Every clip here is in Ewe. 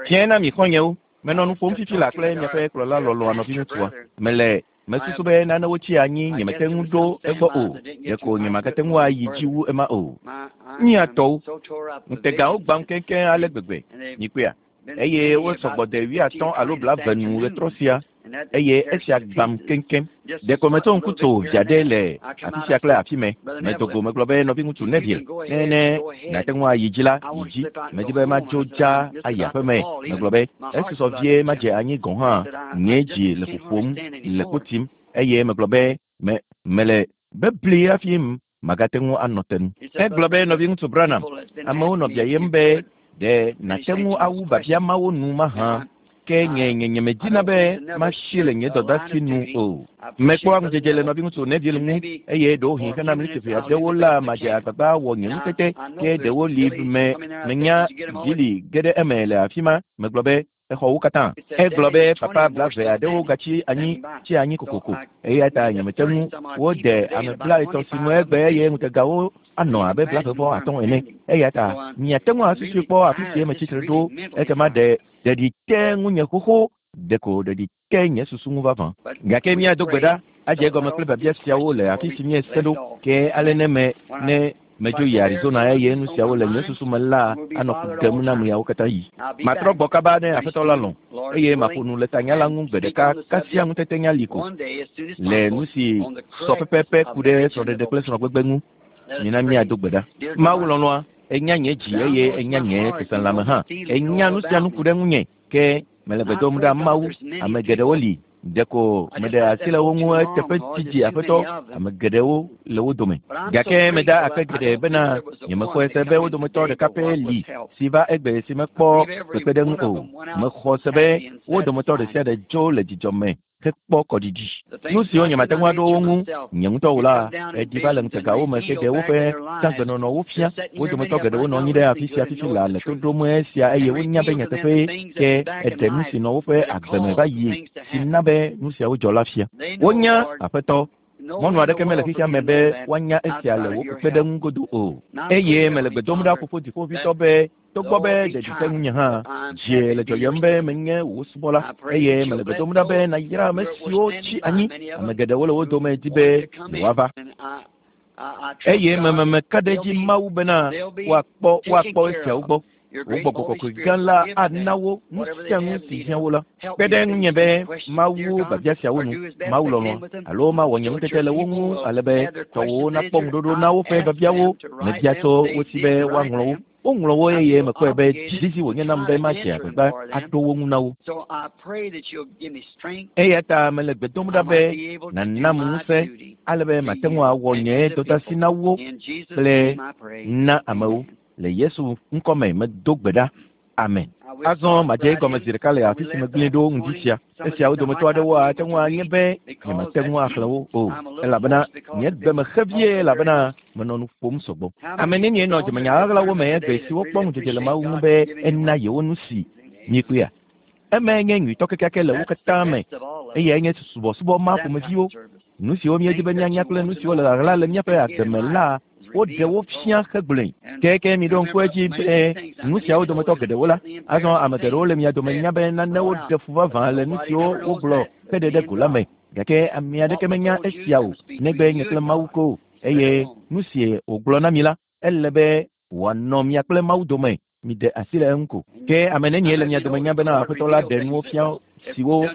Fiẽ na mi xɔ̃nyewo. Menɔ nu ƒom fifi laa kple miaƒe kplɔla lɔlɔ̃a nɔviŋutsua. Mele mesusu be nanewo tsi anyi nyemete ŋu ɖo egbɔ o. Ɖeko nyemagate ŋu ayi dzi wu ema o. Mía tɔwo, ŋutegawo gbãm keŋkeŋ ale gbegbe. Mikpɔea? Eye wosɔ gbɔ de wuiatɔ̃ alo blaeve nu ɣetrɔ sia eye esia gbãm keŋkeŋ. Ɖeko metso ŋku tso via ɖe le afi sia kple afi mɛ. Medo go megblɔ be, Nɔviŋutsu Neville, ne ne nàte ŋu ayi dzi la, yi dzi. Medi be madzo dzaa ayi aƒe me. Megblɔ be, Esusɔ vie madze anyi gɔ̃ hã. Nye dzi le ƒoƒom le kpo tim. Eye megblɔ be, Me, mele bebli hafi magate ŋu anɔ te nu. Egblɔ be, Nɔviŋutsu Branham, amewo nɔ biayem be, Ɖe nàte ŋu awu biabia mawo nu mahã? Ke nye, nye, nyemedina be masi le nye dɔdasi nu o. Mekpɔa ŋudzedze le Nɔviŋutsu Neville ŋu, eye ɖewohĩ hena miniti ʋɛ aɖewo la, madze agbagba awɔ nye ŋutete, ke ɖewo li me, menya Billy ge ɖe eme le afima. Megblɔ be, Exɔ wo katã. Egblɔ be papa blaeve aɖewo gatsi anyi tsi anyi kokoko, eya ta nyemete ŋu wode ame blaetɔ̃ si nu egbe eye ŋutegawo anɔ abe blaeve vɔ atɔ̃ ene. Eya ta miate ŋu asusui kpɔ afi si metsi tre ɖo. Ekema ɖe ɖeɖi te ŋunye xoxo, ɖeko ɖeɖi te nye susu ŋu vavã. Gake míado gbe ɖa adze egɔme kple biabia siawo le afi si míese ɖo. Ke ale ne me, ne medzo yi Arizona eye nu siawo le nye susu me la anɔ fu ɖem nam ɣeawo katã ɣi. Matrɔ gbɔ kaba ne Aƒetɔ la lɔ̃, eye maƒo nu le tanya la ŋu gbe ɖeka kasia ŋutetenya li ko le nu si sɔ pɛpɛpɛ ku ɖe srɔ̃ɖeɖe kple srɔ̃gbegbe ŋu. Mina míado gbe ɖa. Mawu lɔlɔ̃a, ènya nye dzi eye ènya nye seselelãme hã. Ènya nu sia nu ku ɖe ŋunye. Ke mele gbe dom ɖa Mawu, ame geɖewo li, ɖeko meɖe asi le wo ŋu eteƒe didi Aƒetɔ, ame geɖewo le wo dome. Gake meda akpe geɖe bena nyemexɔe se be wo dometɔ ɖeka pɛ li si va egbe si mekpɔ kpekpeɖeŋu o. Mexɔ se be wo dometɔ ɖesiaɖe dzo le dzidzɔ me hekpɔ kɔɖiɖi. Nu siwo nyemate ŋu aɖo wo ŋu nye ŋutɔ o la, eɖi va le ŋutegawo me heɖe woƒe tsãgbenɔnɔwo fia. Wo dometɔ geɖewo nɔ anyi ɖe afi sia fifi laa le to ɖom esia eye wonya be nyateƒee, ke eɖe nu si nɔ woƒe agbe me va yi si na be nu siawo dzɔ la fia. Wonya, Aƒetɔ, mɔnu aɖeke mele xexea me be woanya esia le wò kpekpeɖeŋu godo o. Eye mele gbe dom ɖa Fofo Dziƒoʋĩtɔ be Togbɔ be ɖeɖi te ŋunye hã, dzie le dzɔyem be menye wò subɔla, eye mele gbe dom ɖa be nàyra ame siwo tsi anyi. Ame geɖewo le wo dome di be yewoava. Eye meme meka ɖe edzi Mawu bena woakpɔ woakpɔ esiawo gbɔ. Wò gbɔgbɔ kɔkɔe gã la ana wo nu sia nu si hiã wo la. Kpe ɖe ŋunye be mawu biabia siawo nu, Mawu lɔlɔ̃a, alo mawɔ nye ŋutete le wo ŋu ale be tɔwòwo nakpɔ ŋuɖoɖo na woƒe biabiawo. Mebia tso wo si be woaŋlɔ wo. Woŋlɔ wo eye mekpɔe be dzizizi wònye nam be madze agbagba aɖo wo ŋu na wo. Eya ta mele gbe dom ɖa be nànam ŋusẽ ale be mate ŋu awɔ nye dɔdeasi na wo kple na amewo. Le Yesu ŋkɔ me medo gbe ɖa. Amen. Azɔ madze egɔme zi ɖeka le afi si megblẽe ɖo ŋdi sia. Esiawo dometɔ aɖewo ate ŋu anye be nyemate ŋu axlẽ wo o, elabena nye gbe me xe vie elabena menɔ nu ƒom sɔgbɔ. Ame nenie nɔ dzemenya ɣaɣlawo me egbe siwo kpɔ ŋudzedze le Mawu ŋu be ena yewo nu si miekpɔea? Emae nye nyuitɔ kekeake le wo katã me. Eyae nye subɔsubɔ ma ƒomeviwo. Nu siwo míedi be míanya kple nu siwo le ɣaɣla le míaƒe agbe me la, woɖe wo fia hegblɔe. Ke miɖo ŋku edzi be nu siawo dometɔ geɖewo la, azɔ ame geɖewo le mia dome nya be nanewo ɖe fu vavã le nu siwo wogblɔ heɖe ɖe go la me. Gake ame aɖeke menya esia o, negbe nye kple Mawu ko. Eye nu si wògblɔ na mi la, ele be wòanɔ mia kple Mawu dome. Miɖe asi le eŋu ko. Ke ame nenie le mia dome nya bena Aƒetɔ la ɖe nuwo fia siwo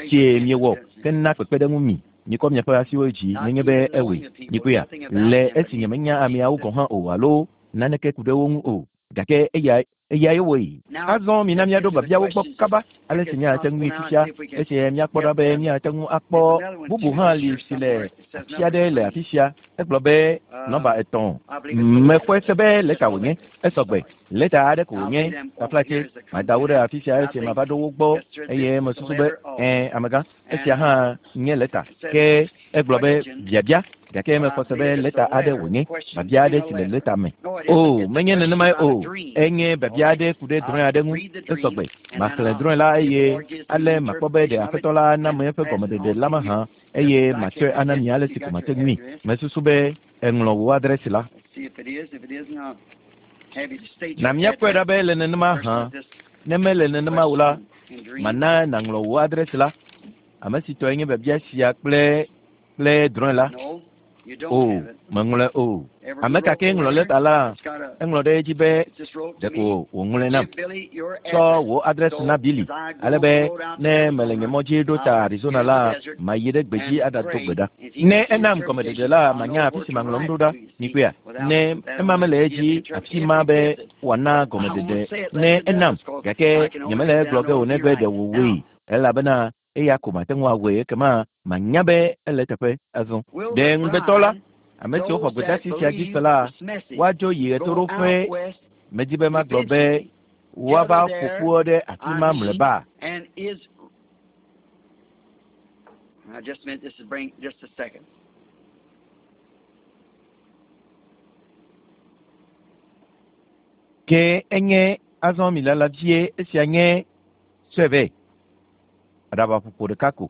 sie miewɔ hena kpekpeɖeŋu mi? Mikɔ miaƒe asiwo dzi nenye be ewɔe. Mikpɔea? Le esi nyemenya ameawo gɔ̃ hã o alo naneke ku ɖe wo ŋu o, gake eya Eyae wɔe. Azɔ mina míaɖo biabiawo gbɔ kaba ale si míate ŋui fifia, esi míakpɔ ɖa be míate ŋu akpɔ bubu hã li si le afi aɖe le afi sia. Egblɔ be nɔmba etɔ̃. Mexɔe se be lɛta wònye. Esɔ gbe. Lɛta aɖe ko wònye. Taflatse, mada wo ɖe afi sia esi mava ɖo wo gbɔ eye mesusu be, Ɛ̃, amegã, esia hã nye lɛta. Ke Egblɔ be, Biabia, gake mexɔ se be lɛta aɖe wònye, biabia aɖe si le lɛta me. Oo, menye nenemae o. Enye biabia aɖe ku ɖe drɔ̃e aɖe ŋu. Esɔ gbe. Maxlẽ drɔ̃e la eye ale makpɔ be ɖe Aƒetɔ la ana eƒe gɔmeɖeɖe la mahã, eye matsɔe ana mi ale si ko mate ŋui. Mesusu be èŋlɔ wò adrɛsi la. Na míakpɔe ɖa be ele nenema hã. Ne mele nenema o la, mana nàŋlɔ wò adresi la. Ame si tɔe nye biabia sia kple drɔ̃e la. O, meŋlɔe o. Ame ka ke ŋlɔ lɛta la, eŋlɔ ɖe edzi be ɖeko wòŋlɔe nam. Tsɔ wò adresi na Billy, ale be ne mele nye mɔ dzi ɖo ta Arizona la, mayi ɖe gbedzi aɖado gbe ɖa. Ne enam gɔmeɖeɖe la, manya afi si maŋlɔ nu ɖo ɖa. Mikpɔea? Ne ema mele edzi afi ma be wòana gɔmeɖeɖe ne enam, gake nyemele egblɔ ge o negbe ɖe wòwɔe, elabena eya ko mate ŋu awɔe ekema manya be ele teƒe azɔ. Ɖe ŋugbetɔ la, ame siwo xɔ gbedeasi sia dzi se la, woadzo yi ɣetoɖoƒe. Medi be magblɔ be woava ƒo ƒu ɖe afi ma mlɔeba. Ke enye azɔ mi lala vie esia nye tsɔe vɛ. Aɖabaƒoƒo ɖeka ko.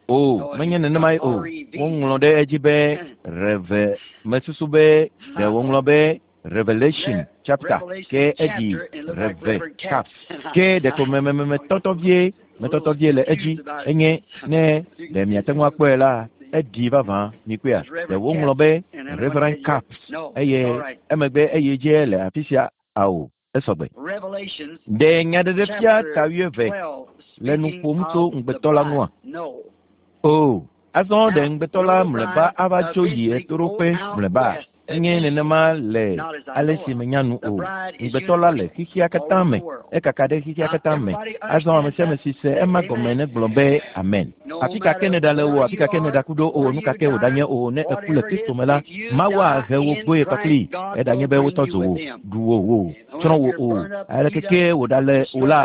O, menye nenemae o. Woŋlɔ ɖe edzi be reve. Mesusu be ɖe woŋlɔ be Revelation chapter ke eɖi Reve caps. Ke ɖeko metɔtɔ vie le edzi enye ne ɖe miate ŋu akpɔe la, eɖi vavã mikpɔea. Ɖe woŋlɔ be Reverend Caps eye emegbe eye dze le afi sia ao esɔgbe. Ɖe nyaɖeɖefia ta 12 le nu ƒom tso ŋugbetɔ la ŋua? O, azɔ ɖe ŋugbetɔ la mlɔeba ava tso yi ɣetoɖoƒe mlɔeba. Enye nenema le ale si menya nu o. Ŋugbetɔ la le xexea katã me. Ekaka ɖe xexea katã me. Azɔ ame sia ame si se ema gɔme negblɔ be amen. Afi ka ke nèɖale o, afi ka ke nèɖaku ɖo o, nu ka ke wòɖanye o, ne èku le Kristo me la, Mawu ahe wò gbɔe kpakplii. Eɖanye be wotɔ dzo wò, ɖu wò o, tsrɔ̃ wò o, aleke ke wòɖale o la,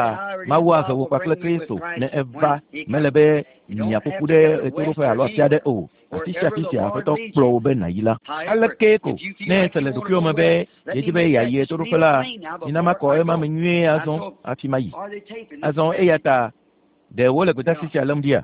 Mawu ahe wò kpakple Kristo ne eva. Mele be miaƒo ƒu ɖe ɣetoɖoƒe alo afi aɖe o. Afi sia afi sia Aƒetɔ kplɔ wò be nàyi la. Aleke ko ne èse le ɖokuiwò me be yedi be yeayi ɣetoɖoƒe la, mina makɔ ema me nyuie azɔ hafi mayi. Azɔ eya ta ɖe wole gbedeasi sia lém ɖia?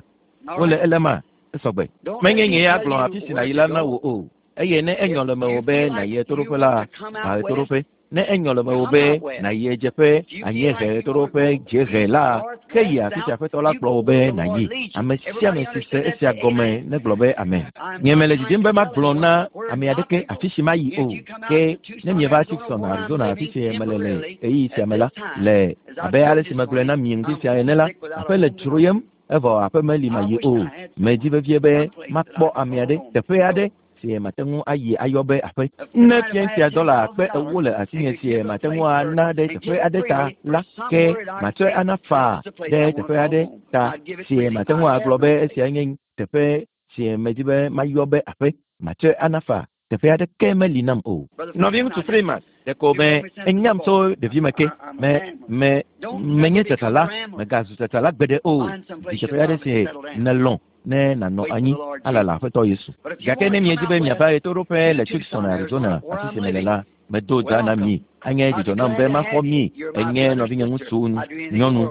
Wole elema esɔgbe. Menye nye ya gblɔ afi si nàyi la na wò o. Eye ne enyɔ le mewò be nàyi ɣetoɖoƒe la, va ɣetoɖoƒe. Ne enyɔ le mewò be nàyi ɣedzeƒe, anyiehe, ɣetoɖoƒe, dziehe la, ke yi afi si Aƒetɔ la kplɔ wò be nàyi. Ame sia ame si se esia gɔme negblɔ be amen. Nye mele didim be magblɔ na ame aɖeke afi si mayi o. Ke ne mieva Tucson, Arizona, afi si mele le ɣeyiɣi sia me la, le abe ale si megblɔe na mi ŋdi sia ene la, aƒe le dzroyem, evɔ aƒe meli mayi o. Medi vevie be makpɔ ame aɖe, teƒe aɖe si mate ŋu ayi ayɔ be aƒe. Ne fia sia dɔla kpe 40 le asinye si mate ŋu ana ɖe teƒe aɖe ta la, ke matsɔe ana faa ɖe teƒe aɖe ta si mate ŋu agblɔ be esia nye teƒe si medi be mayɔ be aƒe. Matsɔe ana faa. Teƒe aɖeke meli nam o. Nɔviŋutsu Freeman, ɖeko me enyam tso ɖevime ke. Me menye tsatsala, megazu tsatsala gbeɖe o. Di teƒe aɖe si nèlɔ̃ ne nànɔ anyi alala Aƒetɔ Yesu. Gake ne miedi be miava ɣetoɖoƒe le Tucson, Arizona, afi si mele la, medo dza na mi. Anye dzidzɔ nam be maxɔ mi. Enye nɔvinye ŋutsu, nyɔnu.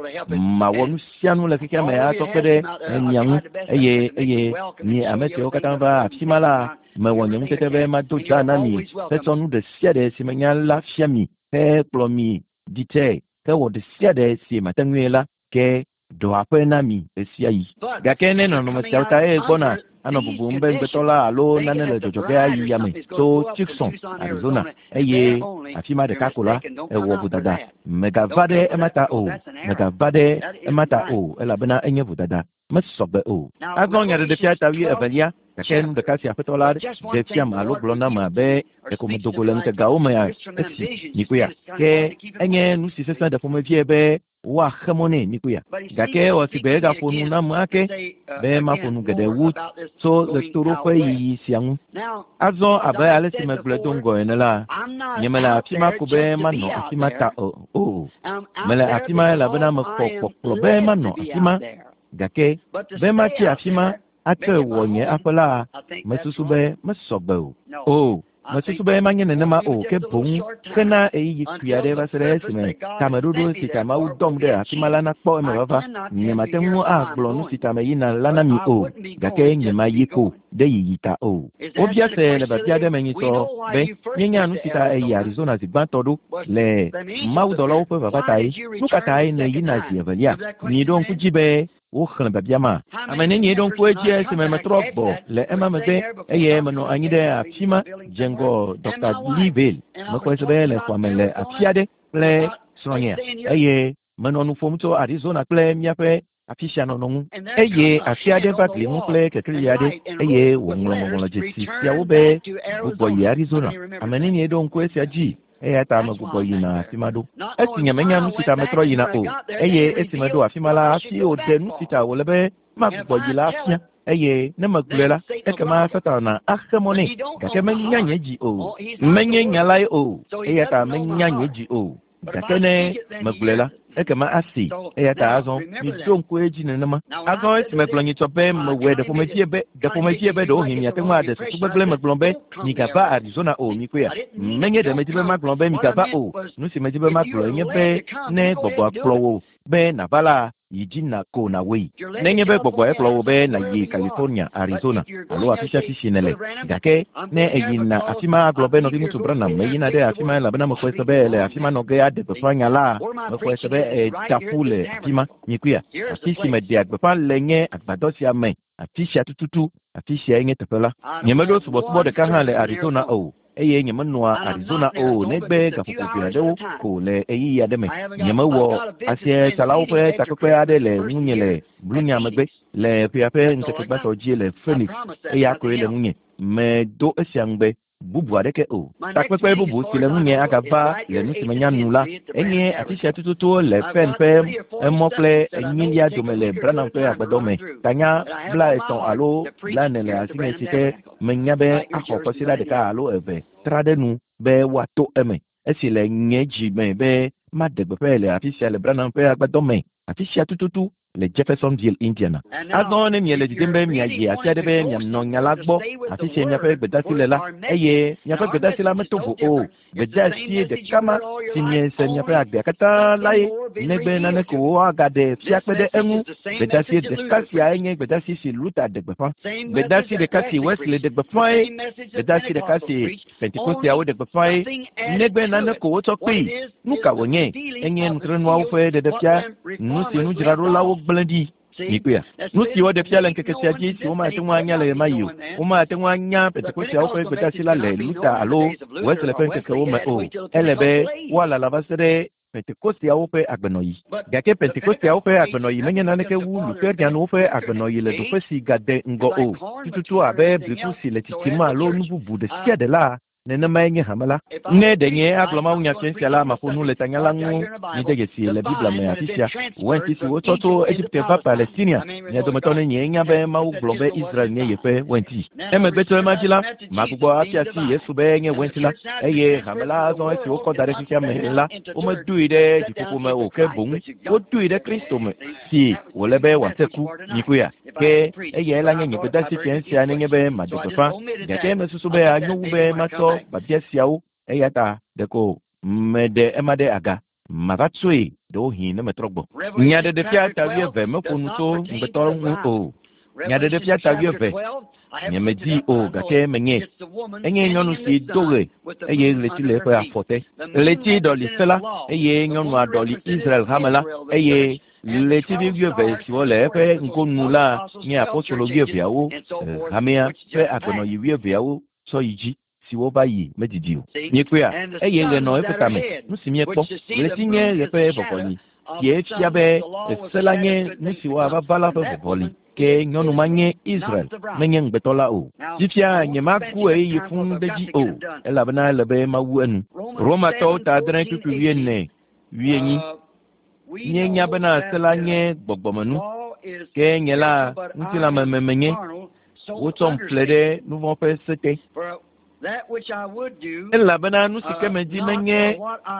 Mawɔ nu sia nu le xexea me atsɔ kpe ɖe mia ŋu. Eye mi ame siwo katã va afi ma la, mewɔ nye ŋutete be mado dza na mi hetsɔ nu ɖe sia ɖe si menya la fia mi hekplɔ mi ɖi tsɛ hewɔ ɖe sia ɖe si mate ŋui la ke ɖɔ aƒe na mi ɣesiaɣi. Gake ne nɔnɔme siawo ta eye gbɔna anɔ bubum be ŋugbetɔ la alo nane le dzɔdzɔ ge ayi yame tso Tucson, Arizona, eye afi ma ɖeka ko la, ewɔ vodada. Megava ɖe ema ta o. Megava ɖe ema ta o, elabena enye vodada. Mesɔgbe o. Azɔ nyaɖeɖefia ta 22, gake nu ɖeka si Aƒetɔ la ɖe fiam alo gblɔ nam abe ɖeko medo go le ŋutegawo me esi mikpɔea. Ke enye nu si sesẽ ɖe ƒomevie be woaxe mɔ nɛ mikpɔea. Gake ewɔ si gbe egaƒo nu nam ake be maƒo nu geɖe wu tso ɣetoɖoƒe yiyi sia ŋu. Azɔ abe ale si megblɔe do ŋgɔ ene la, nye mele afi ma ko be manɔ afi ma ta o. Mele afi ma elabena mexɔ kpɔkplɔ be manɔ afi ma. Gake be matsi afi ma atsɔe wɔ nye aƒe la, mesusu be mesɔgbe o. O. Mesusu be manye nenema o, ke boŋ hena ɣeyiɣi kpui aɖe va se ɖe esime tameɖoɖo si ta Mawu dɔm ɖe afi ma la nakpɔ emevava. Nyemate ŋu agblɔ nu si ta meyina la na mi o, gake nyemayi ko ɖe yiyi ta o. Wobia se le biabia aɖe me nyitsɔ be, Míenya nu si ta èyi Arizona zi gbãtɔ ɖo le mawudɔlawo ƒe vava tae. Nu ka tae nèyina zi evelia? Miɖo ŋku dzi be woxlẽ biabia ma. Ame nenie ɖo ŋku edzi esime metrɔ gbɔ le ema megbe eye menɔ anyi ɖe afi ma dze ŋgɔ Dɔkta Lee Vayle. Mexɔe se be le xɔa me le afi aɖe kple srɔ̃nyea eye menɔ nu ƒom tso Arizona kple míaƒe afi sia nɔnɔ ŋu. Eye afi aɖe va gli ŋu kple kekeli aɖe eye wòŋlɔ ŋɔŋlɔdzesi siawo be, Gbugbɔ yi Arizona. Ame nenie ɖo ŋku esia dzi? Eya ta megbugbɔ yina afi ma ɖo. Esi nyemenya nu si ta metrɔ yina o, eye esi meɖo afi ma la, hafi wòɖe nu si ta wòle be magbugbɔ yi la fia. Eye ne megblɔe la, ekema Satana axe mɔ nɛ. Gake menya nye dzi o. Menye nya lae o, eya ta menya nye dzi o. Gake ne megblɔe la, ekema asee. Eya ta azɔ miɖo ŋku edzi nenema. Azɔ esi megblɔ nyitsɔ be mewɔe ɖe ƒomevie be ɖe ƒomevie be ɖewohĩ miate ŋu aɖe susu gbegblẽ megblɔ be migava Arizona o, mikpɔea? Menye ɖe medi be magblɔ be migava o. Nu si medi be magblɔe nye be ne gbɔgbɔa kplɔ wò be nàva la, yi dzi na ko nàwɔe. Nenye be gbɔgbɔe kplɔ wò be nàyi California, Arizona, alo afisiafi si nèle. Gake ne èyina afi ma agblɔ be, Nɔviŋutsu Branham, meyina ɖe afi ma elabena mexɔe se be èle afi ma nɔ ge aɖe gbeƒã nya la. Mexɔe se be èda ƒu le afi ma. Mikpɔea? Afi si meɖea gbeƒã le nye agbadɔ sia me, afi sia tututu, afi siae nye teƒe la. Nyemeɖo subɔsubɔ ɖeka hã le Arizona o. eye nyemenɔa Arizona o negbe gaƒoƒo ʋɛ aɖewo ko le ɣeyiɣi aɖe me. Nyemewɔ asietsalawo ƒe takpekpe aɖe le ŋunye le Blunya megbe le ƒea ƒe ŋkeke gbãtɔ dzi le Phoenix, eya koe le ŋunye. Medo esia ŋugbe, bubu aɖeke o. Takpekpe bubu si le ŋunye agava le nu si menya nu la, enye afi sia tututu le Penn ƒe mɔ kple enyilia dome le Branham ƒe agbadɔ me. Tanya 30 alo 40 le asinye si ke Menya be axɔ kwasiɖa ɖeka alo eve tra ɖe nu be woato eme. Esi le nye dzi me be maɖe gbeƒãe le afi sia le Branham ƒe agbadɔ me, afi sia tututu le Jeffersonville, Indiana. Azɔ ne miele didim be miayi afi aɖe be mianɔ nya la gbɔ, afi si miaƒe gbedasi le la, eye miaƒe gbedasi la meto vo o, Gbedeasi ɖeka ma si miese miaƒe agbea katã lae, negbe nane ko woagaɖe fia kpe ɖe eŋu. Gbedeasi ɖeka siae nye gbedeasi si Luther ɖe gbeƒã. Gbedeasi ɖeka si Wesley ɖe gbeƒãe. Gbedeasi ɖeka si Pentekosteawo ɖe gbeƒãe, negbe nane ko wotsɔ kpee. Nu ka wònye? Enye nutrenuawo ƒe ɖeɖefia, nu si nudzraɖolawo gblẽ ɖi. Mikpɔea? Nu si woɖe fia le ŋkeke sia dzi si womate ŋu anya le ɣemaɣi o. Womate ŋu anya Pentekosteawo ƒe gbedeasi la le Luther alo Wesley ƒe ŋkekewo me o. Ele be woalala va se ɖe Pentekosteawo ƒe agbenɔɣi. Gake Pentekosteawo ƒe agbenɔɣi menye naneke wu Lutherianwo ƒe agbenɔɣi le ɖoƒe si gade ŋgɔ o, tututu abe bliku si le tsitsim alo nu bubu ɖe sia ɖe la Nenemae nye hame la. Ne ɖe nye agblɔ mawunya fiẽ sia la, maƒo nu le tanya la ŋu. Mide dzesii le Biblia me afi sia. Wɛnti si wotsɔ tso Egipte va Palestinia. Mia dometɔ nenie nya be Mawu gblɔ be Israel nye yeƒe wɛnti? Emegbe tso ema dzi la, magbugbɔ afia asi Yesu be enye wɛnti la. Eye hame la azɔ esi wokɔ da ɖe xexea me la, womedoe ɖe dziƒoƒo me o, ke boŋ wodoe ɖe Kristo me, si wòle be wòase ku. Mikpɔea? Ke eyae la nye nye gbedeasi fiẽ sia nenye be maɖe gbeƒã. Gake mesusu be anyo wu be matsɔ biabia siawo, eya ta ɖeko meɖe ema ɖe aga. Mava tsɔe ɖewohĩ ne metrɔ gbɔ. Nyaɖeɖefia ta wuieve meƒo nu tso ŋugbetɔ ŋu o. Nyaɖeɖefia ta wuieve, nyemedii o, gake menyee. Enye nyɔnu si do ɣe, eye ɣleti le eƒe afɔ te. Ɣleti ɖɔli se la, eye nyɔnua ɖɔli Israel hame la, eye Ɣletivi wuieve siwo le eƒe ŋgonu la nye apostolo wuieveawo, hamea ƒe agbenɔɣi wuieveawo tsɔ yi dzi, siwo va yi medidi o. Miekpɔea? Eye ɣe nɔ eƒe tame. Nu si míekpɔ, ɣleti nye ɣe ƒe vɔvɔli, sie fia be se la nye nu si woava va la ƒe vɔvɔli. Ke nyɔnu ma nye Israel, menye ŋugbetɔ la o. Fifia nyemaku ɣeyiɣi fũu ɖe edzi o, elabena ele be mawu enu. Romatɔwo ta adre kpukpui wuiene, wuienyi. Míenya bena se la nye gbɔgbɔmenu, ke nye la ŋutilãmeme menye. Wotsɔm ƒle ɖe nu vɔ̃ ƒe se te. Elabena nu si ke medi menye,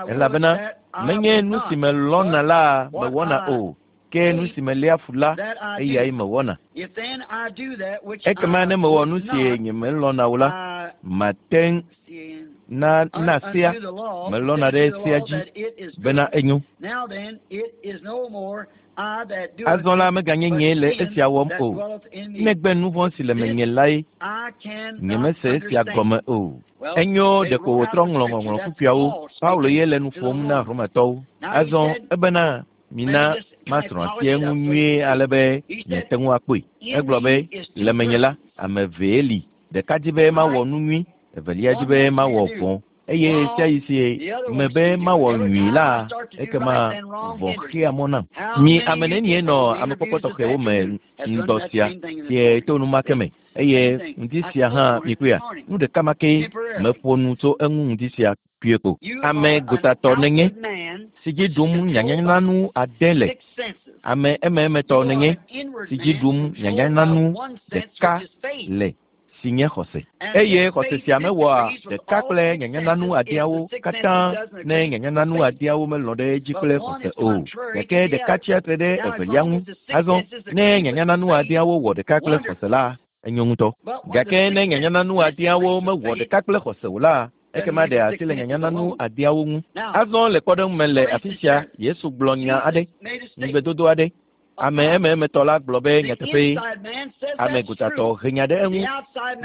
elabena menye nu si melɔ̃na la mewɔna o, ke nu si meléa fu la, eyae mewɔna. Ekema ne mewɔ nu si nyemelɔ̃na o la, mate ŋu. Na na sea melɔ̃na ɖe sea dzi bena enyo. Azɔ la meganye nyee le esia wɔm o, negbe nu vɔ̃ si le menye lae. Nyemese esia gɔme o. Enyo ɖeko wòtrɔ ŋlɔ ŋɔŋlɔ kpukpuiawo. Paulo ye le nu ƒom na Romatɔwo. Azɔ ebena mina masrɔ̃ asi eŋu nyuie ale be miate ŋu akpɔe. Egblɔ be, le menye la, ame evee li. Ɖeka di be mawɔ nu nyui, evelia di be mawɔ vɔ̃. Eye ɣesiaɣi si mebe mawɔ nyui la, ekema vɔ̃ xea mɔ nam. Mi ame nenie nɔ amekpɔkpɔ tɔxɛwo me ŋdɔ sia sie to nu ma ke me? Eye ŋdi sia hã mikpɔea? Nu ɖeka ma kee meƒo nu tso eŋu ŋdi sia kpuie ko. Ame gotatɔ nènye, si dzi ɖum nyanyananu ade le. Ame emeemetɔ nènye, si dzi ɖum nyanyananu ɖeka le, si nye xɔse. Eye xɔse sia mewɔa ɖeka kple nyanyananu adeawo katã ne nyanyananu adeawo melɔ̃ ɖe edzi kple xɔse o. Gake ɖeka tsia tre ɖe evelia ŋu. Azɔ, ne nyanyananu adeawo wɔ ɖeka kple xɔse la, enyo ŋutɔ. Gake ne nyanyananu adeawo mewɔ ɖeka kple xɔse o la, ekema ɖe asi le nyanyananu adeawo ŋu. Azɔ le kpɔɖeŋu me le afi sia, Yesu gblɔ nya aɖe, ŋugbedodo aɖe. Ame emeemetɔ la gblɔ be nyateƒee. Ame gotatɔ he nya ɖe eŋu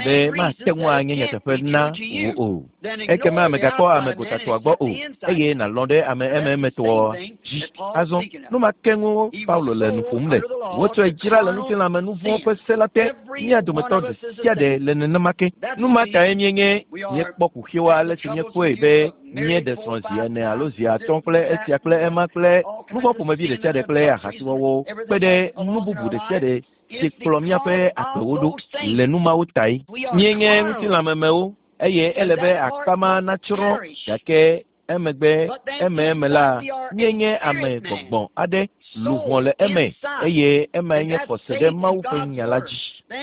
be mate ŋu anye nyateƒe na wò o. Ekema mègakpɔ ame gotatɔa gbɔ o, eye nàlɔ̃ ɖe ame emeemetɔa dzi. Azɔ, nu ma ke ŋu Paulo le nu ƒom le. Wotsɔe dzra le ŋutilãme nu vɔ̃ ƒe se la te. Mía dometɔ ɖe sia ɖe le nenema ke. Nu ma tae míenye míekpɔ kuxiwo ale si míekpɔe be míeɖe srɔ̃ zi ene alo zi atɔ̃ kple esia kple ema kple nu vɔ̃ ƒomevi ɖe sia ɖe kple ahasiwɔwɔwo kpe ɖe nu bubu ɖe sia ɖe si kplɔ míaƒe agbewo ɖo le nu mawo tae. Míenye ŋutilãmemewo eye ele be akpa ma natsrɔ̃ gake emegbe ememe la, míenye ame gbɔgbɔ aɖe, luʋɔ le eme eye emae nye xɔse ɖe Mawu ƒe nya la dzi.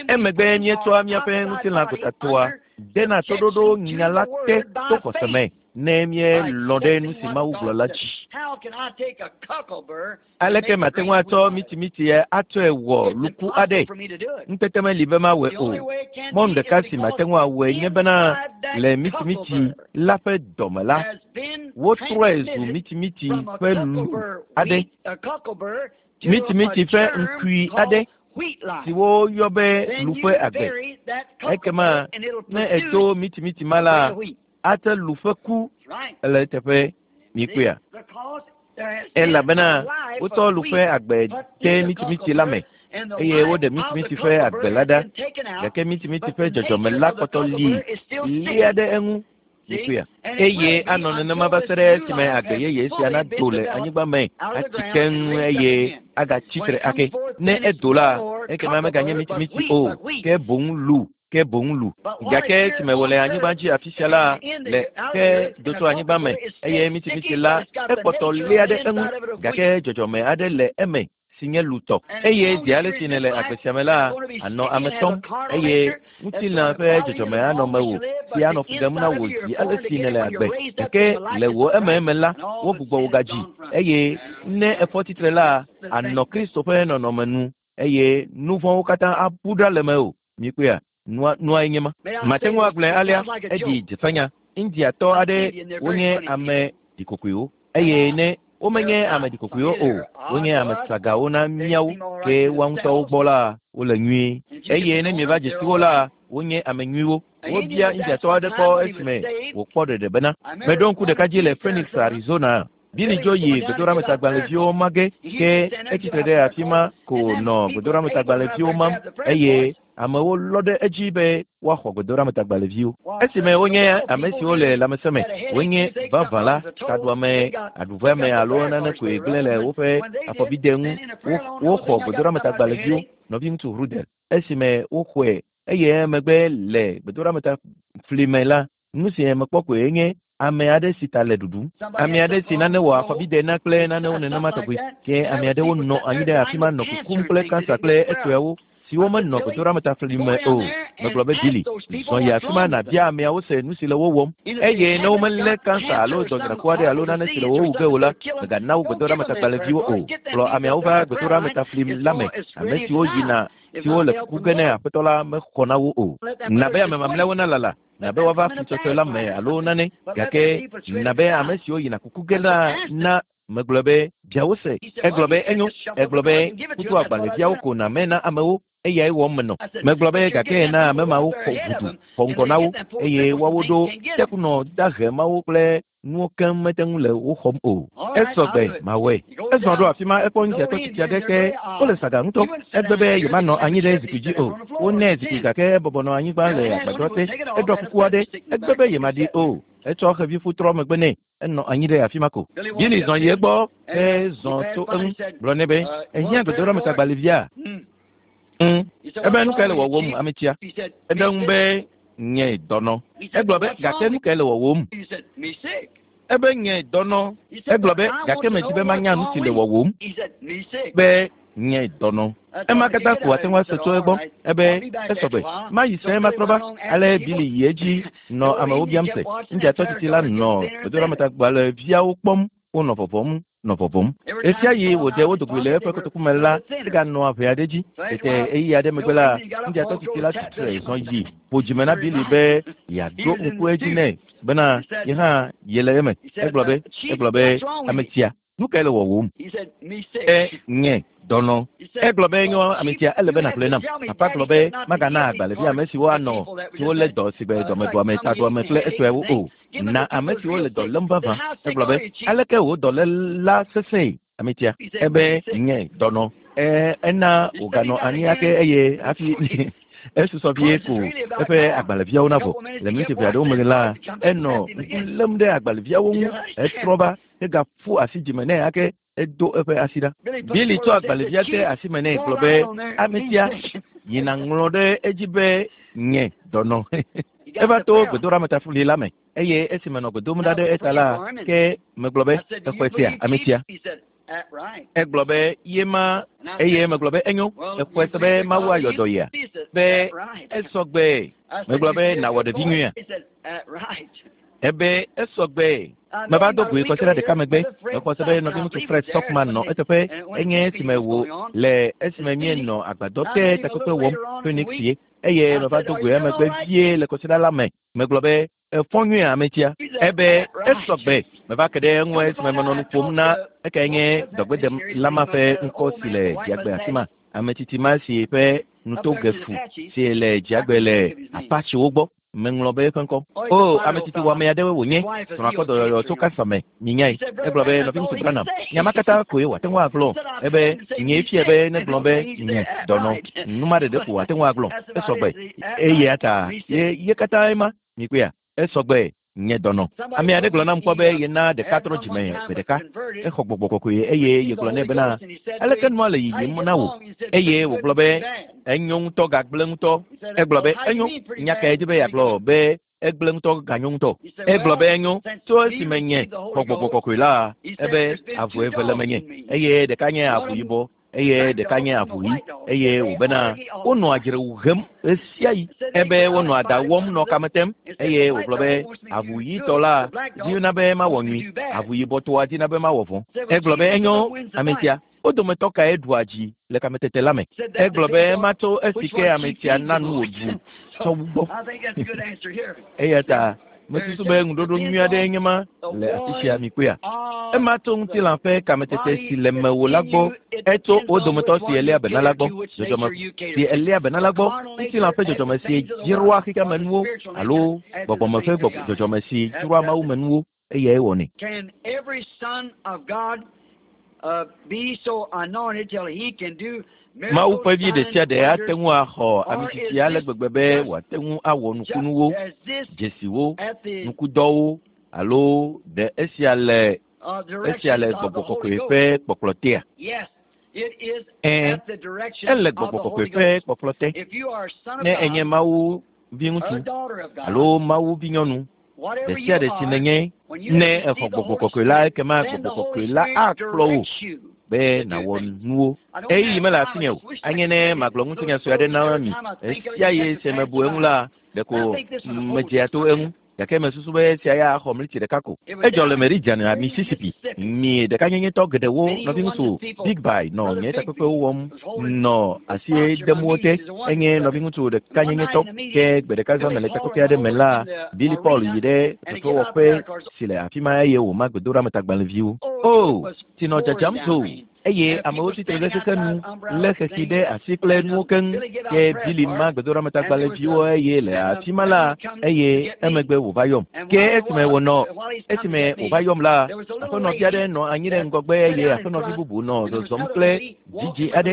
Emegbe míetsɔa míaƒe ŋutilã gotatɔa dena toɖoɖo nya la te to xɔse me ne míelɔ̃ ɖe nu si Mawu gblɔ la dzi. Aleke mate ŋu atsɔ mitimiti atsɔe wɔ luku aɖe? Ŋutete meli be mawɔe o. Mɔnu ɖeka si mate ŋu awɔe nye bena le mitimiti la ƒe dɔme la, wotrɔe zu mitimiti ƒe lu aɖe, mitimiti ƒe ŋkui aɖe si woyɔ be lu ƒe agbe. Ekema ne èdo mitimiti ma la, ate lu ƒe ku le eteƒe. Mikpɔea? Elabena wotsɔ lu ƒe agbe de mitimiti la me eye woɖe mitimiti ƒe agbe la ɖa, gake mitimiti ƒe dzɔdzɔme la kpɔtɔ li lia ɖe eŋu. Mikpɔea? Eye anɔ nenema va se ɖe esime agbe yeye sia nado le anyigba me atsi keŋ eye agatsi tre ake. Ne edo la, ekema meganye mitimiti o, ke boŋ lu ke boŋ lu. Gake esime wòle anyigba dzi afi sia la, le ke do tso anyigba me eye mitimiti la, ekpɔtɔ lia ɖe eŋu, gake dzɔdzɔme aɖe le eme si nye lutɔ. Eye zi ale si nèle agbe sia me la, ànɔ ame tɔm eye ŋutilã ƒe dzɔdzɔme anɔ mewò si anɔ fu ɖem na wò zi ale si nèle agbe. Gake le wò ememe la, wogbugbɔ wò gadzi eye ne èfɔ tsitre la, ànɔ Kristo ƒe nɔnɔme nu eye nu vɔ̃wo katã abu ɖa le mewò. Mikpɔea? Nua, nuae nye ma. Mate ŋu agblɔe alea, eɖi dzefenya. Indiatɔ aɖe wonye ame ɖikokoewo eye ne womenye ame ɖikokoewo o, wonye ame sagawo na míawo, ke woa ŋutɔwo gbɔ la, wole nyuie. Eye ne mieva dze si wo la, wonye ame nyuiwo. Wobia Indiatɔ aɖe kpɔ esime wòkpɔ ɖeɖe bena, Meɖo ŋku ɖeka dzi le Phoenix, Arizona. Billy Joe yi gbedoɖametagbalẽviwo ma ge, ke etsi tre ɖe afi ma ko nɔ gbedoɖametagbalẽviwo mam eye amewo lɔ ɖe edzi be woaxɔ gbedoɖametagbalẽviwo. Esime wonye ame siwo le lãmesẽ me, wonye vavã la, taɖuame, aɖuveame alo nane koe gblẽ le woƒe afɔbide ŋu, woxɔ gbedoɖametagbalẽviwo. Nɔviŋutsu Ruddell, esime woxɔe eye emegbe le gbedoɖameta fli me la, nu si mekpɔ koe nye ame aɖe si ta le ɖuɖum, ame aɖe si nane wɔ afɔbide na kple nanewo nenema tɔgbi. Ke ame aɖewo nɔ anyi ɖe afi ma nɔ kukum kple kansa kple etɔewo. siwo menɔ gbedoɖametafli me o. Megblɔ be, Billy, zɔ yi afi ma nàbia ameawo se nu si le wo wɔm. Eye ne womelé kansa alo dɔdzraku aɖe alo nane si le wo wu ge o la, mègana wo gbedoɖametagbalẽviwo o. Kplɔ ameawo va gbedoɖametafli la me, ame siwo yina siwo le kuku ge ne Aƒetɔ la mexɔ na wo o. Na be ame mamlɛawo nalala, na be woava fli sɔsɔe la me alo nane, gake na be ame siwo yina kuku ge la na Megblɔ be, Bia wo se. Egblɔ be, Enyo. Egblɔ be, Kutu agbalẽviawo ko nàmɛ na amewo, eyae wɔm menɔ. Megblɔ be, Gake na ame mawo xɔ ʋudu, xɔ ŋgɔ na wo, eye woawo ɖo tekunɔ dahe mawo kple nuwo keŋ mete ŋu le wo xɔm o. Esɔ gbe, mawɔe. Ezɔ ɖo afi ma, ekpɔ ŋutsiatɔ tsitsi aɖe ke wole saga ŋutɔ. Egbe be yemanɔ anyi ɖe zikpui dzi o. Wonɛ zikpui gake ebɔbɔ nɔ anyigba le agbadɔ te. Eɖɔ kuku aɖe. Egbe be yemaɖi o. Etsɔ xevifu trɔ megbe nɛ. Enɔ anyi ɖe afi ma ko. Billy zɔ yi egbɔ hezɔ to eŋu gblɔ nɛ be, Èhiã gbedoɖametagbalẽvia? Ŋ. Ebe, Nu kae le wɔwòm, ametsia? Eɖe eŋu be, Nye dɔnɔ. Egblɔ be, Gake nu kae le wɔwòm? Ebe, Nye dɔnɔ. Egblɔ be, Gake medi be manya nu si le wɔwòm. Be, Nye dɔnɔ. Ema katã ko ate ŋu ase tso egbɔ. Ebe, Esɔ gbe. Mayi sẽe matrɔ va. Ale Billy yi edzi nɔ amewo biam se. Indiatɔ tsitsi la nɔ gbedoɖametagbalẽviawo kpɔm wonɔ vɔvɔ̃m nɔ vɔvɔ̃m. Ɣesiaɣi wòɖe wo dogoe le eƒe kotoku me la, eganɔa ʋɛ aɖe dzi. Tete ɣeyiɣi aɖe megbe la, Indiatɔ tsitsi la tsi tre zɔ yi ƒo dzime na Billy be yeaɖo ŋku edzi nɛ bena ye hã yele eme. Egblɔ be, Egblɔ be, Ametsia, Nu kae le wɔwòm? E, nye dɔnɔ. Egblɔ be, Nyɔ, ame sia, ele be nàgblɔe nam. Papa gblɔ be, Magana agbalẽvi ame siwo anɔ, siwo lé dɔ sigbe dɔmeɖuame, taɖuame kple etɔewo o. Na ame siwo le dɔ lém vavã. Egblɔ be, Aleke wò dɔléla sesẽe, ame sia? Ebe, Nye dɔnɔ. E, ena wòganɔ anyi ake eye hafi esusɔ vie ko eƒe agbalẽviawo navɔ. Le miniti ʋɛ aɖewo megbe la, enɔ ŋku lém ɖe agbalẽviawo ŋu hetrɔ va Egaƒu asi dzime nɛ ake edo eƒe asi ɖa. Billy tsɔ agbalẽvia de asi me nɛ gblɔ be, Ame sia, yi nàŋlɔ ɖe edzi be nye dɔnɔ. Eva to gbedoɖametafli la me eye esi menɔ gbe dom ɖa ɖe eta la, ke megblɔ be, Exɔe sea, ame sia? Egblɔ be, Ye ma. Eye megblɔ be, Enyo, èxɔe se be Mawu ayɔ dɔ yea? Be, Esɔ gbe. Megblɔ be, Nàwɔ ɖevi nyuia? Ebe, Esɔ gbe. Meva do goe kɔsiɖa ɖeka megbe. Mexɔ se be nɔviŋutsu Fred Sothmann nɔ eteƒe. Enye esime wò le esime míenɔ agbadɔ te takpekpe wɔm, Phoenix ye. Eye meva do goe emegbe vie le kɔsiɖa la me. Megblɔ be, Èfɔ nyuie, ametsia? Ebe, Esɔ gbe. Meva ke ɖe eŋu esime menɔ nu ƒom na ekae nye dɔgbedelama ƒe ŋkɔ si le dziagbe afima, ame tsitsi ma si ƒe nutoge fu si le dziagbe le Apachewo gbɔ. Meŋlɔ be eƒe ŋkɔ. O, ame tsitsi wɔame aɖewoe wònye. Srɔ̃a kpɔ dɔyɔyɔ tso kansa me. Minyae. Egblɔ be, Nɔviŋutsu Branham, nya ma katã koe wòate ŋu agblɔ. Ebe, Nyee fiae be negblɔ be, Nye, dɔnɔ. Nu ma ɖeɖe ko wòate ŋu agblɔ. Esɔ gbe. Eya ta, ye, ye katãe ma. Mikpɔea? Esɔ gbe. Nye dɔnɔ. Ame aɖe gblɔ nam kpɔ be yena ɖeka trɔ dzime gbe ɖeka. Exɔ gbɔgbɔ kɔkɔe eye yegblɔ nɛ bena, Aleke nua le yiyim na wò? Eye wògblɔ be, Enyo ŋutɔ gagblẽ ŋutɔ. Egblɔ be, Enyo, nya kae di be yeagblɔ be egblẽ ŋutɔ ganyo ŋutɔ? Egblɔ be, Enyo, tso esime nye xɔ gbɔgbɔ kɔkɔe la, ebe avu eve le menye, eye ɖeka nye avu yibɔ eye ɖeka nye avu ɣi, eye wòbena wonɔa dzrewu hem ɣesiaɣi. Ebe wonɔa da wɔm nɔ kame tem, eye wògblɔ be, Avu ɣitɔ la dina be mawɔ nyui, avu yibɔtɔa dina be mawɔ vɔ̃. Egblɔ be, Enyo, ame sia, wo dometɔ kae ɖua dzi le kametete la me? Egblɔ be, Ema tso esi ke ame sia na nu wòɖu tsɔ wu gbɔ. Eya ta mesusu be ŋuɖoɖo nyui aɖee nye ma le afi sia, mikpɔea? Ema tso ŋutilã ƒe kametete si le mewò la gbɔ. Etso wo dometɔ si èléa be na la gbɔ, dzɔdzɔme si èléa be na la gbɔ, ŋutilã ƒe dzɔdzɔme si dzroa xexeamenuwo alo gbɔgbɔme ƒe dzɔdzɔme si dzroa mawumenuwo, eyae wɔnɛ. Mawu ƒe vi ɖesiaɖe ate ŋu axɔ amisisi ale gbegbe be wòate ŋu awɔ nukunuwo, dzesiwo, nukudɔwo, alo ɖe esia le esia le gbɔgbɔ kɔkɔe ƒe kpɔkplɔ tea? Ɛ̃, ele gbɔgbɔ kɔkɔe ƒe kpɔkplɔ te. Ne ènye Mawu viŋutsu alo Mawu vinyɔnu, ɖe sia ɖe si nènye, ne èxɔ gbɔgbɔ kɔkɔe la, ekema gbɔgbɔ kɔkɔe la akplɔ wò. be nàwɔ nuwo. Ɣeyiɣi mele asinye o. Anye ne magblɔ ŋutinya sue aɖe na mi. Ɣesiaɣi si mebu eŋu la, ɖeko medzea to eŋu. Gake mesusu be esia ya axɔ mlitsi ɖeka ko. Edzɔ le Meridian, Mississippi. Mi ɖekanyenyetɔ geɖewo, nɔviŋutsu Bigby nɔ nye takpekpewo wɔm nɔ asi dem wo te. Enye nɔviŋutsu ɖekanyenyetɔ. Ke gbe ɖeka zã me le takpekpe aɖe me la, Billy Paul yi ɖe fefewɔƒe si le afi ma eye wòma gbedoɖametagbalẽviwo. O, tsi nɔ dzadzam zo! Eye amewo tsi tre ɖe xexe nu, lé xexi ɖe asi kple nuwo keŋ. Ke Billy ma gbedoɖametagbalẽviwo eye le afi ma la, eye emegbe wòva yɔm. Ke esime wònɔ, esime wòva yɔm la, aƒenɔvi aɖe nɔ anyi ɖe ŋgɔgbe eye aƒenɔvi bubu nɔ zɔzɔm kple vidzĩ aɖe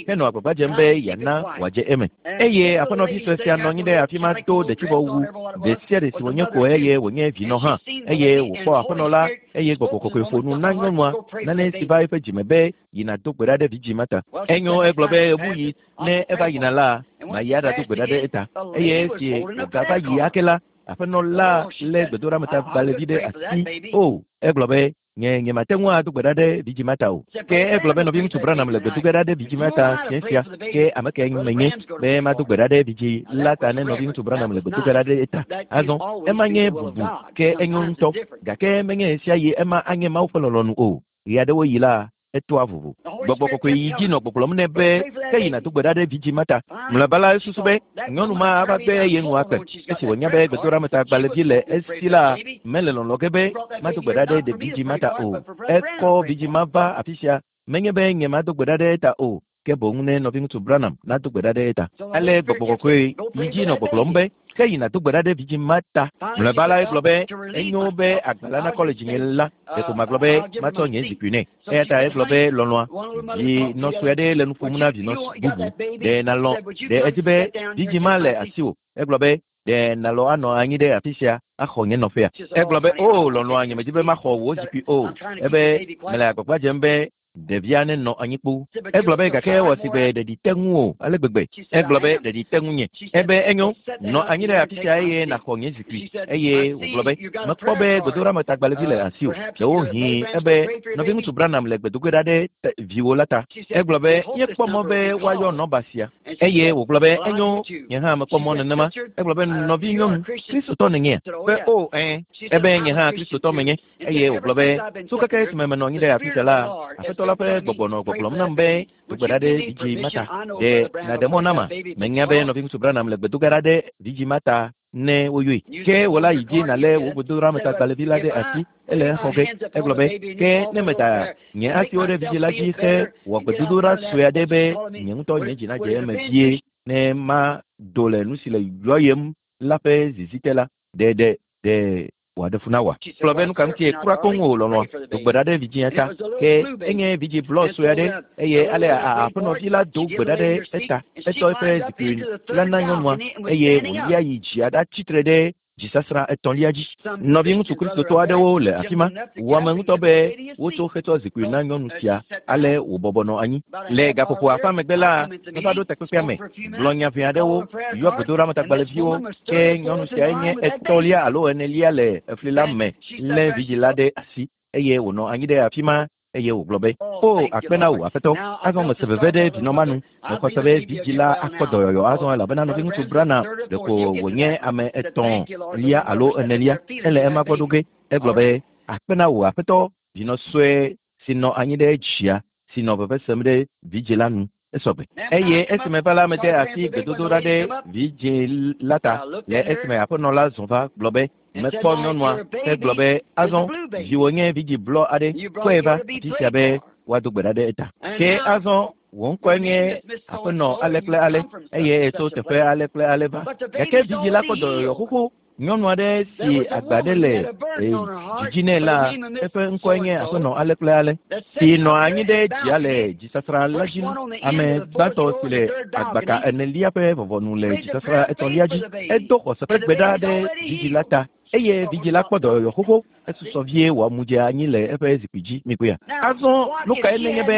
henɔ agbagba dzem be yeana wòadze eme. Eye aƒenɔvi sue sia nɔ anyi ɖe afi ma do ɖetsivɔwu ɖe sia ɖe si wònye ko eye wònye vinɔ hã. Eye wòkpɔ aƒenɔ la eye gbɔgbɔ kɔkɔe ƒo nu na nyɔnua nane si va eƒe dzime be yina do gbe ɖa ɖe vidzĩ ma ta. Enyo, egblɔ be ɣebuɣi ne eva yina la, mayi aɖado gbe ɖa ɖe eta. Eye esi wògava yi ake la, aƒenɔ la lé gbedoɖametagbalẽvi ɖe asi. O, egblɔ be, Nye, nyemate ŋu ado gbe ɖa ɖe vidzĩ ma ta o. Ke egblɔ be nɔviŋutsu Branham le gbe do ge ɖa ɖe vidzĩ ma ta fiẽ sia. Ke ame kae menye be mado gbe ɖa ɖe vidzĩ la ta ne nɔviŋutsu Branham le gbe do ge ɖa ɖe eta? Azɔ, ema nye bubu, ke enyo ŋutɔ. Gake menye ɣesiaɣie ema anye Mawu ƒe lɔlɔ̃nu o. Ɣeaɖewoɣi la, etoa vovo. Gbɔgbɔ kɔkɔe yi dzi nɔ gbɔgblɔm nɛ be, Ke yi nàdo gbe ɖa ɖe vidzĩ ma ta. Mlɔeba la, esusu be nyɔnu ma ava gbe ye nu akpe. Esi wònya be gbedoɖametagbalẽvi le esi la, mele lɔlɔ̃ ge be mado gbe ɖa ɖe vidzĩ ma ta o. Ekɔ vidzĩ ma va afi sia, menye be nyemado gbe ɖa ɖe eta o, ke boŋ ne nɔviŋutsu Branham nado gbe ɖa ɖe eta. Ale gbɔgbɔ kɔkɔe yi dzi nɔ gbɔgblɔm be, Ke yi nàdo gbe ɖa ɖe vidzĩ ma ta. Mlɔeba la, egblɔ be, Enyo be agba la nakɔ le dzinye la, ɖeko magblɔ be matsɔ nye zikpui nɛ. Eya ta egblɔ be, Lɔlɔ̃a, vinɔ sue aɖe le nu ƒom na vinɔ bubu. Ɖe nàlɔ̃? Ɖe èdi be vidzĩ ma le asiwò? Egblɔ be, Ɖe nàlɔ̃ anɔ anyi ɖe afi sia axɔ nye nɔƒea? Egblɔ be, Oo, lɔlɔ̃a, nyemedi be maxɔ wò zikpui o. Ebe, Mele agbagba dzem be ɖevia nenɔ anyi kpoo. Egblɔ be, Gake ewɔ sigbe ɖeɖi te ŋuwò ale gbegbe. Egblɔ be, Ɖeɖi te ŋunye. Ebe, Enyo, nɔ anyi ɖe afi sia eye nàxɔ nye zikpui. Eye wògblɔ be, Mekpɔ be gbedoɖametagbalẽvi le asiwò. Ɖewohĩ ebe, Nɔviŋutsu Branham le gbe do ge ɖa ɖe viwò la ta. Egblɔ be, Míekpɔ mɔ be woayɔ nɔmba sia. Eye wògblɔ be, Enyo, nye hã mekpɔ mɔ nenema. Egblɔ be, Nɔvinyɔnu, Kristotɔ nènyea? Be, O, ɛ̃. Ebe, Nye hã Kristotɔ menye. Eye wògblɔ be, Tso keke esime menɔ anyi ɖe afi sia la, Aƒetɔ la ƒe gbɔgbɔ nɔ gbɔgblɔm nam be, Do gbe ɖa ɖe vidzĩ ma ta. Ɖe nàɖe mɔ nama? Menya be nɔviŋutsu Branham le gbe do ge ɖa ɖe vidzĩ ma ta ne woyɔe. Ke wò la yi dzi nàlé wò gbedoɖametagbalẽvi la ɖe asi. Ele exɔ ge. Egblɔ be, Ke ne meda nye asiwo ɖe vidzĩ la dzi hewɔ gbedodoɖa sue aɖe be nye ŋutɔ nye dzi nadze eme vie ne mado le nu si le yɔyem la ƒe zizi te la, ɖe ɖe ɖe wòaɖe fu na wòa? Gblɔ be, Nuka ŋutie? Kura koŋ o, lɔlɔ̃a. Do gbe ɖa ɖe vidzĩa ta. Ke enye vidzĩ blɔ sue aɖe, eye ale aƒenɔvi la do gbe ɖa ɖe eta. Etsɔ eƒe zikpui la na nyɔnua, eye wòlia yi dzia ɖatsi tre ɖe dzisasrã etɔ̃lia dzi. Nɔviŋutsu Kristotɔ aɖewo le afi ma. Wɔ ame ŋutɔ be wotso hetsɔ zikpui na nyɔnu sia ale wòbɔbɔ nɔ anyi. Le gaƒoƒo afã megbe la, meva ɖo takpekpea me, gblɔ nya ʋɛ aɖewo, yɔ gbedoɖametagbalẽviwo. Ke nyɔnu siae nye etɔ̃lia alo enelia le efli la me lé vidzĩ la ɖe asi eye wònɔ anyi ɖe afi ma eye wògblɔ be, O, akpe na wò, Aƒetɔ! Azɔ mese veve ɖe vinɔ ma nu. Mexɔ se be vidzĩ la akpɔ dɔyɔyɔ azɔ elabena nɔviŋutsu Branham ɖeko wònye ame etɔ̃lia alo enelia hele ema gbɔ ɖo ge. Egblɔ be, Akpe na wò, Aƒetɔ! Vinɔ sue si nɔ anyi ɖe dzia, si nɔ veve sem ɖe vidzĩ la nu, esɔgbe. Eye esime meva la, mede asi gbedodoɖa ɖe vidzĩ la ta, le esime aƒenɔ la zɔ va gblɔ be, Mekpɔ nyɔnua hegblɔ be, Azɔ, viwò nye vidzĩ blɔ aɖe, kɔe va afi sia be woado gbe ɖa ɖe eta. Ke azɔ, wò ŋkɔe nye aƒenɔ ale kple ale, eye ètso teƒe ale kple ale va. Gake vidzĩ la kpɔ dɔyɔyɔ xoxo. Nyɔnu aɖe si agba aɖe le dzidzi nɛ la, eƒe ŋkɔe nye aƒenɔ ale kple ale, si nɔ anyi ɖe dzia le dzisasrã la dzi. Ame gbãtɔ si le agbaka enelia ƒe vɔvɔnu le dzisasrã etɔ̃lia dzi. Edo xɔse ƒe gbe ɖa ɖe vidzĩ la ta, eye vidzĩ la kpɔ dɔyɔyɔ xoxo. Esusɔ vie wòamu dze anyi le eƒe zikpui dzi. Mikpɔea? Azɔ nu kae nenye be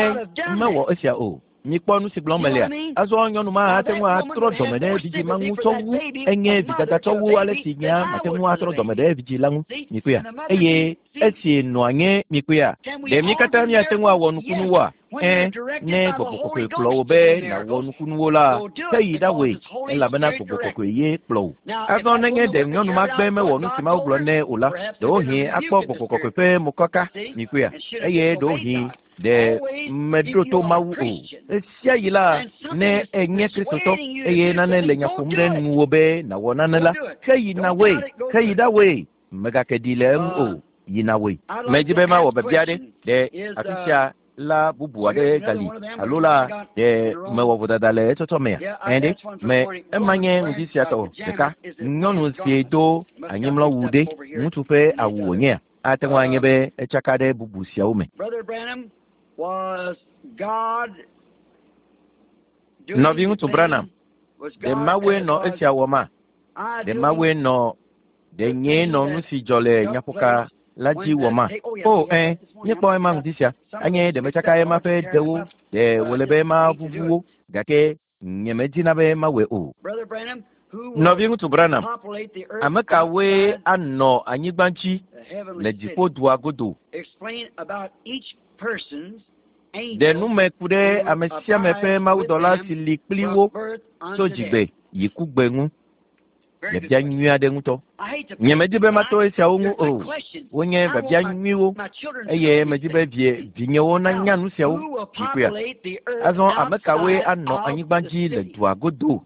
mewɔ esia o? Mikpɔ nu si gblɔm melea? Azɔ nyɔnu ma ate ŋu atrɔ dɔme ɖe vidzĩ ma ŋu tsɔ wu enye vidada tsɔ wu ale si nyea mate ŋu atrɔ dɔme ɖe vidzĩ la ŋu. Mikpɔea? Eye esi nɔa nye mikpɔea? Ɖe mí katã míate ŋu awɔ nukunuwoa? Ẽ, ne gbɔgbɔ kɔkɔe kplɔ wò be nàwɔ nukunuwo la, ke yi ɖawɔe, elabena gbɔgbɔ kɔkɔe ye kplɔ wò. Azɔ nenye ɖe nyɔnu ma gbe mewɔ nu si Mawu gblɔ nɛ o la, ɖewohĩ akpɔ gbɔgbɔ kɔkɔe ƒe mokaka, mikpɔea, eye ɖewohĩ ɖe meɖo to Mawu o. Ɣesiaɣi la, ne ènye Kristotɔ eye nane le nya ƒom ɖe nuwò be nàwɔ nane la, ke yi nàwɔe, ke yi ɖawɔe. Mègake ɖi le eŋu o, yi nàwɔe. Medi be mawɔ biabia aɖe. Ɖe afi sia la bubu aɖe gali alo la ɖe mewɔ vodada le etsɔtsɔ mea? Ẽ ɖe, me ema nye ŋdi sia tɔ ɖeka. Nyɔnu si do anyimlɔwu ɖe, ŋutsu ƒe awu wònyea? Ate ŋu anye be etsaka ɖe bubu siawo me. Nɔviŋutsu Branham, ɖe Mawue nɔ esia wɔma? Ɖe Mawue nɔ ɖe nyee nɔ nu si dzɔ le nyaƒoka la dzi wɔma? O, ẽ, míekpɔ ema ŋdi sia. Anye ɖe metsaka ema ƒe ɖewo, ɖe wòle be mavuvu wo, gake nyemedina be mawɔe o. Nɔviŋutsu Branham, ame kawoe anɔ anyigba dzi le dziƒodua godo? Ɖe nu me ku ɖe ame sia ame ƒe mawudɔla si li kpli wo tso dzigbe yi kugbe ŋu. Biabia nyui aɖe ŋutɔ. Nyemedi be mato esiawo ŋu o. Wonye biabia nyuiwo eye medi be vie vinyewo nanya nu siawo. Mikpɔea? Azɔ ame kawoe anɔ anyigba dzi le dua godo?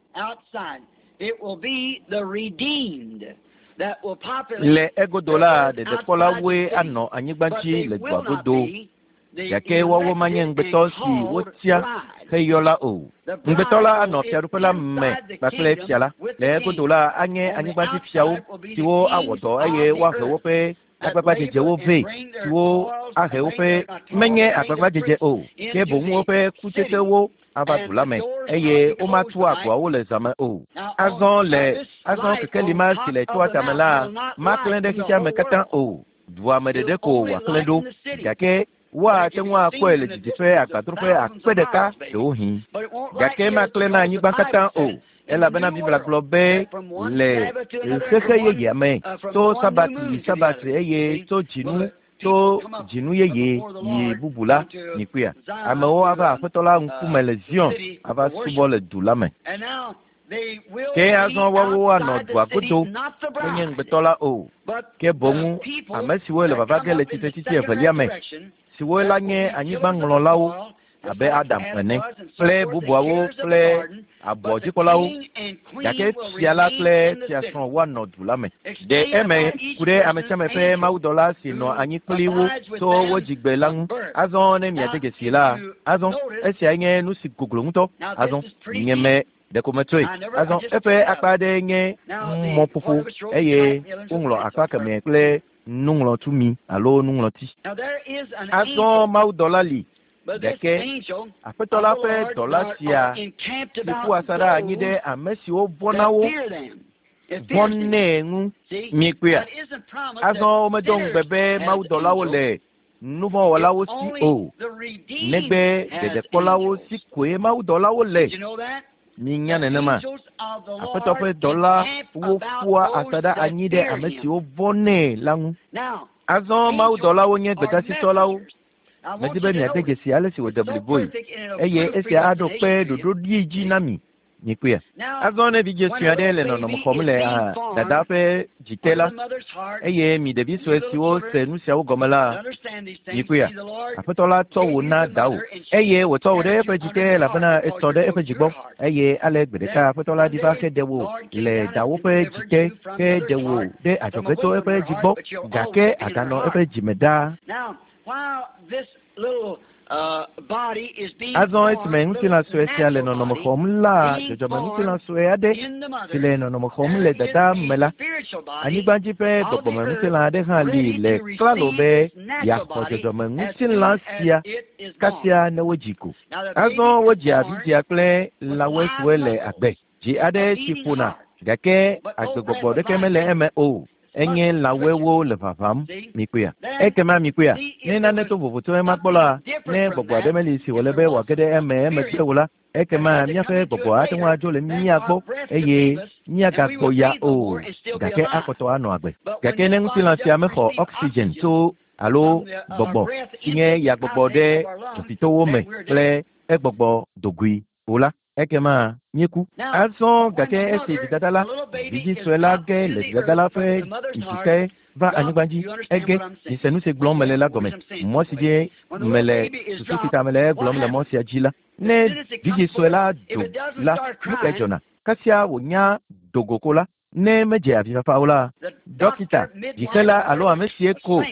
Le egodo la, ɖeɖekpɔlawoe anɔ anyigba dzi le dua godo. Gake woawo manye ŋugbetɔ si wotia heyɔ la o. Ŋugbetɔ la anɔ fiaɖuƒe la me kpakple fia la. Le egodo la, anye anyigbadzifiawo siwo awɔ dɔ eye woahe woƒe agbagbadzedzewo vɛ, siwo ahe woƒe menye agbagbadzedze o, ke boŋ woƒe kutsetsewo ava du la me, eye womatu agboawo le zã me o. Azɔ le azɔ kekeli ma si le toa tame la maklẽ ɖe xexea me katã o. Dua me ɖeɖe ko wòaklẽ ɖo, gake woate ŋu akpɔe le didiƒe agbadroƒe akpe ɖeka ɖewohĩ. Gake maklẽ na anyigba katã o, elabena Biblia gblɔ be le xexe yeyea me, tso Sabat yi Sabat eye tso dzinu tso dzinu yeye yi bubu la, mikpɔea, amewo ava Aƒetɔ la ŋkume le Zion ava subɔ le du la me. Ke azɔ woawo anɔ dua godo, menye ŋugbetɔ la o, ke boŋ ame siwo le vava ge le tsitretsitsi evelia me, siwo la nye anyigbaŋlɔlawo abe Adam ene, kple bubuawo kple abɔdzikpɔlawo. Gake fia la kple fiasrɔ̃ woanɔ du la me. Ɖe eme ku ɖe ame sia ame ƒe mawudɔla si nɔ anyi kpli wo tso wo dzigbe la ŋu. Azɔ ne miade dzesii la, azɔ esiae nye nu si goglo ŋutɔ. Azɔ nyeme ɖeko metsɔe. Azɔ eƒe akpa aɖee nye mɔƒoƒo eye woŋlɔ akpa kemɛ kple nuŋlɔtumi alo nuŋlɔti. Azɔ mawudɔla li, gake Aƒetɔ la ƒe dɔla sia si ƒu asaɖa anyi ɖe ame siwo vɔ̃na wo vɔ̃nɛ ŋu. Miekpɔea? Azɔ womedo ŋugbe be mawudɔlawo le nuvɔ̃wɔlawo si o, negbe ɖeɖekpɔlawo si koe mawudɔlawo le. Minya nenema? Aƒetɔ ƒe dɔlawo ƒua asaɖa anyi ɖe ame siwo vɔ̃nɛ la ŋu. Azɔ mawudɔlawo nye gbedasitsɔlawo. Medi be miade dzesi ale si wòde bliboe, eye esia aɖo kpe ɖoɖoɖi dzi na mi. Mikpɔea? Azɔ ne vidzĩ sue aɖe le nɔnɔme xɔm le dadaa ƒe dzi te la, eye mi ɖevi sue siwo se nu siawo gɔme la, mikpɔea? Aƒetɔ la tsɔ wò na dawò, eye wòtsɔ wò ɖe eƒe dzi te elabena etsɔ ɖe eƒe dzi gbɔ. Eye ale gbe ɖeka Aƒetɔ la ɖi va heɖe wò le dawò ƒe dzi te, heɖe wò ɖe adzɔge tso eƒe dzi gbɔ, gake àganɔ eƒe dzi me ɖaa. Azɔ esime ŋutilã sue sia le nɔnɔme xɔm la, dzɔdzɔmeŋutilã sue aɖe si le nɔnɔme xɔm le dada me la, anyigba dzi ƒe gbɔgbɔmeŋutilã aɖe hã li le klalo be yeaxɔ dzɔdzɔmeŋutilã sia kasia ne wodzi ko. Azɔ wodzia vidzĩa kple lãwoe siwo le agbe. Dzi aɖe si ƒona gake agbegbɔgbɔ ɖeke mele eme o. Enye lãwɔewo le ʋaʋãm. Mikpɔea? Ekema mikpɔea? Ne nane to vovo tso ema gbɔ la, ne gbɔgbɔ aɖe meli si wòle be wòage ɖe eme emegbe o la, ekema míaƒe gbɔgbɔ ate ŋu adzo le mía gbɔ eye míagagbɔ ya o, gake akpɔtɔ anɔ agbe. Gake ne ŋutilã sia mexɔ oxygen tso alo gbɔgbɔ si nye yagbɔgbɔ ɖe dzofitowo me kple egbɔgbɔ dogoe o la, ekema míeku. Azɔ gake esi dzidada la, vidzĩ sue la ge le dzidada la ƒe dzi te va anyigba dzi, ege, mise nu si gblɔm mele la gɔme, mɔ si dzi mele susu si ta mele egblɔm le mɔ sia dzi la. Ne vidzĩ sue la do la, nu kae dzɔna? Kasia wònya do go ko la, ne medze avifafa o la, ɖɔkita, dzixela alo ame sie ko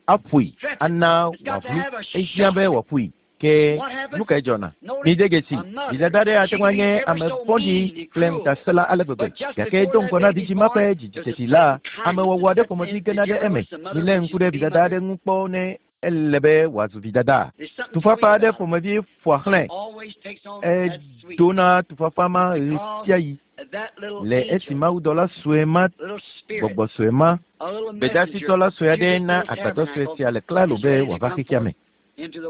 aƒoe ana wòaʋlu. Ehiã be wòaƒoe. Ke nu kae dzɔna? Mide dzesi, vidada aɖe ate ŋu anye ame vɔ̃ɖi kple ŋutasẽla ale gbegbe, gake do ŋgɔ na vidzĩ ma ƒe dzidziteti la, amewɔwɔ aɖe ƒomevi gena ɖe eme. Milé ŋku ɖe vidada aɖe ŋu kpɔ ne ele be wòazu vidada. Tufafa aɖe ƒomevi ƒoa xlãe. Edona tufafa ma ɣesiaɣi le esi mawudɔla sue ma, gbɔgbɔ sue ma, gbedasitɔla sue aɖe na agbadɔ sue sia le klalo be wòava xexea me.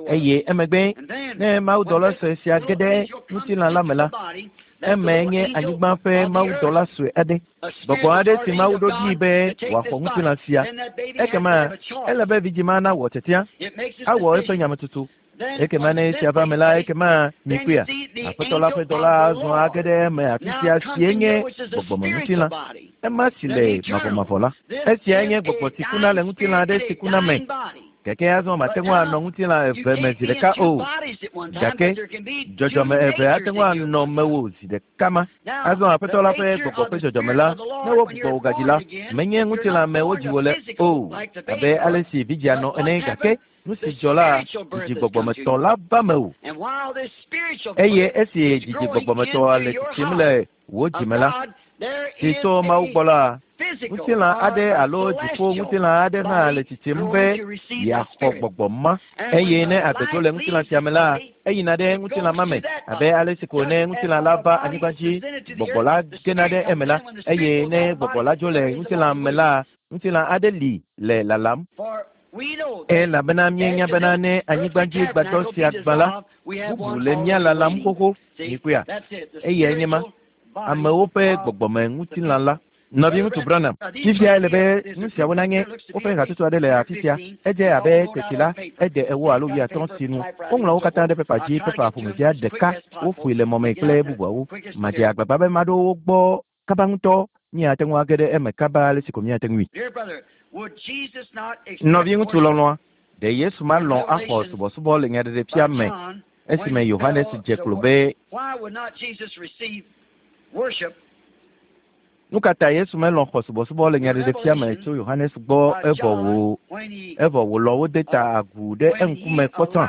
Eye emegbe ne mawudɔla sue sia ge ɖe ŋutilã la me la, eme nye anyigba ƒe mawudɔla sue aɖe, gbɔgbɔ aɖe si Mawu ɖo ɖi be wòaxɔ ŋutilã sia. Ekema ele be vidzĩ ma nawɔ tiatia, awɔ eƒe nyametsotso. Ekema ne esia va me la, ekema mikpɔea, Aƒetɔ la ƒe dɔla azɔ age ɖe eme afi sia sie nye gbɔgbɔmeŋutilã, ema si le mavɔmavɔ la. Esiae nye gbɔgbɔ si kuna le ŋutilã aɖe si kuna me. Gake azɔ mate ŋu anɔ ŋutilã eve me zi ɖeka o. Gake dzɔdzɔme eve ate ŋu anɔ mewò zi ɖeka ma. Azɔ Aƒetɔ la ƒe gbɔgbɔ ƒe dzɔdzɔme la, ne wogbugbɔ wò gadzi la, menye ŋutilã me wodzi wò le o, abe ale si vidzĩa nɔ ene, gake nu si dzɔ la, dzidzi gbɔgbɔmetɔ la va mewò. Eye esi dzidzi gbɔgbɔmetɔa le tsitsim le wò dzime la, si tso Mawu gbɔ la, ŋutilã aɖe alo dziƒo ŋutilã aɖe hã le tsitsim be yeaxɔ gbɔgbɔ ma. Eye ne agbe dzo le ŋutilã sia me la, eyina ɖe ŋutilã ma me, abe ale si ko ne ŋutilã la va anyigba dzi, gbɔgbɔ la gena ɖe eme la. Eye ne gbɔgbɔ la dzo le ŋutilã me la, ŋutilã aɖe li le lalam. Elabena míenya bena ne anyigba dzi gbadɔ sia gbã la, bubu le mía lalam xoxo. Mikpɔea? Eyae nye ma, amewo ƒe gbɔgbɔme ŋutilã la. Nɔviŋutsu Branham, fifia ele be nu siawo nanye woƒe hatsotso aɖe le afi sia. Edze abe teti la, ede ewo alo wuiatɔ̃ si nu. Woŋlɔ wo katã ɖe pepa dzi, pepa ƒomevia ɖeka, woƒoe le mɔme kple bubuawo. Madze agbagba be maɖo wo gbɔ kaba ŋutɔ. Míate ŋu age ɖe eme kaba ale si ko míate ŋui. Nɔviŋutsu lɔlɔ̃a, ɖe Yesu malɔ̃ axɔ subɔsubɔ le nyaɖeɖefia me esime Yohanes dze klo be Nu ka ta Yesu melɔ̃ xɔ subɔsubɔ le nyaɖeɖefia me tso Yohanes gbɔ evɔ wò evɔ wòlɔ̃ wode ta agu ɖe eŋkume kpɔtɔa?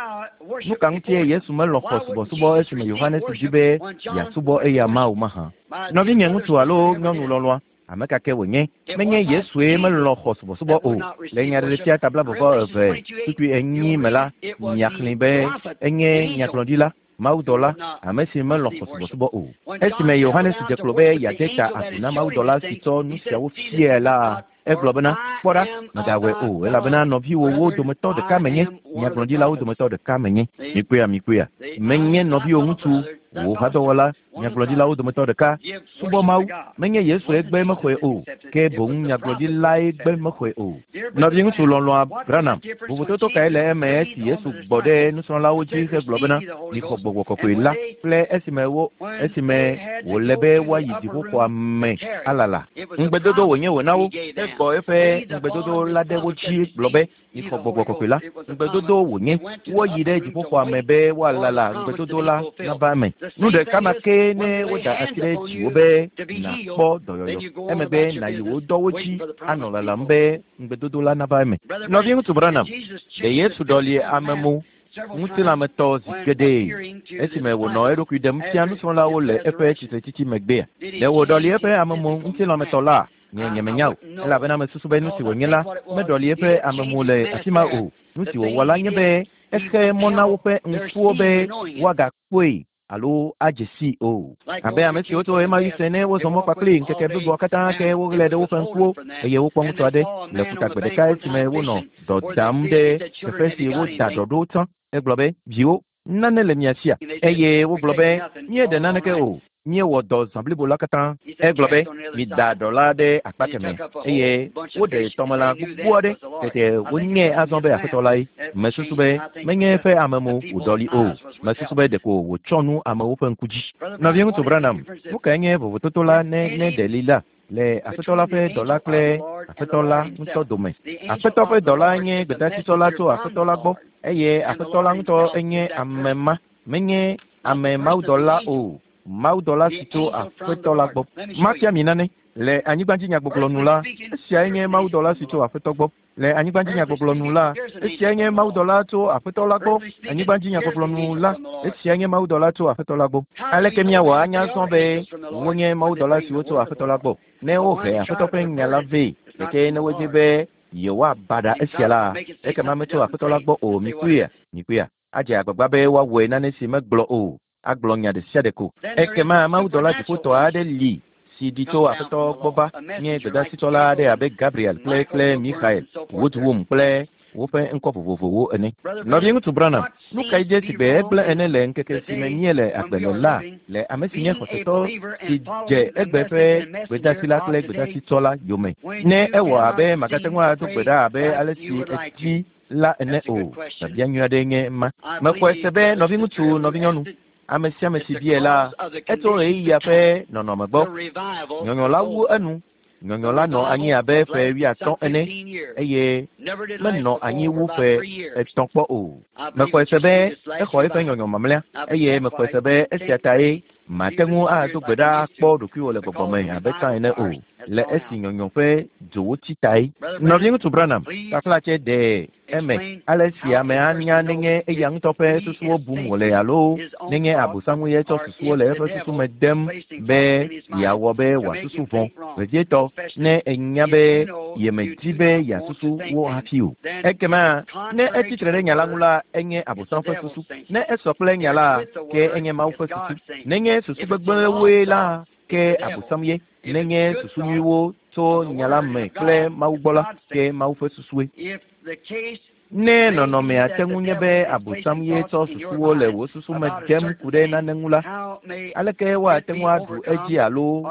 Nu ka ŋutie Yesu melɔ̃ xɔ subɔsubɔ esime Yohanes di be yeasubɔ eya Mawu mahã? Nɔvinye ŋutsu alo nyɔnu lɔlɔ̃a, ame ka ke wònye, menye Yesue melɔ̃ xɔ subɔsubɔ o. Le nyaɖeɖefia ta blaeve tukui enyi me la, miaxlẽe be enye nyagblɔɖila, mawudɔla, ame si melɔ̃ xɔ subɔsubɔ o. Esime Yohanes dze klo be yeade ta agu na mawudɔla si tsɔ nu siawo fiae la, egblɔ bena, Kpɔ ɖa, mègawɔe o, elabena nɔviwòwo dometɔ ɖeka menye, nyagblɔɖilawo dometɔ ɖeka menye. Mikpɔea, mikpɔea, menye nɔviwò ŋutsu, wò hadɔwɔla, nyagblɔɖilawo dometɔ ɖeka. Subɔ Mawu. Menye Yesue gbe mexɔe o, ke boŋ nyagblɔɖilae gbe mexɔe o. Nɔviŋutsu lɔlɔ̃a Branham, vovototo kae le eme esi Yesu gbɔ ɖe nusrɔ̃lawo dzi hegblɔ bena, Mixɔ Gbɔgbɔ Kɔkɔe la, kple esime wo, esime wòle be woayi dziƒoxɔa me alala? Ŋugbedodo wònye wòna wo. Egbɔ eƒe ŋugbedodo la ɖe wo dzi gblɔ be, Mixɔ Gbɔgbɔ Kɔkɔe la. Ŋugbedodo wònye. Woayi ɖe dziƒoxɔa me be woalala ŋugbedodo la nava eme. Nu ɖeka ma kee ne woda asi ɖe dziwò be nàkpɔ dɔyɔyɔ, emegbe nàyi wò dɔwo dzi anɔ lalam be ŋugbedodo la nava eme. Nɔviŋutsu Branham, ɖe Yesu ɖɔli ame mo ŋutilãmetɔ zi geɖe esime wònɔ eɖokui ɖem fia nusrɔ̃lawo le eƒe tsitretsitsi megbea? Ɖe wòɖɔli eƒe ame mo ŋutilãmetɔ laa? Nye nyemenya o, elabena mesusu be nu si wònye la meɖɔli eƒe amemo le afi ma o. Nu si wòwɔ la nye be exe mɔ na woƒe ŋkuwo be woagakpɔe. alo adze sii o. Abe ame siwo tso ɣemaɣi se ne wozɔ mɔ kpakplii ŋkeke bliboa katã ke woɣlae ɖe woƒe ŋkuwo eye wokpɔ ŋutsu aɖe le ƒuta gbe ɖeka esime wonɔ dɔ dam ɖe teƒe si woda dɔ ɖo tsã. Egblɔ be, Viwo, nane le mia sia? Eye wogblɔ be, Míeɖe naneke o. Míewɔ dɔ zã blibo la katã. Egblɔ be, Mida ɖɔ la ɖe akpa kemɛ. Eye woɖe tɔmelã gbogbo aɖe. Tete wonyae azɔ be Aƒetɔ lae. Mesusu be menye eƒe amemo wòɖɔli o. Mesusu be ɖeko wòtsɔ nu amewo ƒe ŋku dzi. Nɔviŋutsu Branham, nu kae nye vovototo la ne ne ɖe li la le Aƒetɔ la ƒe dɔla kple Aƒetɔ la ŋutɔ dome? Aƒetɔ ƒe dɔla nye gbedeasitsɔla tso Aƒetɔ la gbɔ, eye Aƒetɔ la ŋutɔ enye ame ma, menye ame mawudɔla o. Mawudɔla si tso Aƒetɔ la gbɔ. Mafia mi nane. Le anyigbadzinyagbɔgblɔ nu la, esiae nye mawudɔla si tso Aƒetɔ gbɔ. Le anyigbadzinyagbɔgblɔ nu la, esiae nye mawudɔla tso Aƒetɔ la gbɔ. Anyigbadzinyagbɔgblɔ nu la, esiae nye mawudɔla tso Aƒetɔ la gbɔ. Aleke míawɔ anya azɔ be wonye mawudɔla siwo tso Aƒetɔ la gbɔ? Ne wohe Aƒetɔ ƒe nya la vɛ, gake ne wodi be yewoabaɖa esia la, ekema metso Aƒetɔ la gbɔ o. Mikpɔea? Mikpɔea? Adze agbagba be woawɔe nane si megblɔ o, agblɔ nya ɖe sia ɖe ko. Ekema mawudɔla dziƒotɔ aɖe li si ɖi tso Aƒetɔ gbɔ va nye gbedeasitsɔla aɖe abe Gabriel kple kple Mixael, Woodwum kple woƒe ŋkɔ vovovowo ene. Nɔviŋutsu Branham, nu kae dze sigbe egblẽ ene le ŋkeke si me míele agbe le la le ame si nye xɔsetɔ si dze egbe ƒe gbedeasi la kple gbedeasitsɔla yome? Ne ewɔ abe màgate ŋu ado gbe ɖa abe ale si èdi la ene o. Biabia nyui aɖee nye ema. Mexɔe se be nɔviŋutsu, nɔvinyɔnu, ame sia ame si biae la, etso ɣeyiɣia ƒe nɔnɔme gbɔ. Nyɔnyɔ la wu enu. Nyɔnyɔ la nɔ anyi abe ƒe wuiatɔ̃ ene eye menɔ anyi wu ƒe etɔ̃ kpɔ o. Mexɔe se be exɔ eƒe nyɔnyɔ mamlɛa eye mexɔe se be esia tae màte ŋu ado gbe ɖa akpɔ ɖokuiwò le gbɔgbɔ me abe tsã ene o, le esi nyɔnyɔ ƒe dzowo tsi tae. Nɔviŋutsu Branham, taflatse ɖe eme ale si ame anya nenye eya ŋutɔ ƒe susuwo bum wòle alo nenye Abosam ye tsɔ susuwo le eƒe susu me dem be yeawɔ be wòasusu vɔ̃, vevietɔ ne enya be yemedi be yeasusu wo hafi o. Ekema ne etsi tre ɖe nya la ŋu la, enye Abosam ƒe susu. Ne esɔ kple nya la, ke enye Mawu ƒe susu. Nenye susu gbegblẽwoe la, ke Abosam ye. Nenye susu nyuiwo tso nya la me kple Mawu gbɔ la, ke Mawu ƒe susue. Ne nɔnɔmea te ŋu nye be Abosam ye tsɔ susuwo le wò susu me dem ku ɖe nane ŋu la, aleke woate ŋu aɖu edzi alo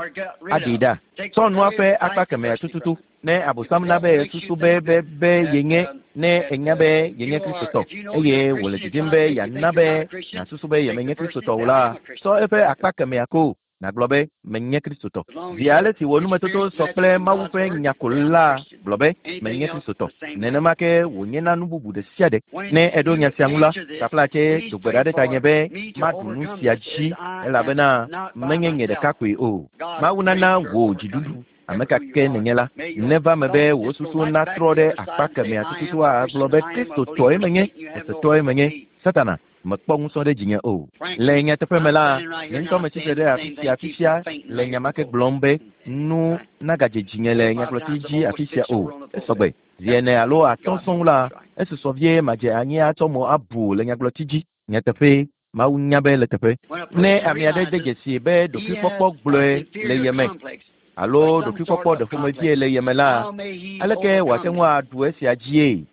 aɖee ɖa? Tsɔ nua ƒe akpa kemɛa tututu. Ne Abosam na be susu be be be yenye ne enya be yenye Kristotɔ eye wòle didim be yeana be nàsusu be yemenye Kristotɔ o la, tsɔ eƒe akpa kemɛa ko nàgblɔ be, Menye Kristotɔ. Zi ale si wò numetoto sɔ kple Mawu ƒe nya ko la, gblɔ be, Menye Kristotɔ. Nenema ke wònye na nu bubu ɖe sia ɖe. Ne èɖo nya sia ŋu la, taflatse do gbe ɖa ɖe tanye be maɖu nu sia dzi, elabena menye nye ɖeka koe o. Mawu nana wò dziɖuɖu. Ame ka ke nènye la, neva eme be wò susu natrɔ ɖe akpa kemɛa tututu agblɔ be Kristotɔe menye, xɔsetɔe menye. Satana mekpɔ ŋusẽ ɖe dzinye o. Le nyateƒe me la, nye ŋutɔ metsi tre ɖe afi sia fifia le nya ma ke gblɔm be nu nagadze dzinye le nyagblɔti dzi afi sia o. Esɔgbe. Zi ene alo atɔ̃ sɔŋ la, esusɔ vie madze anyi atsɔ mo abu le nyagblɔti dzi. Nyateƒee, Mawu nya be le teƒe. Ne ame aɖe de dzesii be ɖokuikpɔkpɔ gblɔe le ye me alo ɖokuikpɔkpɔ ɖeƒomevie le ye me la, aleke wòate ŋu aɖu esia dzie?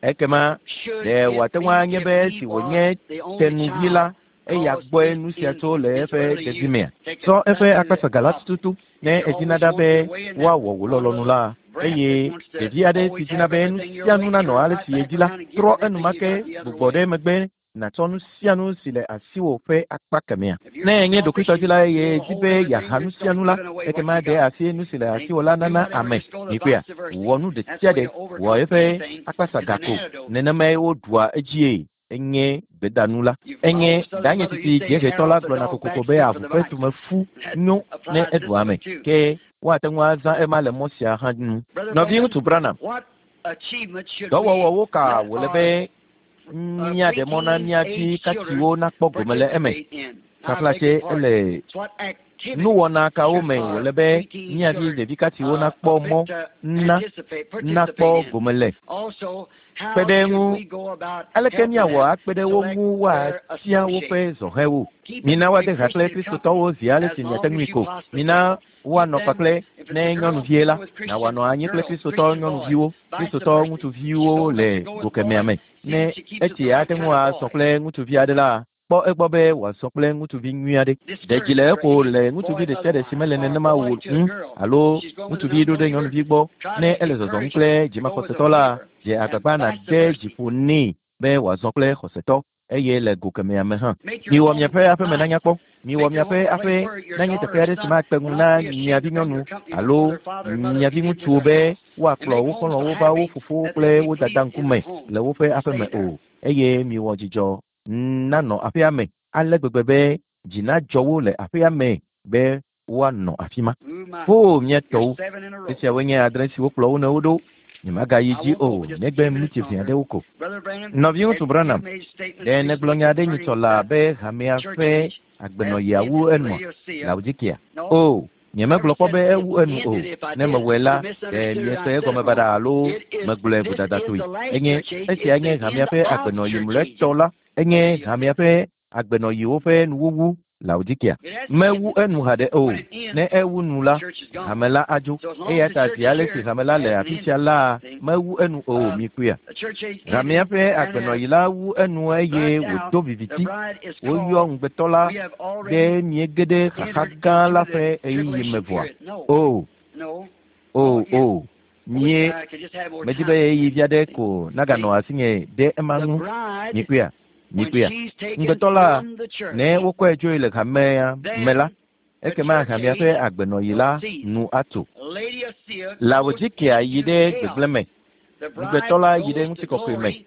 Ekema ɖe wòate ŋu anye be esi wònye tenuvi la, eya gbɔe nu sia tso le eƒe ɖevimea? Tsɔ eƒe akpasaga la tututu ne èdina ɖa be woawɔ wò lɔlɔ̃nu la, eye ɖevi aɖe si dina be nu sia nu nanɔ ale si yedi la, trɔ enumake gbugbɔ ɖe megbe nàtsɔ nu sia nu si le asiwò ƒe akpa kemɛa. Ne ènye ɖokuitɔdila eye èdi be yeaha nu sia nu la, ekema ɖe asi nu si le asiwò la nana ame. Mikpɔea? Wɔ nu ɖe sia ɖe, wɔ eƒe akpasaga ko. Nenemae woɖua edzie. Enye gbedanu la. Enye danye titi dziehetɔ la gblɔna kokoko be avu ƒe tumefu nyo ne eɖu ame. Ke woate ŋu azã ema le mɔ sia hã nu. Nɔviŋutsu Branham, dɔwɔwɔwo ka wòle be míaɖe mɔ na mía vi katiwo nakpɔ gome le eme? Taflatse ele. Nuwɔna kawo me wòle be mía vi ɖevi katsiwo nakpɔ mɔ na nakpɔ gome le? Kpe ɖe eŋu, aleke míawɔ akpe ɖe wo ŋu woatia woƒe zɔhɛwo? Mina woade ha kple Kristotɔwo zi ale si miate ŋui ko. Mina woanɔ kpakple ne nyɔnuvie la, na wòanɔ anyi kple Kristotɔ nyɔnuviwo, Kristotɔ ŋutsuviwo le go kemɛa me. Ne etsi ate ŋu asɔ kple ŋutsuvi aɖe la, kpɔ egbɔ be wòasɔ kple ŋutsuvi nyui aɖe. Ɖe dzi le eƒo le ŋutsuvi ɖe sia ɖe si mele nenema o ŋu alo ŋutsuvi ɖo ɖe nyɔnuvi gbɔ. Ne ele zɔzɔm kple dzimaxɔsetɔ la, dze agbagba nàde dzi ƒo nɛ be wòazɔ kple xɔsetɔ eye le go kemɛa me hã. Miwɔ miaƒe aƒeme nanya kpɔ. Miwɔ miaƒe aƒe nanye teƒe aɖe si makpe ŋu na mia vinyɔnu alo mia viŋutsuwo be woakplɔ wo xɔlɔ̃wo va wo fofowo kple wo dada ŋkume le woƒe aƒeme o. Eye miwɔ dzidzɔ nanɔ aƒea me ale gbegbe be dzi nadzɔ wo le aƒea me be woanɔ afi ma. Oo, mía tɔwo! Esiawoe nye adre siwo kplɔ wo nɔewo ɖo. Nyemagayi dzi o, negbe miniti ʋɛ aɖewo ko. Nɔviŋutsu Branham, ɖe nègblɔ nya aɖe nyitsɔ laa be hamea ƒe agbenɔɣia wu enua? Laodikea? Oo, nyemegblɔ kpɔ be ewu enu o. Ne mewɔe la, ɖe miese egɔme baɖa alo megblɔe vodadatɔe. Enye, esia nye hamea ƒe agbenɔɣi mlɔetɔ la. Enye hamea ƒe agbenɔɣiwo ƒe nuwuwu. Laodikea. Mewu enu haɖe o. Ne ewu nu la, hame la adzo. Eya ta zi ale si hame la le afi sia la, mewu enu o, mikpɔea? Hamea ƒe agbenɔɣi la wu enu eye wòdo viviti. Woyɔ ŋugbetɔ la ɖe míege ɖe xaxa gã la ƒe ɣeyiɣi me vɔa? O, o, o. Mie, medi be ɣeyiɣi vi aɖe ko naganɔ asinye ɖe ema ŋu. Mikpɔea? Mikpɔea? Ŋugbetɔ la, ne wokɔe dzoe le hamea me la, ekema hamea ƒe agbenɔɣi la nu atso. Laodikea yi ɖe gbegblẽ me, ŋugbetɔ la yi ɖe ŋutikɔkɔe me,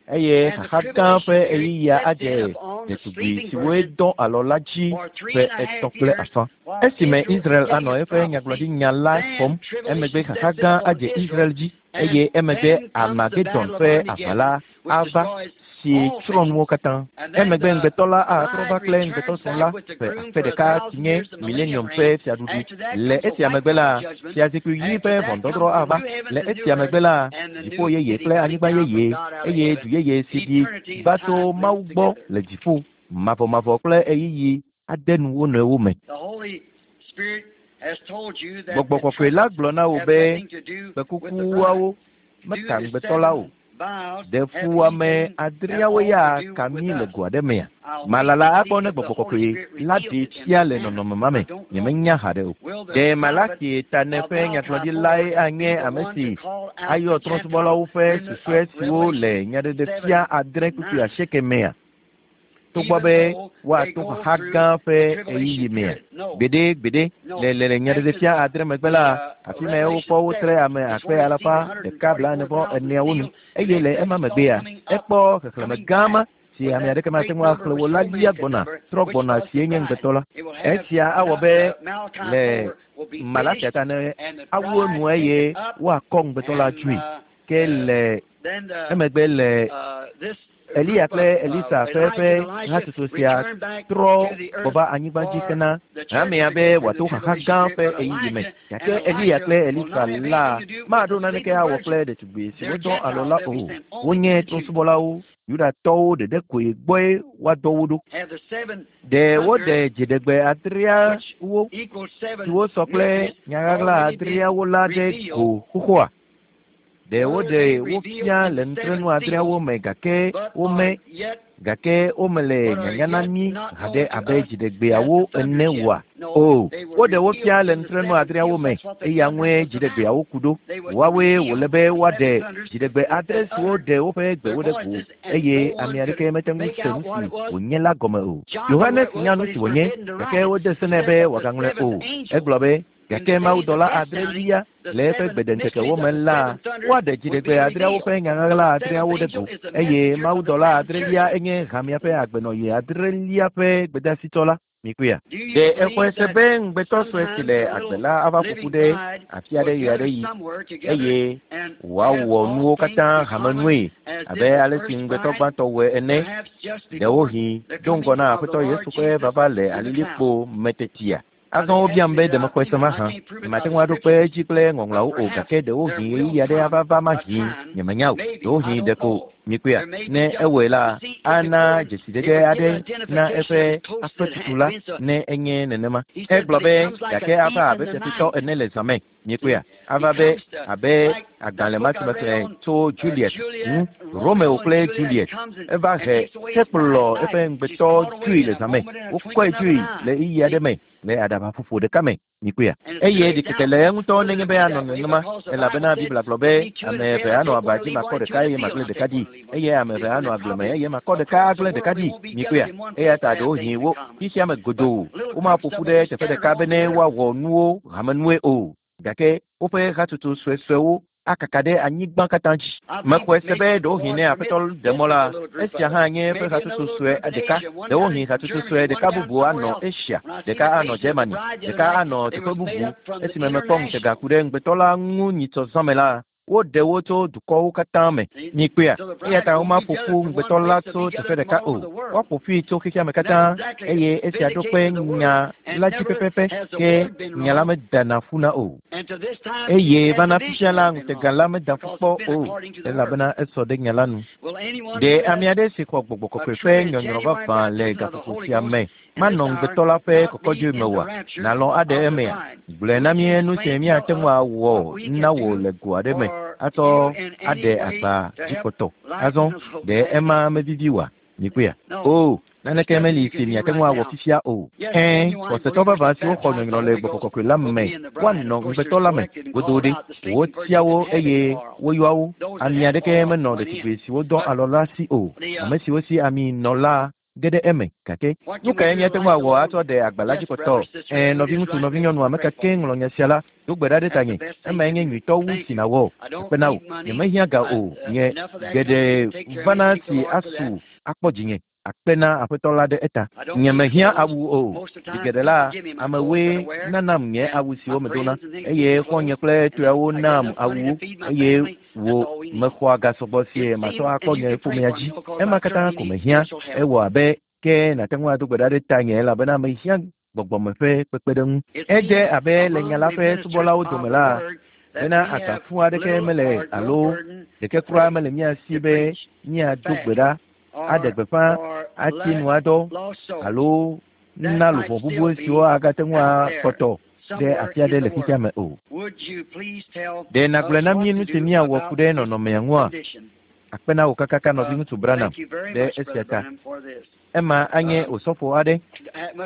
eye xaxa gã ƒe ɣeyiɣia adze ɖetugbui siwoe dɔ alɔ la dzi ƒe etɔ̃ kple afã. Esime Israel anɔ eƒe nyagblɔɖinya la xɔm, emegbe xaxa gã adze Israel dzi, eye emegbe Armagedon ƒe aʋa la ava, si tsrɔ̃ nuwo katã. Emegbe ŋugbetɔ la atrɔ va kple ŋugbetɔsrɔ̃ la ƒe akpe ɖeka si nye Milenium ƒe fiaɖuɖu. Le esia megbe la, fiazikpui ɣi ƒe ʋɔnudɔdrɔ̃ ava. Le esia megbe la, dziƒo yeye kple anyigba yeye, eye du yeye si ɖi va tso Mawu gbɔ le dziƒo, mavɔmavɔ kple ɣeyiɣi ade nu wo nɔewo me. Gbɔgbɔ Kɔkɔe la gblɔ na wò be kpẽkukuawo meka ŋugbetɔ la o. Ɖe fuwɔame adreawo ya ka mí le go aɖe mea? Malala akpɔ ne Gbɔgbɔ Kɔkɔe la ɖee fia le nɔnɔme ma me. Nyemenya haɖe o. Ɖe Malaki Tane ƒe nyagblɔɖilae anye ame si ayɔ trɔ̃subɔlawo ƒe susɔe siwo le Nyaɖeɖefia adre kpukpui asieke mea? Togbɔ be woato xaxa gã ƒe ɣeyiɣi mea? Gbeɖe, gbeɖe. Le le le Nyaɖeɖefia adre megbe la, afi mae wokpɔ wotre ame akpe alafa ɖeka blaene vɔ eneawo nu, eye le ema megbea, ekpɔ xexlẽme gã ma si ame aɖeke mate ŋu axlẽ o la lia gbɔna, trɔ gbɔna sie nye ŋugbetɔ la. Esia awɔ be le Malakia ta ne awu enu eye woakɔ ŋugbetɔ la dzoe. Ke le emegbe le Eliya kple Elisa ƒe eƒe hatsotso sia trɔ gbɔ va anyigba dzi hena hamea be wòato xaxa gã ƒe ɣeyiɣi me. Gake Eliya kple Elisa la maɖo naneke awɔ kple ɖetugbui siwo dɔ alɔ la o. Wonye trɔ̃subɔlawo. Yudatɔwo ɖeɖe koe gbɔe woadɔ wo ɖo. Ɖe woɖe dziɖegbe adreawo siwo sɔ kple nyaɣaɣla adreawo la ɖe go xoxoa? Ɖe woɖe wo fia le nutrenu adreawo me gake wome gake womele nyanya na mí haɖe abe dziɖegbeawo ene oa? O, woɖe wo fia le nutrenu adreawo me, eya ŋue dziɖegbeawo ku ɖo. Woawoe wòle be woaɖe dziɖegbe adre siwo ɖe woƒe gbewo ɖe go, eye ame aɖeke mete ŋu se nu si wònye la gɔme o. Yohanes nya nu si wònye, gake wode se nɛ be wòagaŋlɔe o. Egblɔ be, Gake mawudɔla adrelia le eƒe gbedeŋkekewo me la, woaɖe dziɖegbe adreawo ƒe nya ɣaɣla adreawo ɖe go, eye mawudɔla adrelia enye hamea ƒe agbenɔɣi adrelia ƒe gbedeasitsɔla. Mikpɔea? Ɖe exɔe se be ŋugbetɔ sue si le agbe la ava ƒo ƒu ɖe afi aɖe ɣeaɖeɣi eye wòawɔ nuwo katã hamenue abe ale si ŋugbetɔ gbãtɔ wɔe ene, ɖewohĩ do ŋgɔ na Aƒetɔ Yesu ƒe vava le alilikpo me tetia? Azɔ wobiam be ɖe mexɔe se mahã. Nyemate ŋu aɖo kpe edzi kple Ŋɔŋlɔawo o, gake ɖewohĩ ɣeyiɣi aɖe ava va mahĩ, nyemenya o, ɖewohĩ ɖeko mikpɔea? Ne ewɔe la, ana dzesidede aɖe na eƒe aƒetutu la, ne enye nenema. Egblɔ be, Gake ava abe fiafitɔ ene le zã me. Miekpɔea? Ava be abe agbalẽ ma si mexlẽ tso Juliet ŋu, Romeo kple Juliet. Eva he hekplɔ eƒe ŋugbetɔ dzoe le zã me. Wokɔe dzoe le ɣeyiɣi aɖe me le aɖabaƒoƒo ɖeka me. Mikpɔea? Eye ɖikeke le eŋutɔ nenye be anɔ nenema, elabena Biblia gblɔ be, Ame eve anɔ aba dzi makɔ ɖeka eye magblẽ ɖeka ɖi, eye ame eve anɔ agble me eye makɔ ɖeka agblẽ ɖeka ɖi. Mikpɔea? Eya ta ɖewohĩ wo xexea me godoo womaƒo ƒu ɖe teƒe ɖeka bene woawɔ nuwo hamenue o, gake woƒe hatsotso suesuewo akaka ɖe anyigba katã dzi. Mexɔe se be ɖewohĩ ne Aƒetɔ ɖe mɔ la, esia hã nye eƒe hatsotso sue ɖeka. Ɖewohĩ hatsotso sue ɖeka bubu anɔ Asia, ɖeka anɔ Germany, ɖeka anɔ teƒe bubu. Esime mekpɔ ŋutega ku ɖe ŋugbetɔ la ŋu nyitsɔ zã me la, Woɖe wo tso dukɔwo katã me. Mikpɔea? Eya ta womaƒo ƒu ŋugbetɔ la tso teƒe ɖeka o. Woaƒo ƒui tso xexea me katã, eye esia ɖo kpe nya la dzi pɛpɛpɛ, ke nya la medana ƒuna o. Eye va na fifia la, ŋutega la meda ƒu kpɔ o, elabena esɔ ɖe nya la nu. Ɖe ame aɖe si xɔ gbɔgbɔ kɔkɔe ƒe nyɔnyrɔ vavã le gaƒoƒo sia me manɔ ŋugbetɔ la ƒe kɔkɔdzoe me oa? Nàlɔ̃ aɖe emea? Gblɔe na mí nu si míate ŋu awɔ na wò le go aɖe me atsɔ aɖe agba dzi kpɔtɔ. Azɔ, ɖe ema mevivi oa? Mikpɔea? Oo, naneke meli si miate ŋu awɔ fifia o. Ɛ̃, xɔsetɔ vavã siwo xɔ nyɔnyrɔ le gbɔgbɔ kɔkɔe la me, woanɔ ŋugbetɔ la me godoo ɖe. Wotia wo eye woyɔa wo. Ami aɖeke menɔ ɖetugbui siwo dɔ alɔ la si o. Ame siwo si ami nɔ la ge ɖe eme. Gake nu kae míate ŋu awɔ atsɔ ɖe agba la dzi kpɔtɔ? Ɛ̃, nɔviŋutsu, nɔvinyɔnu, ame ka kee ŋlɔ nya sia la, do gbe ɖa ɖe tanye. Emae nye nyuitɔ wu si nàwɔ. Akpe na wò. Nyemehiã ga o. Nye geɖe vana si asu akpɔ dzinye. Akpe na Aƒetɔ la ɖe eta. Nyemehiã awu o. Zi geɖe la, amewoe nanam nye awu siwo medona, eye xɔ̃nye kple tɔeawo naam awuwo, eye Wò, mexɔa ga sɔgbɔ sie matsɔ akpɔ nye ƒomea dzi. Ema katã ko mehiã. Ewɔ abe ke nàte ŋu ado gbe ɖa ɖe tanye elabena mehiã gbɔgbɔme ƒe kpekpeɖeŋu. Edze abe le nya la ƒe subɔlawo dome la, bena agba fũ aɖeke mele alo ɖeke kura mele mía si be míado gbe ɖa, aɖe gbeƒã, atsi nu adɔ, alo na luʋɔ bubu siwo agate ŋu akpɔtɔ ɖe afi aɖe le xexea me o. Ɖe nàgblɔe na mí nu si míawɔ ku ɖe nɔnɔmea ŋua? Akpe na wò kakaka, Nɔviŋutsu Branham, ɖe esia ta. Ema anye osɔfo aɖe.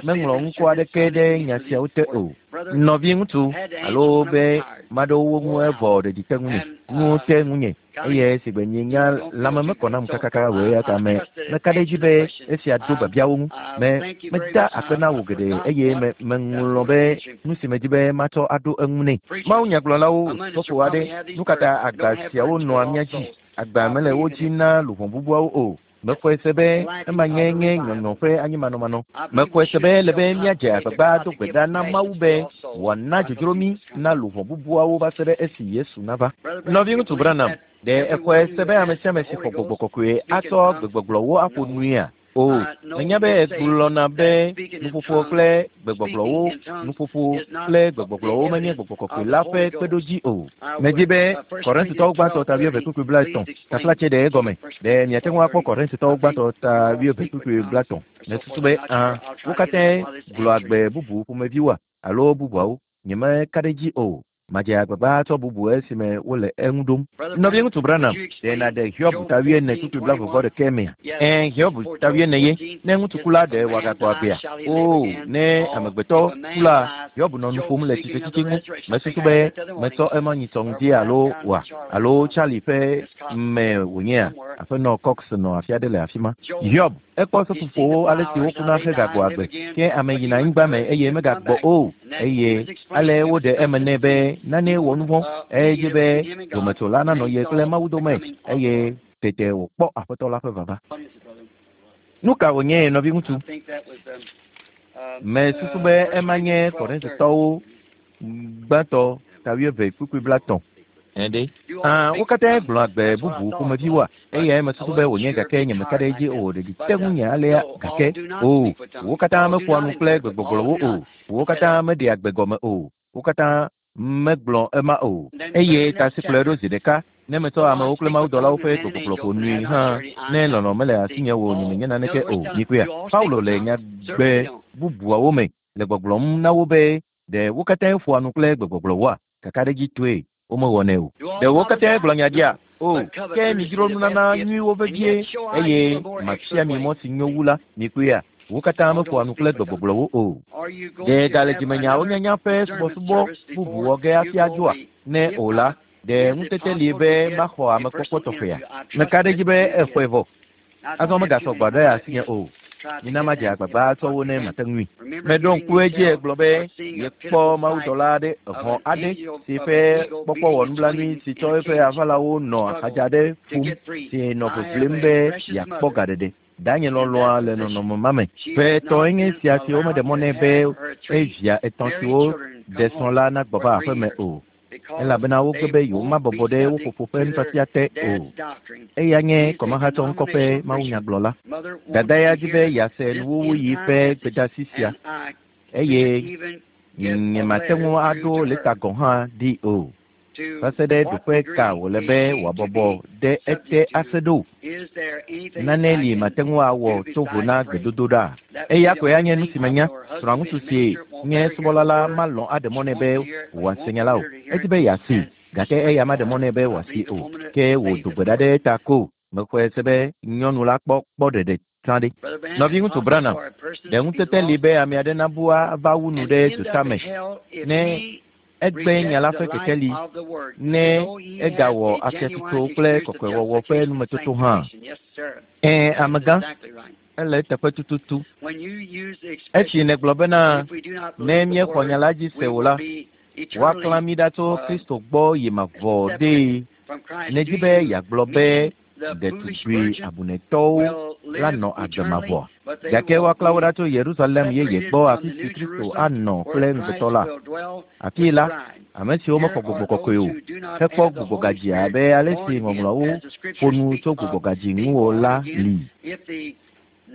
Meŋlɔ ŋkɔ aɖeke ɖe nya siawo te o. Nɔviŋutsu, alo be maɖo wo ŋu evɔ ɖeɖi te ŋunye, nu te ŋunye. Eye si gbe nye nya lãme mekɔ nam kakaka o, eya ta me, meka ɖe edzi be esia ɖo biabiawo ŋu. Me, meda akpe na wò geɖe, eye me, meŋlɔ be nu si medi be matsɔ aɖo eŋu nɛ. Mawunyagblɔlawo, osɔfo aɖe, nukata agba siawo nɔa mía dzi? Agba mele wo dzi na luʋɔ bubuawo o. Mexɔe se be ema nye nye nyɔnyɔ ƒe anyimanɔmanɔ. Mexɔe se be ele be míadze agbagba ado gbe ɖa na Mawu be wòana dzodzro mí na luʋɔ bubuawo va se ɖe esi Yesu nava. Nɔviŋutsu Branham, ɖe èxɔe se be ame sia ame si xɔ gbɔgbɔ kɔkɔe atsɔ gbegbɔgblɔwo aƒo nuia? O, menya be ègblɔna be nuƒoƒo kple gbegbɔgblɔwo, nuƒoƒo kple gbegbɔgblɔwo menye gbɔgbɔ kɔkɔe la ƒe kpeɖodzi o. Medi be Korintotɔwo gbãtɔ ta wuieve kpukpui blaetɔ̃, taflatse ɖe egɔme. Ɖe miate ŋu akpɔ Korintotɔwo gbãtɔ ta wuieve kpukpui blaetɔ̃? Mesusu be, Ã, wo katãe gblɔa gbe bubu ƒomeviwoa, alo bubuawo? Nyemeka ɖe edzi o. Madze agbagba atsɔ bubu esime wole eŋu ɖom. Nɔviŋutsu Branham, ɖe nàɖe Hiob ta wuiene kpukpui blaeve vɔ ɖekɛ mea? Ẽ, Hiob ta wuiene ye. Ne ŋutsu ku la, ɖe wòagagbɔ agbea? Oo, ne amegbetɔ ku la, Hiob nɔ nu ƒom le tsitretsitsi ŋu. Mesusu be metsɔ ema nyitsɔ ŋdi alo oa? Alo Charlie ƒe me wònyea? Aƒenɔ Cox nɔ afi aɖe le afima. Hiob. Ekpɔ seƒoƒowo ale si wokuna hegagbɔ agbe, ke ame yina anyigba me eye megagbɔ o, eye ale woɖe eme nɛ be nane wɔ nuvɔ̃, edzi be dometsola nanɔ ye kple Mawu dome, eye tete wòkpɔ Aƒetɔ la ƒe vava. Nu ka wònye, nɔviŋutsu? Mesusu be ema nye Korintotɔwo Gbãtɔ ta wuieve kpukpui blaetɔ̃. Ẽ ɖe? Ã, wo katãe gblɔa gbe bubu ƒomeviwoa? Eyae mesusu be wònye gake nyemeka ɖe edzi o. Ɖeɖi te ŋunye alea gake. Oo, wo katã meƒoa nu kple gbegbɔgblɔwo o. Wo katã meɖea gbe gɔme o. Wo katã megblɔ ema o. Eye ta si kplɔe ɖo zi ɖeka, ne metsɔ amewo kple mawudɔlawo ƒe gbegbɔgblɔ ƒo nui hã, ne lɔlɔ̃ mele asinye o, nyemenye naneke o. Mikpɔea? Paulo le nyagbe bubuawo me le gbɔgblɔm na wo be, Ɖe wo katãe ƒoa nu kple gbegbɔgblɔwoa? Kakaɖedzitɔe, womewɔnɛ o. Ɖe wo katãe gblɔ nya ɖia? O, ke midzro nunana nyuiwo vevie, eye mafia mi mɔ si nyo wu la. Mikpɔea? Wo katã meƒoa nu kple gbegbɔgblɔwo o. Ɖe gale dzimenyawo nyanya ƒe subɔsubɔ bubu wɔ ge hafi adzoa? Ne o la, ɖe ŋutete li be maxɔ amekpɔkpɔ tɔxɛa? Meka ɖe edzi be exɔe vɔ. Azɔ megasɔ gbɔ ɖe asinye o. Mina madze agbagba atsɔ wo ne mate ŋui. Meɖo ŋku edzi egblɔ be yekpɔ mawudɔla aɖe, hɔ̃ aɖe, si ƒe kpɔkpɔ wɔ nublanui si tsɔ eƒe aʋalawo nɔ axadza aɖe ƒom, si nɔ ʋiʋlim be yeakpɔ gaɖeɖe. Danye lɔlɔ̃a le nɔnɔme ma me. Ƒe etɔ̃e nye esia si womeɖe mɔ nɛ be evia etɔ̃ siwo ɖe srɔ̃ la nagbɔ va aƒeme o. elabena wogbe be yewomabɔbɔ ɖe wo fofo ƒe nufiafia te o. Eya nye kɔmahatsɔ ŋkɔ ƒe mawunyagblɔla. Dada ya di be yease nuwuwuɣi ƒe gbedeasi sia, eye nyemate ŋu aɖo lɛta gɔ̃ hã ɖi o. Va se ɖe ɖoƒe ka wòle be wòabɔbɔ ɖe ete ase ɖo? Nane li mate ŋu awɔ to vo na gbedodoɖa. Eya koe anye nu si menya. Srɔ̃aŋutsu si nye subɔla la malɔ̃ aɖe mɔ nɛ be wòase nya la o. Edi be yeasee, gake eya maɖe mɔ nɛ be wòasee o. Ke wò do gbe ɖa ɖe eta ko. Mexɔe se be nyɔnu la kpɔ kpɔ ɖeɖe tsã ɖe. Nɔviŋutsu Branham, ɖe ŋutete li be ame aɖe nabu ava wu nu ɖe dzota me ne Egbe nya la ƒe kekeli ne egawɔ afiatsotso kple kɔkɔewɔwɔ ƒe numetoto hã. Ɛ̃, amegã, ele eteƒe tututu. Esi nègblɔ bena, Ne míexɔ nya la dzi se o la, woaklã mí ɖa tso Kristo gbɔ yi mavɔ ɖee, nèdi be yeagblɔ be ɖetugbui abunɛtɔwo la nɔ agbe mavɔa? Gake woaklã wo ɖa tso Yerusalem yeye gbɔ afi si Kristo anɔ kple ŋugbetɔ la. Afii la, ame siwo mexɔ gbɔgbɔ kɔkɔe o hekpɔ gbugbɔgadzi abe ale si Ŋɔŋlɔawo ƒo nu tso gbugbɔgadzi ŋu o la li.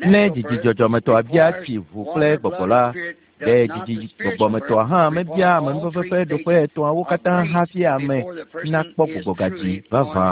Ne dzidzi dzɔdzɔmetɔa bia tsi ʋu kple gbɔgbɔ la, ɖe dzidzi gbɔgbɔmetɔa hã mebia amenuveve ƒe ɖoƒe etɔ̃awo katã hafi ame nakpɔ gbugbɔgadzi vavã?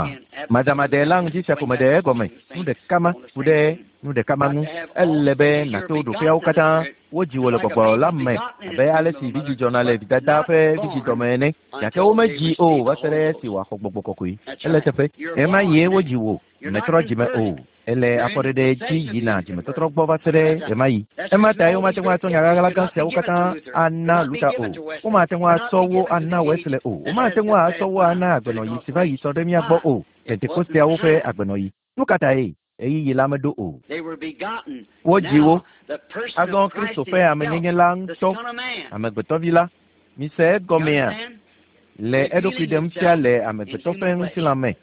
Madamadae la ŋdi sia ko meɖe egɔme nu ɖeka ma ku ɖe nu ɖeka ma ŋu. Ele be nàto ɖoƒeawo katã. Wodzi wò le gbɔgbɔ la me abe ale si vidzĩ dzɔna le vidada ƒe vidzidɔme ene. Gake womedzii o va se ɖe esi wòaxɔ gbɔgbɔ kɔkɔe. Ele eteƒe. Ɣemaɣie wodzi wò. Mètrɔ dzime o. Èle afɔɖeɖe dzi yina dzimetɔtrɔ gbɔ va se ɖe ɣemaɣi. Ema tae womate ŋu atsɔ nya ɣaɣla gã siawo katã ana Luther o. Womate ŋu atsɔ wo ana Wesley o. Womate ŋu atsɔ wo ana agbenɔɣi si va yi sɔ ɖe mía gbɔ o, Pentekosteawo ƒe agbenɔɣi. Nu ka tae? Ɣeyiɣi la meɖo o. Wodzi wo. Azɔ Kristo ƒe amenyenye la ŋutɔ, Amegbetɔvi la, mise egɔmea, le eɖokui ɖem fia le amegbetɔ ƒe ŋutilã me.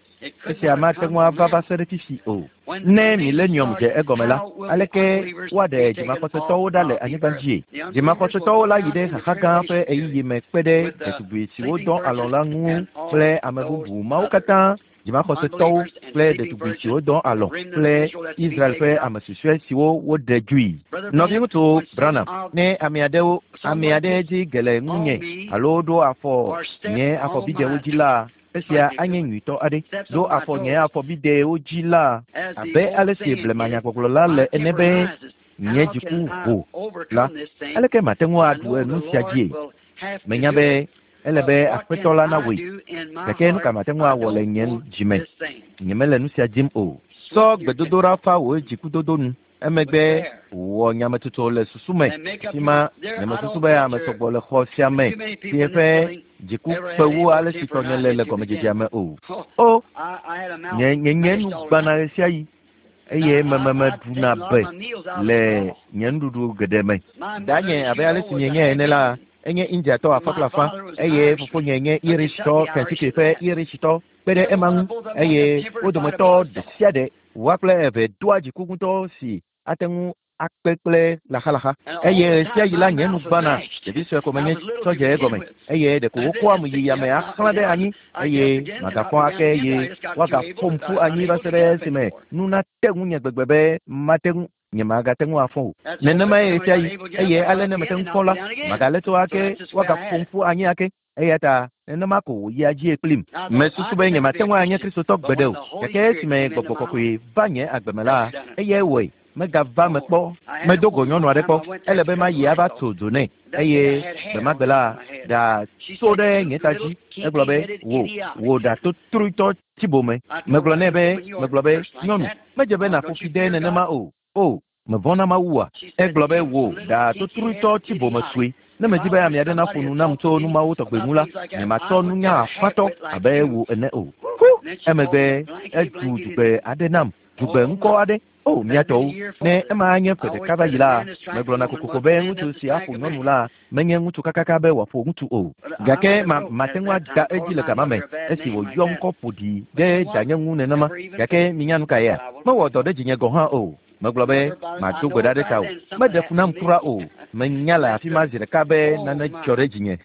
Esia mate ŋu ava va se ɖe fifi o. Ne milenium dze egɔme la, aleke woaɖe dzimaxɔsetɔwo ɖa le anyigba dzie? Dzimaxɔsetɔwo la yi ɖe xaxa gã ƒe ɣeyiɣi me kpe ɖe ɖetugbui siwo dɔ alɔ̃ la ŋu kple ame bubu mawo katã, dzimaxɔsetɔwo kple ɖetugbui siwo dɔ alɔ̃ kple Israel ƒe ame susɔe siwo woɖe dzoe. Nɔviŋutsu Branham, ne ame aɖewo, ame aɖe dzi ge le ŋunye alo ɖo afɔ nye afɔbidɛwo dzi la, Esia anye nyuitɔ aɖe. Ɖo afɔ nye afɔbidɛwo dzi la, abe ale si blemanyagbɔgblɔ la le ene be, Nye dziku ho la, aleke mate ŋu aɖu enu sia dzie? Menya be ele be Aƒetɔ la nawɔe, gake nu ka mate ŋu awɔ le nye dzi me? Nyemele nu sia dim o. Tsɔ gbedodoɖa fa wò dzikudodo nu. Emegbe wɔ nyametsotso le susu me. Afi ma, nyemesusu be ame sɔgbɔ le xɔ sia me si eƒe dziku kpe wu ale si tɔnye le le gɔmedzedzea me o. O, nye, nye, nye nu gbãna ɣesiaɣi, eye mememeɖuna be le nye nuɖuɖu geɖe me. Danye, abe ale si mienyae ene la, enye Indiatɔ afã kple afã, eye fofonye nye Irishtɔ, Kentucky ƒe Irishtɔ. Kpe ɖe ema ŋu, eye wo dometɔ ɖesiaɖe Woa kple eve doa dziku ŋutɔ si ate ŋu akpe kple laxalaxa. Eye ɣesiaɣi la nye nu gbãna, ɖevi sue ko menye tsɔ dze egɔme, eye ɖeko wokɔam yi yame axlã ɖe anyi, eye magafɔ ake eye woagaƒom ƒu anyi va se ɖe esime nu nate ŋunye gbegbe be mate ŋu nyemagate ŋu afɔ o. Nenemae ɣesiaɣi, eye ale ne mete ŋu fɔ la, magalé to ake, woagaƒom ƒu anyi ake. Eya ta nenema ko wòyia dzie kplim. Mesusu be nyemate ŋu anye Kristotɔ gbeɖe o, gake esime Gbɔgbɔ Kɔkɔe va nye agbe me la, eyae wɔe. Megava eme kpɔ. Medo go nyɔnu aɖe kpɔ. Ele be mayi ava tso dzo nɛ. Eye gbemagbe la, ɖa tso ɖe nye ta dzi. Egblɔ be, Wò, wò ɖa totroetɔ tsi bome. Megblɔ nɛ be, Megblɔ be, Nyɔnu, medze be nàƒo fi de nenema o. O, mevɔ̃ na Mawua? Egblɔ be, Wò, ɖa totroetɔ tsi bome sue. Ne medi be ame aɖe naƒo nu nam tso nu mawo tɔgbe ŋu la, nyematsɔ nunya afatɔ abe wò ene o. Hu! Emegbe edu dzugbe aɖe nam, dzugbe ŋkɔ aɖe. O, mía tɔwo, ne ema anye ƒe ɖeka va yi la, megblɔna kokoko be ŋutsu si aƒo nyɔnu la menye ŋutsu kakaka be wòaƒo ŋutsu o. Gake ma, mate ŋu ada edzi le gama me esi wòyɔ ŋkɔ ƒo ɖi ɖe danye ŋu nenema. Gake minya nu kaea? Mewɔ dɔ ɖe dzinye gɔ̃ hã o. Megblɔ be, Mado gbe ɖa ɖe tawò. Meɖe fu nam kura o. Menya le afi ma zi ɖeka be nane dzɔ ɖe dzinye.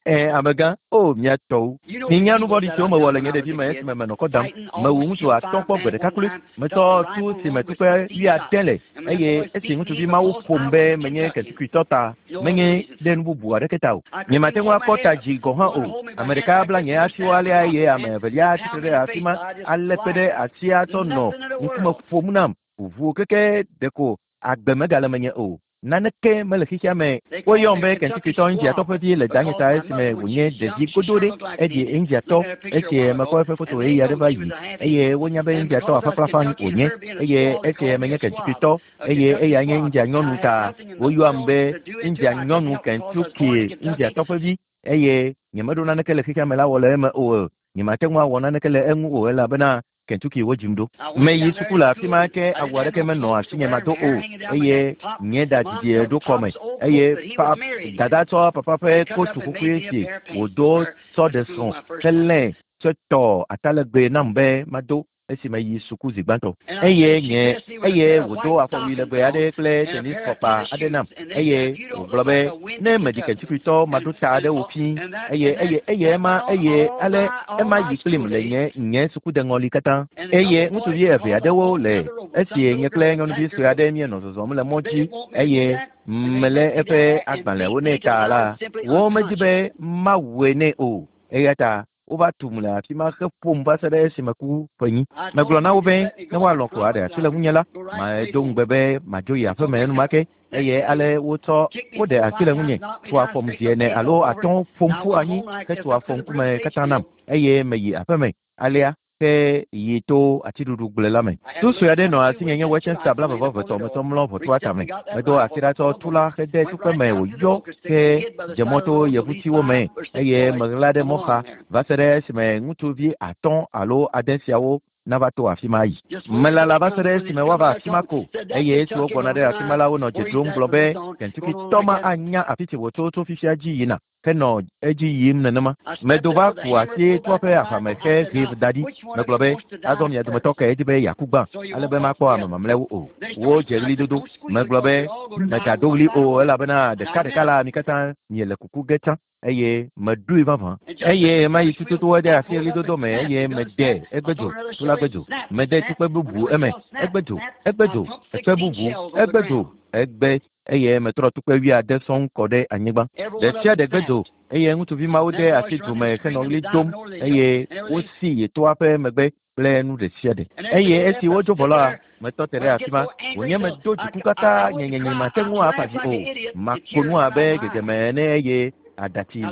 Ẽ, amegã, o, mía tɔwo. Minya nu vɔ̃ɖi siwo mewɔ le nye ɖevime esime menɔ kɔ dam. Mewu ŋutsu atɔ̃ kpɔ gbe ɖeka kloe. Metsɔ tu si me tukpe wuiade le, eye esi ŋutsuvi mawo ƒom be menye Kentuckytɔ ta, menye ɖe nu bubu aɖeke ta o. Nyemate ŋu akpɔ ta dzi gɔ̃ hã o. Ame ɖeka bla nye asiwo alea eye ame evelia tsi tre ɖe afi ma alé kpe ɖe asia tsɔ nɔ ŋkume ƒom nam ʋuu keke ɖeko agbe megale menye o. Naneke mele xexea me. Woyɔm be Kentuckytɔ Indiatɔ ƒe vi le danye ta esime wònye ɖevi godo ɖe. Eɖi Indiatɔ esi mekpɔ eƒe foto ɣeyiɣi aɖe va yi eye wonya be Indiatɔ aƒakplafa wònye eye esi menye Kentuckytɔ eye eya nye India nyɔnu ta woyɔam be India nyɔnu Kentucky Indiatɔ ƒe vi eye nyemeɖo naneke le xexea me la wɔ le eme o. Nyemate ŋu awɔ naneke le eŋu o elabena Kentucky wodzim ɖo. Meyi suku le afi ma ke awu aɖeke menɔ asinye mado o eye nye ɖa didie ɖo kɔme eye pa, dada tsɔ papa ƒe kotu xoxoe si wòdo tsɔ ɖe srɔ̃ helẽ tsɔ tɔ atalegbe nam be mado esi meyi suku zi gbãtɔ. Eye nye, eye wòdo afɔwui legbe aɖe kple tenis fɔkpa aɖe nam eye wògblɔ be ne meɖi Kentuckytɔ maɖo ta aɖewo fi eye eye eye ema eye ale ema yi kplim le nye nye sukudeŋɔli katã. Eye ŋutsuvi eve aɖewo le esi nye kple nyɔnuvi sue aɖe míenɔ zɔzɔm le mɔ dzi eye melé eƒe agbalẽwo nɛ ta la, womedi be mawɔe nɛ o. Eya ta wova tum le afi ma heƒom va se ɖe esime ku ƒenyi. Megblɔ na wo be ne woalɔ̃ ko aɖe asi le ŋunye la, medo ŋugbe be madzo yi aƒeme enumake eye ale wotsɔ woɖe asi le ŋunye, tu afɔm zi ene alo atɔ̃ ƒom ƒu anyi hetu afɔ ŋkume katã nam eye meyi aƒeme alea ke yi to atiɖuɖugble la me. Tu sue aɖe nɔ asinye nye Westchester blaeve-vɔ-etɔ̃ metsɔ mlɔ ʋɔtrua tame. Medo asi ɖa tsɔ tu la hede tukpe me wòyɔ ke dze mɔ to yevutiwo me eye meɣla ɖe mɔxa va se ɖe esime ŋutsuvi atɔ̃ alo ade siawo nava to afi ma yi. Melala va se ɖe esime woava afi ma ko eye esi wogbɔna ɖe afi ma la wonɔ dze ɖom gblɔ be Kentuckytɔ ma anya afi si wòtso tso fifia dzi yina henɔ edzi yim nenema. Medo va ku asi toa ƒe aʋame he hee da ɖi. Megblɔ be, azɔ mia dometɔ kae di be yeaku gbã ale be makpɔ ame mamlɛawo o. Wodze ɣlidodo. Megblɔ be, megado ɣli o elabena ɖekaɖeka la mi katã miele kuku ge tsã eye meɖoe vavã. Eye mayi tututu ede asi ɣlidodo me eye mede egbe dzo, tu la gbe dzo. Mede tukpe bubu eme, egbe dzo, egbe dzo, ekpe bubu, egbe dzo, egbe eye metrɔ tukpe wuiade sɔŋ kɔ ɖe anyigba. Ɖe sia ɖe gbe dzo eye ŋutsuvi mawo de asi du me henɔ ɣli dom eye wosi yi toa ƒe megbe kple nu ɖe sia ɖe. Eye esi wodzo vɔ la, metɔ te ɖe afi ma. Wònye medo dziku katã nyenyenye mate ŋu afa dzi o. Mako nu abe gegeme ene eye aɖatsi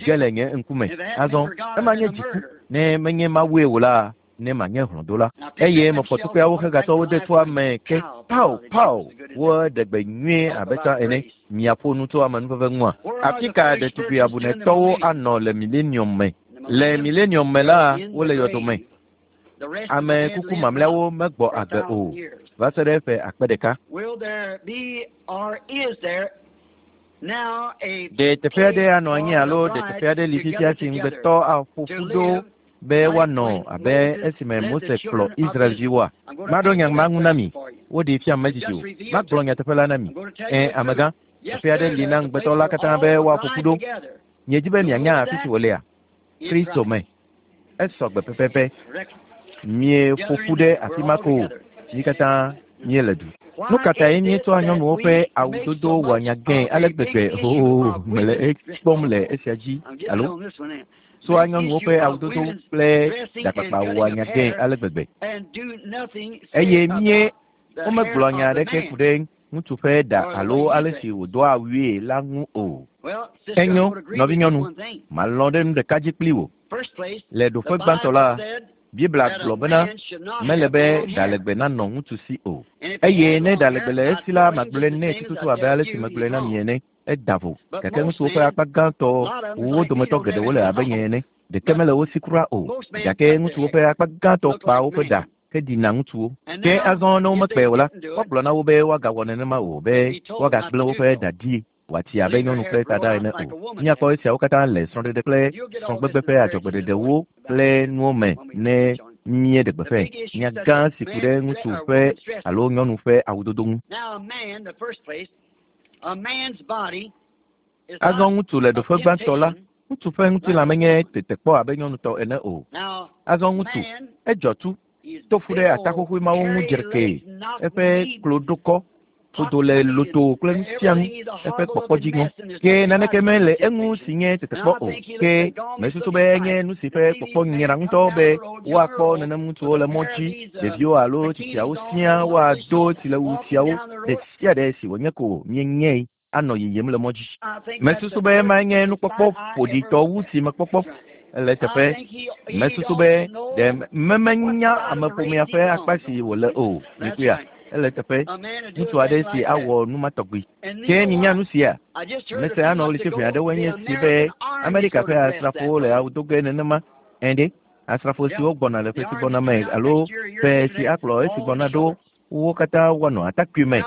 ge le nye ŋkume. Azɔ ema nye dziku. Ne menye Mawue o la, ne manye hlɔ̃dola. Eye mefɔ tukpeawo hegatsɔ wo de toa me ke pao pao woɖe gbe nyuie abe tsã ene. Miaƒo nu tso amenuveve ŋua? Afi ka ɖetugbui abunetɔwo anɔ le milenium me? Le milenium me la, wole yɔdo me. Ame kuku mamlɛawo megbɔ agbe o va se ɖe ƒe akpe ɖeka. Ɖe teƒe aɖe anɔ anyi alo ɖe teƒe aɖe li fifia si ŋugbetɔ aƒo ƒu ɖo Be woanɔ abe esime Mose kplɔ Israelviwoa? Maɖo nya ma ŋu na mi. Woɖee fiam medidi o. Magblɔ nyateƒe la na mi. Ẽ, amegã, teƒe aɖe li na ŋugbetɔ la katã be woaƒo ƒu ɖo. Miedi be mianya afi si wòlea? Kristo me. Esɔ gbe pɛpɛpɛ. Mieƒo ƒu ɖe afi ma ko o. Mí katã míele du. Nu ka tae míetsɔa nyɔnuwo ƒe awudodo wɔa nya gãe ale gbegbe? Oo, mele ekpɔm le esia dzi, alo? Tsɔa nyɔnuwo ƒe awudodo kple ɖakpakpa wɔa nya gãe ale gbegbe. Eye mie womegblɔa nya aɖeke ku ɖe ŋutsu ƒe ɖa alo ale si wòdoa awue la ŋu o. Enyo, nɔvinyɔnu, malɔ̃ ɖe nu ɖeka dzi kpli wò. Le ɖoƒe gbãtɔ la, Biblia gblɔ bena mele be ɖa legbe nanɔ ŋutsu si o. Eye ne ɖa legbe le esi la, magblɔe nɛ tututu abe ale si megblɔe na mi ene. Eda vo. Gake ŋutsuwo ƒe akpa gãtɔ, wo dometɔ geɖewo le abe nye ene. Ɖeke mele wo si kura o. Gake ŋutsuwo ƒe akpa gãtɔ kpaa woƒe ɖa heɖina ŋutsuwo. Ke azɔ ne womekpee o la, woagblɔ na wo be woagawɔ nenema o, be woagagblẽ woƒe ɖa ɖi wòatsi abe nyɔnu ƒe taɖa ene o. Míakpɔ esiawo katã le srɔ̃ɖeɖe kple srɔ̃gbegbe ƒe adzɔgbeɖeɖewo kple nuwo me ne míeɖe gbeƒãe. Nya gã si ku ɖe ŋutsu ƒe alo nyɔnu ƒe awudodo ŋu. Azɔ ŋutsu le ɖoƒe gbãtɔ la, ŋutsu ƒe ŋutilã menye tetekpɔ abe nyɔnu tɔ ene o. Azɔ ŋutsu, edzɔ tu, to fu ɖe ataxoxoe mawo ŋu dzrekee, eƒe klo ɖo kɔ, ƒodo le lotoo kple nu sia nu, eƒe kpɔkpɔ dzi ŋɔ. Ke naneke mele eŋu si nye tetekpɔ o. Ke mesusu be enye nu si ƒe kpɔkpɔ nyra ŋutɔ be woakpɔ nenem ŋutsuwo le mɔ dzi, ɖeviwo alo tsitsiawo siaa woado tsilewu siawo ɖe sia ɖe si wònye ko míenyae anɔ yiyim le mɔ dzi. Mesusu be emae nye nukpɔkpɔ ƒoɖitɔ wu si mekpɔkpɔ le eteƒe. Mesusu be ɖe memenya ameƒomea ƒe akpa si wòle o. Mikpɔea? Ele eteƒe. Ŋutsu aɖe si awɔ nu ma tɔgbi. Ke minya nu sia? Mese anɔ ɣleti ʋɛ aɖewoe nye esi be Amerika ƒe asrafowo le awu do ge nenema. Ẽ ɖe, asrafo siwo gbɔna le ƒe si gbɔna me alo ƒe si akplɔ esi gbɔna ɖo wo katã woanɔ atakpui me.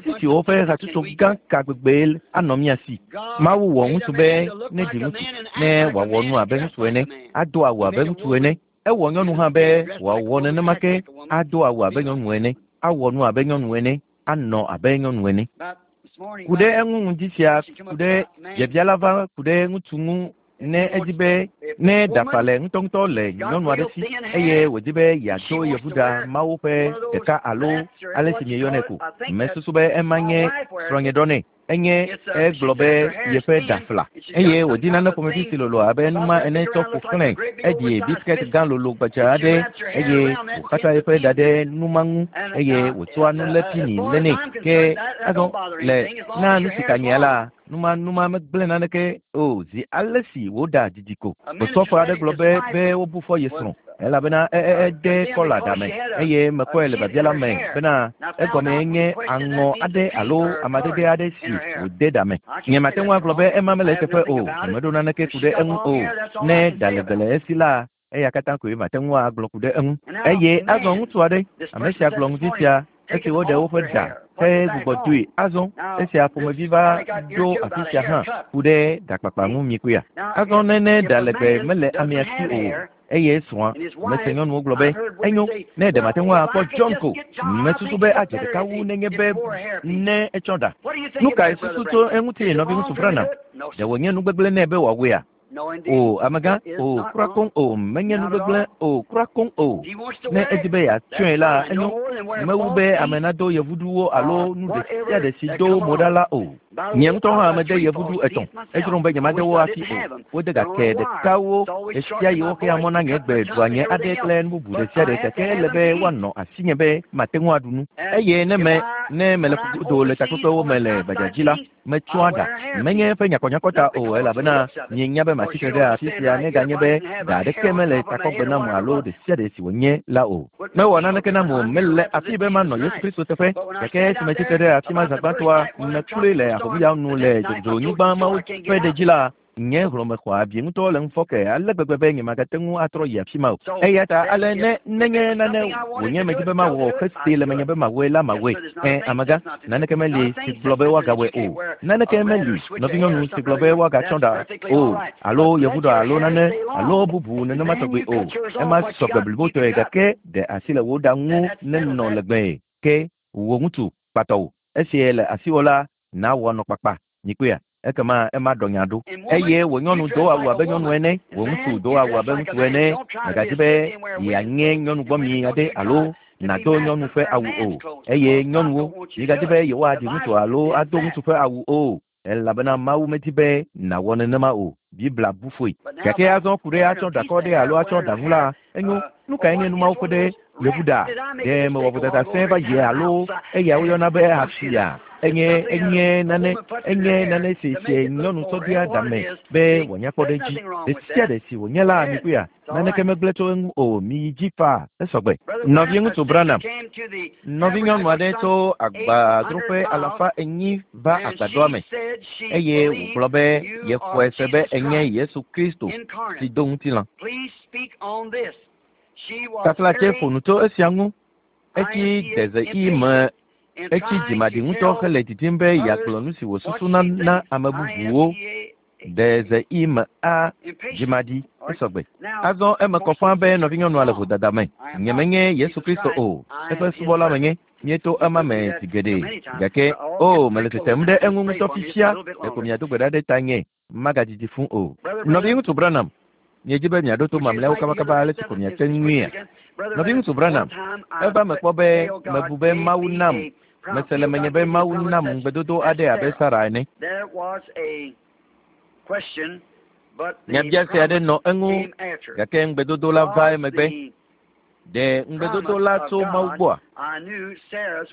Sisi woƒe hatsotso gã ka gbegbee anɔ mía si? Mawu wɔ ŋutsu be neɖi ŋutsu, ne wòawɔ nu abe ŋutsu ene, ado awu abe ŋutsu ene. Ewɔ nyɔnu hã be wòawɔ nenema ke, ado awu abe nyɔnu ene, awɔ nu abe nyɔnu ene, anɔ abe nyɔnu ene. Ku ɖe eŋu ŋdi sia, ku ɖe biabia la va ku ɖe ŋutsu ŋu ne edi be ne ɖafa le ŋutɔŋutɔ le nyɔnu aɖe si eye wòdi be yeado yevuɖa mawo ƒe ɖeka alo ale si mieyɔnɛ ko. Mesusu be ema nye srɔ̃nye ɖɔ nɛ. Enye egblɔ be yeƒe ɖa fla eye wòdi nane ƒomevi si lolo abe nu ma ene tsɔ ƒo xlãe. Eɖi biskɛt gã lolo gbadza aɖe eye wòxatsa eƒe ɖa ɖe nu ma ŋu eye wòtsɔa nulepini lénɛ. Ke azɔ le na nu si ka nyea la, Numa numa megblẽ naneke o zi ale si wòɖa didi ko. Osɔfo aɖe gblɔ be be wobu fɔ ye srɔ̃ elabena e, e, ede kɔla ɖa me eye mekpɔe le biabia la me bena egɔmee nye aŋɔ aɖe alo amadede aɖe si wòde ɖa me. Nyemate ŋu agblɔ be ema mele eteƒe o, nyemeɖo naneke ku ɖe eŋu o. Ne ɖa legbe le esi la, eya katã koe mate ŋu agblɔ ku ɖe eŋu. Eye azɔ ŋutsu aɖe, ame sia gblɔ ŋdi sia, esi woɖe woƒe ɖa hegbugbɔ doe azɔ, esia ƒomevi va ɖo afi sia hã ku ɖe ɖakpakpa ŋu mikpɔea? Azɔ ne ne ɖa legbe mele amea si o, eye srɔ̃a, mese nyɔnuwo gblɔ be, enyo, ne ɖe mate ŋu akpɔ John ko, mesusu be adze ɖeka wu nenye be ne etsɔ ɖa. Nu kae susu tso eŋuti, nɔviŋutsu Branham? Ɖe wònye nu gbegblẽ nɛ be wòawɔea? O, amegã, o, kura koŋ o, menye nu gbegblẽ o, kura koŋ o. Ne edi be yeatsɔe la, enyo. Mewu be ame nado yevuɖuwo alo nu ɖe sia ɖe si do mo ɖa la o. Nye ŋutɔ hã mede yevuɖu etɔ̃. Edzrom be nyemade wo hafi o. Wode gake ɖekawo ɣesiaɣi woxea mɔ na nye gbe ɖua nye aɖe kple nu bubu ɖe sia ɖe gake ele be woanɔ asinye be mate ŋu aɖu nu. Eye ne me, ne mele ƒugodo le takpekpewo me le gbadzadzi la, metsɔa ɖa. Menye eƒe nyakɔnyakɔ ta o, elabena mienya be matsi tre ɖe afi sia neganye be ɖa aɖeke mele takɔgbe nam alo ɖesiaɖe si wònye la o. Mewɔ naneke nam o, mele afii be manɔ Yesu Kristo teƒe. Gake esi metsi tre ɖe afi ma zã gbãtɔa, mekloe le ahomuya nu le dzodzonyigba mawo ƒe ɖe dzi la, Nye hlɔ̃me xɔ abi ŋutɔ le ŋufɔke ale gbegbe be nyemagate ŋu atrɔ yi afi ma o. Eya ta ale ne nenye nane wònye medi be mawɔ hesee le menye be mawɔe la mawɔe. Ẽ, amegã, naneke meli si gblɔ be woagawɔe o. Naneke meli, nɔvinyɔnu, si gblɔ be woagatsɔ ɖa o, alo yevuɖa alo nane, alo bubu nenema tɔgbi o. Ema sɔgbe blibotɔe gake ɖe asi le wò ɖa ŋu nenɔ legbee. Ke wò ŋutsu, kpatɔwò, esie le asiwò la, nawɔ nɔ kpakpa. Mikpɔea? Ekema ema ɖɔ nya ɖo. Eye wò nyɔnu do awu abe nyɔnu ene, wò ŋutsu do awu abe ŋutsu ene. Mègadzi be yeanye nyɔnu gbɔmi aɖe alo nàdo nyɔnu ƒe awu o. Eye nyɔnuwo, migadzi be yewoaɖi ŋutsu alo ado ŋutsu ƒe awu o, elabena Mawu medi be nàwɔ nenema o. Biblia bu fɔe. Gake azɔ ku ɖe atsɔ ɖakɔ ɖe alo atsɔ ɖa ŋu la, enyo. Nu kae nye nu mawo ƒe ɖe yevu ɖa? Ɖe mewɔ vodada sẽe va yi alo eya woyɔna be asia? Enye enye nane enye nane si si nyɔnu tsɔ dea ɖa me be wòanya kpɔ ɖe edzi. Ɖe sia ɖe si wònye la, mikpɔea, naneke megblẽ tso eŋu o. Miyi dzi faa, esɔgbe. Nɔviŋutsu Branham, nɔvinyɔnu aɖe tso agbadroƒe 400 va agbadɔa me eye wògblɔ be yexɔe se be enye Yesu Kristo si do ŋutilã. Taflatse ƒo nu tso esia ŋu. Etsi dezeɣi me etsi dzimaɖi ŋutɔ hele didim be yeagblɔ nu si wòsusuna na ame bubuwo. Dezeɣi me a dzimaɖi esɔgbe. Azɔ eme kɔ ƒãa be nɔvinyɔnua le vodada me. Nyemenye Yesu Kristo o. Eƒe subɔla menye. Míeto ema me zi geɖe. Gake, o, mele tetem ɖe eŋu ŋutɔ fifia. Ɖeko miado gbe ɖa ɖe tanye. Magadidi fũ o. Nɔviŋutsu Branham, miedi be miaɖo to mamlɛawo kabakaba ale si ko miate ŋuia? Nɔviŋutsu Branham, eva me kpɔ be mebu be Mawu nam, mese le menye be Mawu nam ŋugbedodo aɖe abe Sara ene. Nyabiase aɖe nɔ eŋu, gake ŋugbedodo la va emegbe. Ɖe ŋugbedodo la tso Mawu gbɔa?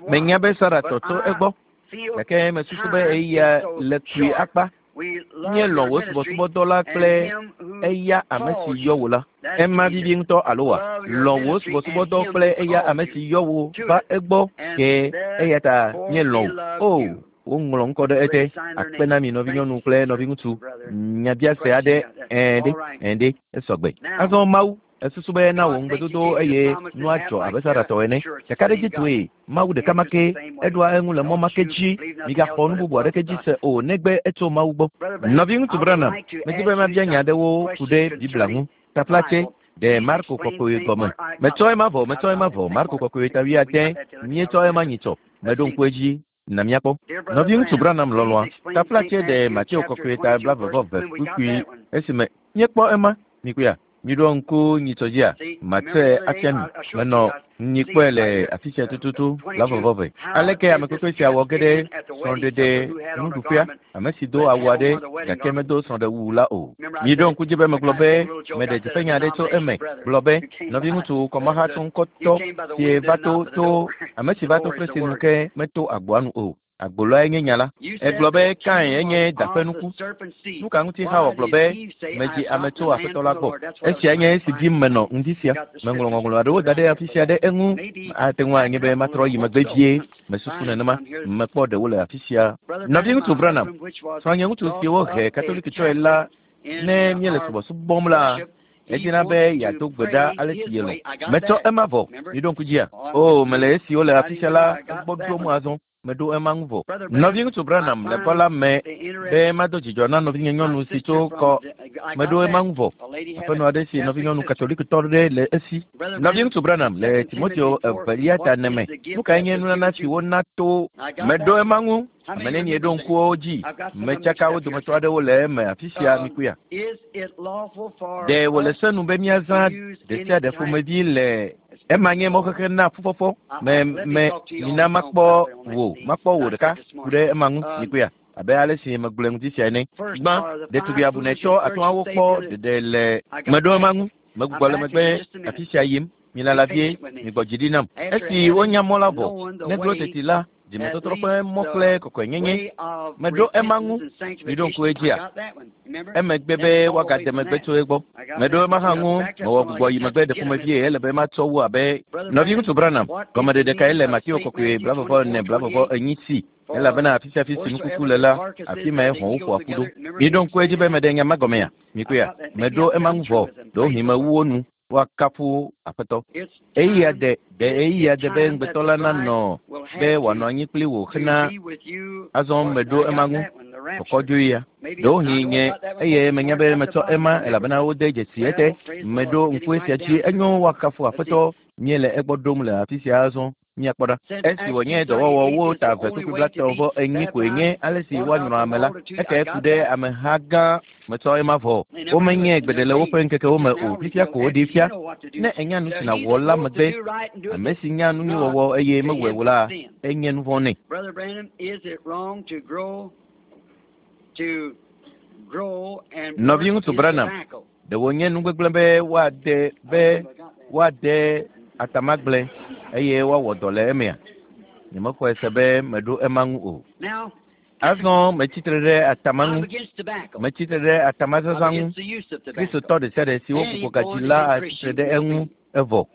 Menya be Sara tɔ tso egbɔ, gake mesusu be eya le kpui akpa. Míelɔ̃ wò subɔsubɔdɔ la kple eya ame si yɔ wò la. Ema vivi ŋutɔ alo wa? Lɔ̃ wò subɔsubɔdɔ kple eya ame si yɔ wò va egbɔ ke eya ta míelɔ̃ wò. O, woŋlɔ ŋkɔ ɖe ete. Akpe na mi nɔvinyɔnu kple nɔviŋutsu. Nyabiase aɖe, ɛ̃ ɖe, ɛ̃ ɖe, esɔgbe. Azɔ Mawu, esusu be na wò ŋugbedodo eye nua dzɔ abe Sara tɔ ene. Kakaɖedzitɔe, Mawu ɖeka ma ke, eɖoa eŋu le mɔ ma ke dzi. Migaxɔ nu bubu aɖeke dzi se o negbe etso Mawu gbɔ. Nɔviŋutsu Branham, medi be mabia nya aɖewo ku ɖe Biblia ŋu. Taflatse, ɖe Marko kɔkɔe gɔme. Metsɔ ema vɔ, metsɔ ema vɔ, Marko kɔkɔe ta wuiade, míetsɔ ema nyitsɔ. Meɖo ŋku edzi. Na míakpɔ. Nɔviŋutsu Branham lɔlɔ̃a, taflatse ɖe Mateo kɔkɔe ta 11 kpukpui esime míekpɔ ema. Mikpɔea? Miɖo ŋku nyitsɔ dzia? Matsɔe afia mi. Menɔ nyi kpɔe le afi sia tututu 11. Aleke ame kpekpe sia wɔ ge ɖe srɔ̃ɖeɖe nuɖuƒea? Ame si do awu aɖe gake medo srɔ̃ɖewu la o. Miɖo ŋku dzi be megblɔ be meɖe dziƒenya aɖe tso eme. Gblɔ be, nɔviŋutsu kɔmahatsɔŋkɔtɔ sie va to tso ame si va to fesre nu ke meto agboa nu o. Agbo lae nye nya la. Egblɔ be Kain enye da ƒe nuku. Nu ka ŋuti Xawa gblɔ be medzi ame tso Aƒetɔ la gbɔ? Esia nye esi dim menɔ ŋdi sia. Meŋlɔ ŋɔŋlɔ aɖewo da ɖe afi sia ɖe eŋu. Ate ŋu anye be matrɔ yi megbe vie. Mesusu nenema. Mekpɔ ɖewo le afi sia. Nɔviŋutsu Branham, srɔ̃nye ŋutsu si wohe Katolikitɔe la, ne míele subɔsubɔm la, edina be yeado gbe ɖa ale si yelɔ̃. Metsɔ ema vɔ. Miɖo ŋku dzia? O, mele esiwo le afi sia la gbɔ ɖom azɔ. Meɖo ema ŋu vɔ. Nɔviŋutsu Branham le kɔ la me be mado dzidzɔ na nɔvinye nyɔnu si tso kɔ. Meɖo ema ŋu vɔ. Aƒenɔ aɖe si nɔvinyɔnu Katolikitɔ ɖe le esi. Nɔviŋutsu Branham le Timoteo evelia ta ene me. Nu kae nye nunana si wona to? Meɖo ema ŋu. Ame nenie ɖo ŋkuwo dzi? Metsaka wo dometɔ aɖewo le eme afi sia mikpɔea? Ɖe wòle se nu be míazã ɖe sia ɖe ƒomevi le ema nye mɔxexe na fufɔfɔ me me mina makpɔ wò makpɔ wò ɖeka ku ɖe ema ŋu mikpɔea? Abe ale si megblɔe ŋuti sia ene. Gbã, ɖetugbi abunɛtɔ atɔ̃awo kpɔ ɖeɖe le meɖo ema ŋu. Megbugbɔ le megbe afi sia yim. Milala vie, migbɔ dzi ɖi nam. Esi wonya mɔ la vɔ, neglo teti la, Dzimetɔtrɔ ƒe mɔ kple kɔkɔenyenye. Meɖo ema ŋu. Miɖo ŋku edzia? Emegbe be woagade megbe tso egbɔ. Meɖo ema hã ŋu. Mewɔ gbugbɔ yi megbe ɖe ƒomevie ele be matsɔ wu abe Nɔviŋutsu Branham. Gɔmeɖeɖe kae le Mateo kɔkɔe 44 44 si? Elabena afi sia afi si nukuku le la, afi mae hɔ̃wo ƒoa ƒu ɖo. Miɖo ŋku edzi be meɖe nya ma gɔmea? Mikpɔea? Meɖo ema ŋu vɔ. Ɖewohĩ mewu wo nu. Woakafu Aƒetɔ. Ɣeyiɣia de, ɖe ɣeyiɣia de be ŋugbetɔ la nanɔ be wòanɔ anyi kpli wò hena azɔ meɖo ema ŋu. Kɔkɔdzoɣia. Ɖewohĩ nye eye menya be metsɔ ema elabena wode dzesi ete. Meɖo ŋku esia dzi. Enyo, woakafu Aƒetɔ. Míele egbɔ ɖom le afi sia azɔ. Míakpɔ ɖa. Esi wònye dɔwɔwɔ wo ta eve kpukpui 39 koe nye ale si woanyrɔ ame la, ekae ku ɖe ameha gã metsɔ ema vɔ. Womenyae gbeɖe le woƒe ŋkekewo me o, fifia ko woɖee fia. Ne ènya nu si nàwɔ la megbe, ame si nya nu nyui wɔwɔ eye mewɔe o la, enye nu vɔ̃ nɛ. Nɔviŋutsu Branham, ɖe wònye nu gbegblẽ be woade be woade atamagble eye woawɔ dɔ le emea? Nyemexɔe se be meɖo ema ŋu o. Azɔ metsi tre ɖe atama ŋu. Metsi tre ɖe atamazazã ŋu. Kristotɔ ɖesiaɖe si wogbugbɔ gadzi la atsi tre ɖe eŋu evɔ,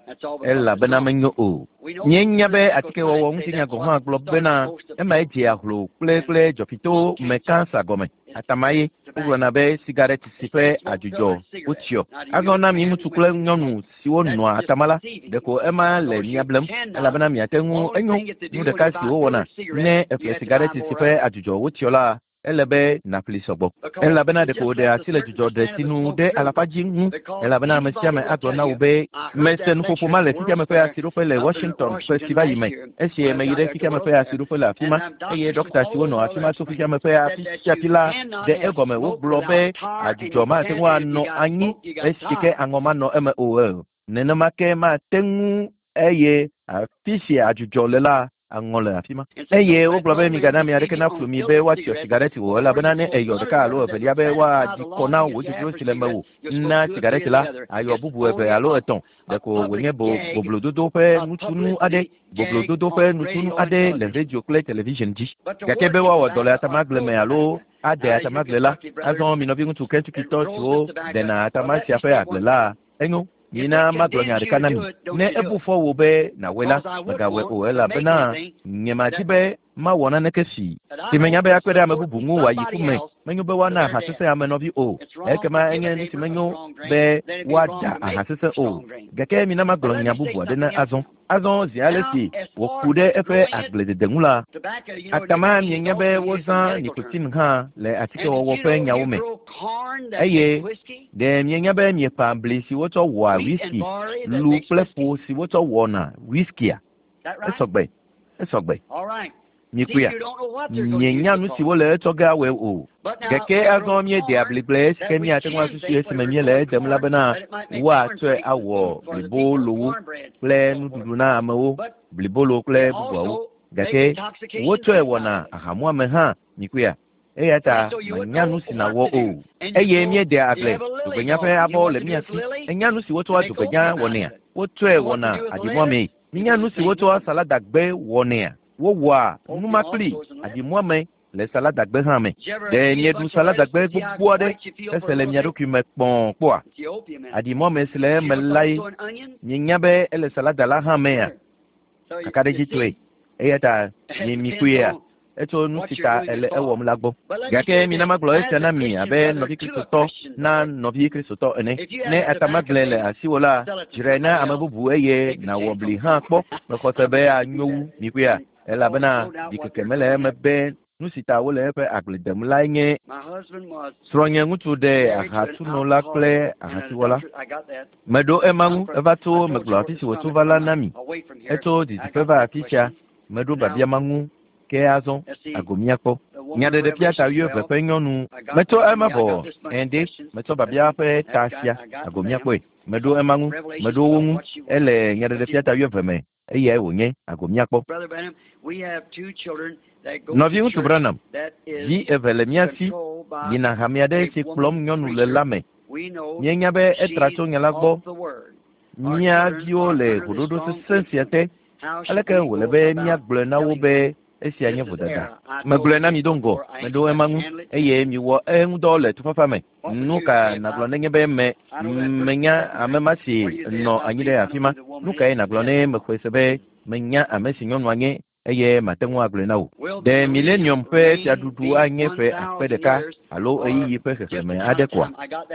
elabena menyo o. Míenya be atikewɔwɔ ŋutinya gɔ̃ hã gblɔ bena emae dzea hlo kple kple dzɔfito me kansa gɔme. Atama ye wogblɔna be sigaret si ƒe adzudzɔ wotsyɔ. Azɔ na mi ŋutsu kple nyɔnu siwo nɔa atama la, ɖeko ema le mia blem, elabena miate ŋu enyo nu ɖeka si wowɔna ne èƒle sigaret si ƒe adzudzɔ wotsyɔ la, ele be nàƒli sɔgbɔ. Elabena ɖeko wòɖe asi le dzudzɔ ɖe si nu ɖe alafa dzi ŋu, elabena ame sia ame agblɔ na wò be, Mese nuƒoƒo ma le xexeame ƒe asiɖoƒe le Washington ƒe si va yi me, esi meyi ɖe xexeame ƒe asiɖoƒe le afi ma, eye ɖɔkta siwo nɔ afi ma tso xexeame ƒe afi sia afi la ɖe egɔme. Wogblɔ be adzudzɔ mate ŋu anɔ anyi esi ke aŋɔ manɔ eme o. Nenema ke mate ŋu eye afi si adzudzɔ le la, aŋɔ le afi ma. Eye wogblɔ be migana ame aɖeke naflu mi be woatsyɔ sigareti o, elabena ne èyɔ ɖeka alo evelia be woaɖi kɔ na wò dzodzro si le mewò na sigareti la, àyɔ bubu eve alo etɔ̃. Ɖeko wònye bo boblododo ƒe nutunu aɖe, boblododo ƒe nutunu aɖe le radio kple television dzi. Gake be woawɔ dɔ le atamagble me alo ade atamagle la, azɔ mi nɔviŋutsu Kentuckitɔ siwo dena atama sia ƒe agble la, enyo. Mina magblɔ nya ɖeka na mi. Ne ebu fɔ wò be nàwɔe la, mègawɔe o, elabena nyemadi be mawɔ naneke si si menya be akpe ɖe ame bubu ŋu wòayi ku me. Menyo be woana aha sesẽ ame nɔvi o. Ekema enye nu si menyo be woada aha sesẽ o. Gake mina magblɔ nya bubu aɖe na azɔ. Azɔ zi ale si wòku ɖe eƒe agbledede ŋu la, atama mienya be wozã nikotin hã le atikewɔwɔ ƒe nyawo me. Eye ɖe mienya be mieƒã bli si wotsɔ wɔa whisky, lu kple ƒo si wotsɔ wɔna whiskia? Esɔgbe, esɔgbe. Mikpɔea? Mienya nu si wole etsɔ ge awɔe o. Gake azɔ míedea bligble esi ke míate ŋu asusui esime míele edem la bena woatsɔe awɔ blibolowo kple nuɖuɖu na amewo, blibolo kple bubuawo. Gake wotsɔe wɔna ahamuame hã. Mikpɔea? Eya ta mènya nu si nàwɔ o. Eye míedea agble dzogbenya ƒe abɔ le mía si. Ènya nu si wotsɔa dzogbenya wɔnɛa? Wotsɔe wɔna aɖimuamee. Minya nu si wotsɔa saladagbe wɔnɛa? Wowɔa nu ma kpli aɖimuame le saladagbe hã me. Ɖe mieɖu saladagbe gbogbo aɖe hese le mia ɖokui me kpɔ̃ kpɔa? Aɖimuame si le eme lae. Mienya be ele salada la hã mea? Kakaɖedzitɔe. Eya ta mi mikpɔea? Etso nu si ta ele ewɔm la gbɔ. Gake mina magblɔ esia na mi abe nɔvi Kristotɔ na nɔvi Kristotɔ ene. Ne atamagble le asiwò la, dzrae na ame bubu eye nàwɔ bli hã kpɔ. Mexɔ se be anyo wu, mikpɔea? Elabena ɖikeke mele eme be nu si ta wole eƒe agble dem lae nye srɔ̃nye ŋutsu ɖe ahatsunola kple ahasiwɔla. Meɖo ema ŋu. Eva tso megblɔ afi si wòtso va la na mi. Etso didiƒe va afi sia. Meɖo biabia ma ŋu. Ke azɔ, ago míakpɔ. Nyaɖeɖefia ta wuieve ƒe nyɔnu. Metsɔ ema vɔ. Ɛ̃ ɖe, metsɔ biabia ƒe ta sia. Ago míakpɔe. Meɖo ema ŋu. Meɖo wo ŋu. Ele nyaɖeɖefia ta wuieve me. Eyae wònye. Ago míakpɔ. Nɔviŋutsu Branham, vi eve le mía si yina hame aɖe si kplɔm nyɔnu le la me. Míenya be etra tso nya la gbɔ. Mía viwo le ʋuɖoɖo sesẽ sia te. Aleke wòle be míagblɔe na wo be Esia nye vodada. Megblɔe na mi do ŋgɔ, meɖo ema ŋu eye miwɔ eŋudɔ le tufafa me. Nu ka nàgblɔ nenye be me menya ame ma si nɔ anyi ɖe afi ma? Nu kae nàgblɔ ne mexɔe se be menya ame si nyɔnua nye eye mate ŋu agblɔe na wò? Ɖe milenium ƒe fiaɖuɖu anye ƒe akpe ɖeka alo ɣeyiɣi ƒe xexlẽme aɖe koa?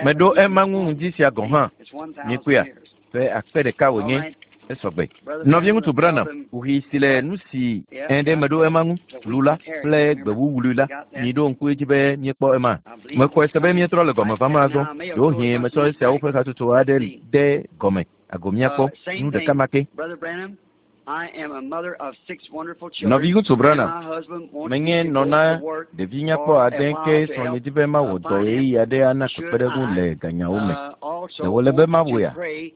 Meɖo ema ŋu ŋdi sia gɔ̃ hã. Mikpɔea? Ƒe akpe ɖeka wònye esɔgbe. Nɔviŋutsu Branham, kuxi si le nu si ẽ ɖe meɖo ema ŋu, lu la kple gbe wuwlui la, miɖo ŋku edzi be míekpɔ ema. Mexɔe se be míetrɔ le gɔme vam azɔ. Ɖewohĩ metsɔ esiawo ƒe hatsotso aɖe de gɔme ago míakpɔ nu ɖeka ma ke. Nɔviŋutsu Branham, menye nɔ na ɖevi nyakpɔ ade ke srɔ̃nye di be mawɔ dɔ ɣeyiɣi aɖe ana kpekpeɖeŋu le ganyawo me. Ɖe wòle be mawɔea?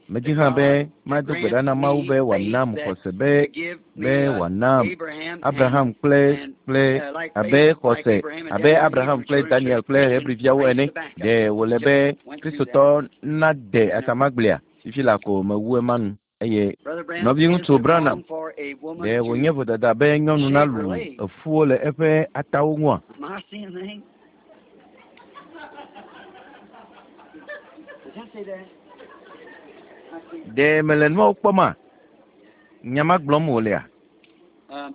Medi hã be mado gbe ɖa na Mawu be wòanam xɔse be be wòanam Abraham kple kple abe xɔse abe Abraham kple Daniel kple Hebriviawo ene. Ɖe wòle be Kristotɔ nade atamagblea? Fifi la ko mewu ema nu. Eye nɔviŋutsu Branham, ɖe wònye vodada be nyɔnu nalu efuwo le eƒe atawo ŋua? Ɖe mele nuawo kpɔma? Nya ma gblɔm wòlea?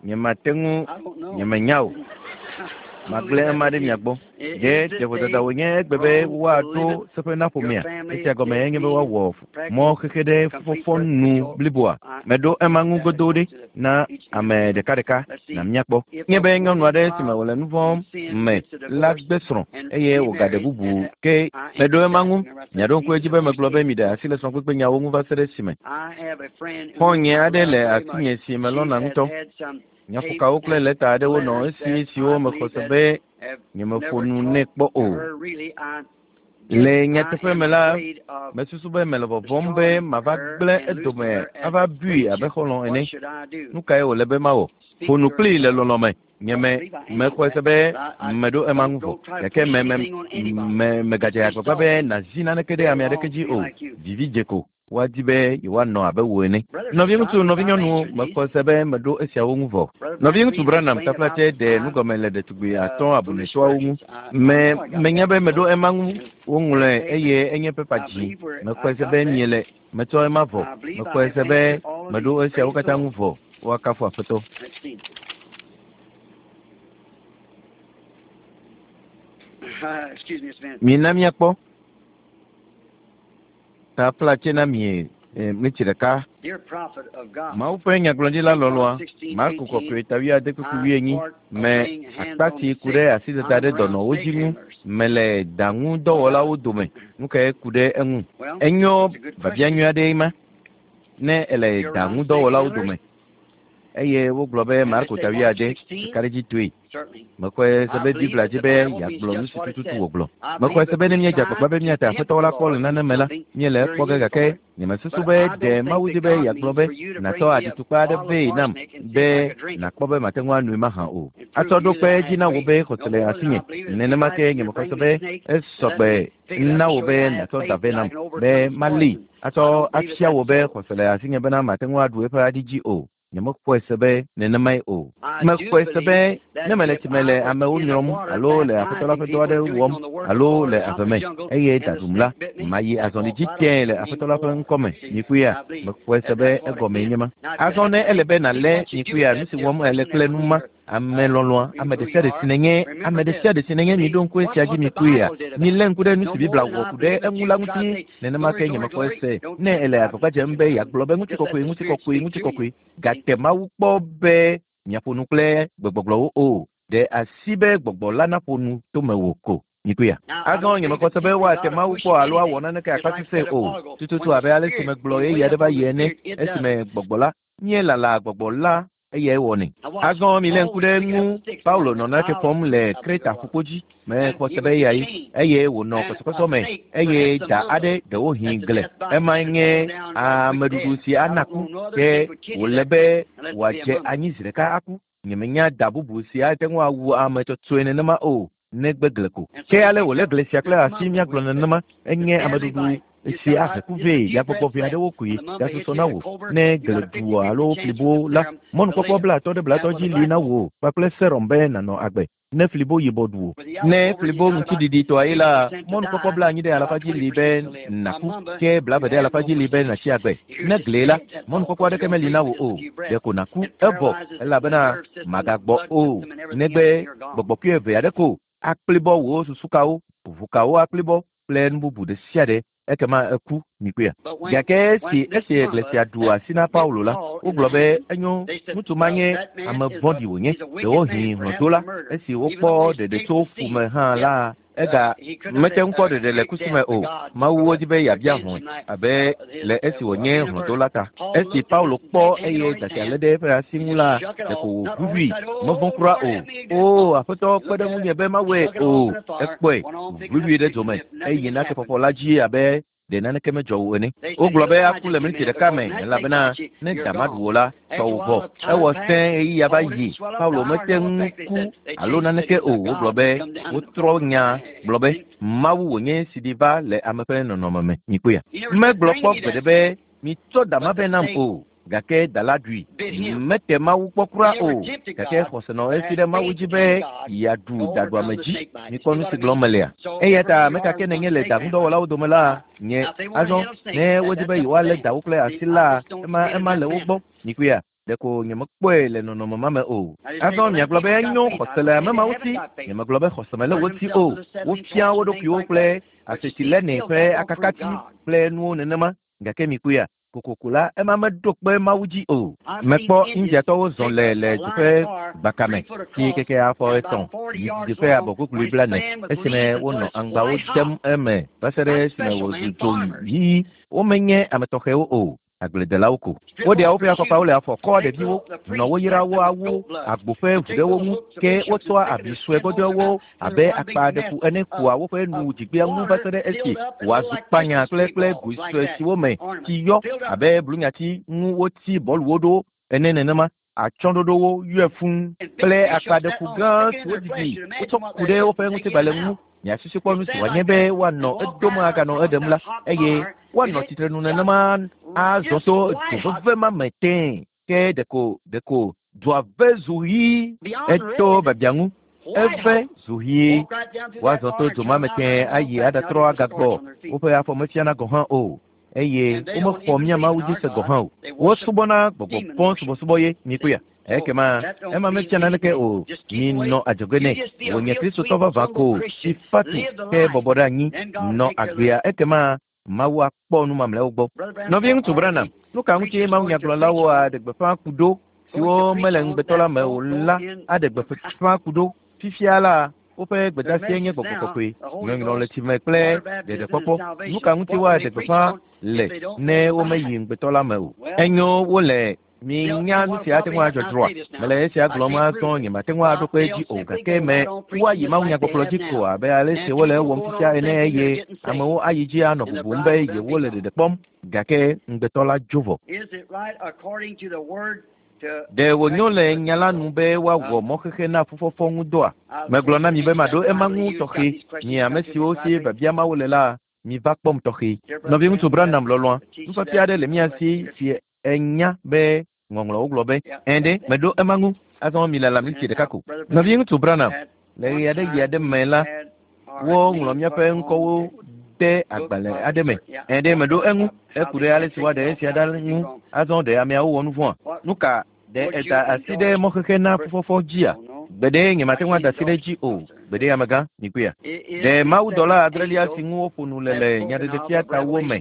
Nyemate ŋu, nyemenya o. Magblẽ ema ɖe mia gbɔ. Ɖe ɖe vodada wònye egbe be woaɖo seƒe na ƒomea? Esia gɔme enye be woawɔ mɔ xexe ɖe fufɔfɔ nu bliboa. Meɖo ema ŋu godoo ɖe na ame ɖekaɖeka na míakpɔ. Nye be nyɔnu aɖe si me wòle nu vɔ̃ me la gbe srɔ̃ eye wògaɖe bubu ke meɖo ema ŋu. Miaɖo ŋku edzi be megblɔ be miɖe asi le srɔ̃kpekpenyawo ŋu va se ɖe esime. Xɔ̃nye aɖe le asinye si melɔ̃na ŋutɔ. Nyaƒokawo kple lɛta aɖewo nɔ esi siwo mexɔ se be nyemeƒo nu nɛ kpɔ o. Le nyateƒe me la, mesusu be mele vɔvɔ̃m be mava gblẽ edome ava bui abe xɔlɔ̃ ene. Nu kae wòle be mawɔ? Ƒo nu kplii le lɔlɔ̃ me. Nye me mexɔe se be meɖo ema ŋu vɔ. Gake me me me megadze agbagba be nàzi naneke ɖe ame aɖeke dzi o. Vivi dze ko. Woadi be yewoanɔ abe wò ene. Nɔviŋutsu, nɔvinyɔnuwo, mexɔe se be meɖo esiawo ŋu vɔ. Nɔviŋutsu Branham taflatse ɖe nugɔme le ɖetugbui atɔ̃ abunɛtɔawo ŋu. Me menya be meɖo ema ŋu woŋlɔe eye enye pepa dzi. Mexɔe se be miele metsɔ ema vɔ. Mexɔe se be meɖo esiawo katã ŋu vɔ. Woakafu Aƒetɔ. Mina míakpɔ. Taflatse na mi mlitsi ɖeka. Mawu ƒe nyagblɔɖila lɔlɔ̃a, Marko kɔkɔe ta wuiade kpukpui wuienyi me akpa si ku ɖe asidada ɖe dɔnɔwo dzi ŋu mele daŋudɔwɔlawo dome. Nu kae ku ɖe eŋu? Enyo biabia nyui aɖee ma ne ele daŋudɔwɔlawo dome. Eye wogblɔ be Marko ta wuiade kakaɖedzitɔe. Mexɔe se be Biblia dzi be yeagblɔ nu si tututu wògblɔ. Mexɔe se be ne míedze agbagba be míate Aƒetɔ la kpɔ le nane me la, míele ekpɔ ge gake nyemesusu be ɖe Mawu di be yeagblɔ be nàtsɔ aɖitukpa aɖe vɛ nam be nàkpɔ be mate ŋu anoe mahã o. Atsɔ ɖo kpe edzi na wò be xɔse le asinye. Nenema ke nyemexɔe se be esɔgbe na wò be nàtsɔ da vɛ nam be malée atsɔ afia wò be xɔse le asinye bena mate ŋu aɖu eƒe aɖi dzi o. Nyemexɔe se be nenemae o. Mexɔe se be ne mele tsi me le amewo nyrɔm alo le Aƒetɔ la ƒe dɔ aɖe wɔm alo le ave me eye da ɖum la, mayi azɔli dzi tẽe le Aƒetɔ la ƒe ŋkɔ me. Mikpɔea? Mexɔe se be egɔmee nye ma. Azɔ ne ele be nàlé mikpɔea nu si wɔm èle kple nu ma, ame lɔlɔ̃a, ame ɖe sia ɖe si nènye, ame ɖe sia ɖe si nènye, miɖo ŋku esia dzi mikpɔea? Milé ŋku ɖe nu si Biblia wɔ ku ɖe eŋu la ŋuti. Nenema ke nyemexɔe se ne èle agbagba dzem be yeagblɔ be ŋutikɔkɔe, ŋutikɔkɔe, ŋutikɔkɔe, gake Mawu kpɔ be miaƒo nu kple gbegbɔgblɔwo o. Ɖe asi be gbɔgbɔ la naƒo nu to mewò ko. Mikpɔea? Azɔ nyemexɔ se be woate Mawu kpɔ alo awɔ naneke akpa sesẽ o. Tututu abe ale si megblɔ ɣeyiɣi aɖe va yi ene, esime gbɔgbɔ la, míelala gbɔgbɔ la eyae wɔnɛ. Azɔ milé ŋku ɖe eŋu. Paulo nɔ nake fɔm le Kreta ƒukpo dzi. Mexɔ se be eyae eye wònɔ kɔsɔkɔsɔ me eye da aɖe ɖewohĩ gle. Emae nye ameɖuɖu si ana ku ke wòle be wòadze anyi zi ɖeka aku. Nyemenya da bubu si ate ŋu awu ame tsɔtsɔe nenema o negbe gle ko. Ke ale wòlé gle sia kple asi míagblɔ nenema enye ameɖuɖu Si ahe ku vɛ yagbɔgbɔ ʋɛ aɖewo koe gasusɔ na wò. Ne gele du alo flibo la, mɔnukpɔkpɔ 50 ɖe 50 dzi li na wò kpakple serum be nànɔ agbe. Ne flibo yibɔ ɖu wò. Ne flibo ŋutiɖiɖitɔa ye la, mɔnukpɔkpɔ 90 ɖe alafa dzi li be nàku, ke 40 ɖe alafa dzi li be nàtsi agbe. Ne glee la, mɔnukpɔkpɔ aɖeke meli na wò o, ɖeko nàku evɔ elabena màgagbɔ o, negbe gbɔgbɔkui eve aɖe ko akplibɔ wò susukawo, ʋukawo akplibɔ kple nu bubu ɖe sia ɖe, ekema eku mikpɔea. Gake esi esi gle sia ɖu asi na Paulo la, wogblɔ be enyo, ŋutsu ma nye ame vɔ̃ɖi wònye, ɖewohĩ hlɔ̃dola. Esi wokpɔ ɖeɖe tso fu me hã la, ega mete ŋu kpɔ ɖeɖe le kusi me o. Mawu wodi be yeabia hlɔ̃e abe le esi wònye hlɔ̃dola ta. Esi Paulo kpɔ eye dasia lé ɖe eƒe asi ŋu la, ɖeko wòʋuʋui, mevɔ̃ kura o. O, Aƒetɔ, kpe ɖe ŋunye be mawɔe o. Ekpɔe, ʋuʋui ɖe dzome, eye na kefɔfɔ la dzi abe ɖe naneke medzɔ o ene. Wogblɔ be aku le miniti ɖeka me, elabena ne da maɖu wò la, tɔwò vɔ. Ewɔ sẽ ɣeyiɣia va yi. Paulo mete ŋu ku alo naneke o. Wogblɔ be wotrɔ nya gblɔ be Mawu wònye si ɖi va le ame ƒe nɔnɔme me. Mikpɔea? Megblɔ kpɔ gbeɖe be mitsɔ da ma vɛ nam o. Gake da la ɖui. Mete Mawu kpɔ kura o. Gake xɔse nɔ esi ɖe Mawu dzi be yeaɖu daɖuame dzi. Mikpɔ nu si gblɔm melea? Eya ta ame ka ke nènye le daŋudɔwɔlawo dome la, nye. Azɔ, ne wodi be yewoalé dawo kple asi la, ema, ema le wo gbɔ. Mikpɔea? Ɖeko nyemekpɔe le nɔnɔme ma me o. Azɔ miagblɔ be enyo xɔse le ame mawo si. Nyemegblɔ be xɔse mele wo si o. Wofia wo ɖokuiwo kple asetilene ƒe akakati kple nuwo nenema. Gake mikpɔea? Kokoko la, ema meɖo kpe Mawu dzi o. Mekpɔ Indiatɔwo zɔ le le du ƒe gbaka me, si keke afɔ 3 yi didiƒe abɔkuklui 40, esime wonɔ aŋgbawo dem eme va se ɖe esime wòzu dzo ɣi. Womenye ame tɔxɛwo o, agbledelawo ko. Woɖea woƒe afɔkpawo le afɔ kɔa ɖeviwo, nɔ wo yra wo awu agbo ƒe ʋu ɖe wo ŋu, ke wotsɔa abi sue gbɔdzɔewo abe akpa ɖeku ene kua woƒe nu dzigbea ŋu va se ɖe esi wòazu kpanya kple kple goe sue siwo me tsi yɔ abe blunyati ŋu wotsi bɔluwo ɖo ene nenema. Atsyɔ̃ɖoɖowo yɔe fũu kple akpa ɖeku gã siwo didi wotsɔ ku ɖe woƒe ŋutigbalẽ ŋu. Miasusu kpɔ nu si wòanye be woanɔ edom aganɔ eɖem la, eye woanɔ tsitrenu nenema azɔ to dzo veve ma me tẽe. Ke ɖeko ɖeko dzoa ve zu ɣi. Eto biabia ŋu. Eve zu ɣi. Woazɔ to dzo ma me tẽe ayi aɖatrɔ agagbɔ. Woƒe afɔ mefiana gɔ̃ hã o, eye womexɔ mía Mawu dzi se gɔ̃ hã o. Wosubɔna gbɔgbɔ vɔ̃ subɔsubɔ ye. Mikpɔea? Ekema ema mefia naneke o. Minɔ adzɔge nɛ. Wònye Kristotɔ vavã ko, si fa tu, ke bɔbɔ ɖe anyi, nɔ agbea. Ekema Mawu akpɔ nu mamlɛawo gbɔ. Nɔviŋutsu Branham, nu ka ŋutie mawunyagblɔlawo aɖe gbeƒã ku ɖo, siwo mele ŋugbetɔ la me o la aɖe gbeƒã ku ɖo? Fifia la, woƒe gbedeasie nye gbɔgbɔ kɔkɔe, nyɔnyrɔ le tsi me kple ɖeɖekpɔkpɔ. Nu ka ŋuti woaɖe gbeƒã le ne womeyi ŋugbetɔ la me o? Enyo, wole Minya nu si ate ŋu adzɔ dzroa? Mele esia gblɔm azɔ, nyemate ŋu aɖo kpe edzi o, gake me woayi mawunyagbɔgblɔ dzi ko abe ale si wole ewɔm fifia ene, eye amewo ayi dzi anɔ bubum be yewole ɖeɖe kpɔm, gake ŋugbetɔ la dzo vɔ. Ɖe wònyo le nya la nu be woawɔ mɔxexe na fufɔfɔ ŋu dɔa? Megblɔ na mi be maɖo ema ŋu tɔxɛ. Mi ame siwo si biabia mawo le la, miva kpɔm tɔxɛ. Nɔviŋutsu Branham lɔlɔ̃a, nufiafia aɖe le mía si si enya be Ŋɔŋlɔwo gblɔ be, Ɛ̃ ɖe, meɖo ema ŋu. Azɔ milala miniti ɖeka ko. Nɔviŋutsu Branham, le ɣe aɖe ɣi aɖe me la, woŋlɔ míaƒe ŋkɔwo ɖe agbalẽ aɖe me. Ɛ̃ ɖe, meɖo eŋu. Eku ɖe ale si woaɖe esia ɖa ŋu. Azɔ ɖe ameawo wɔ nu vɔ̃a? Nu ka? Ɖe eda asi ɖe mɔxexe na fufɔfɔ dzia? Gbeɖe, nyemate ŋu ada asi ɖe edzi o. Gbeɖe, amegã, mikpɔea? Ɖe mawudɔla adrelia si ŋu woƒo nu le le Nyaɖeɖefia tawo me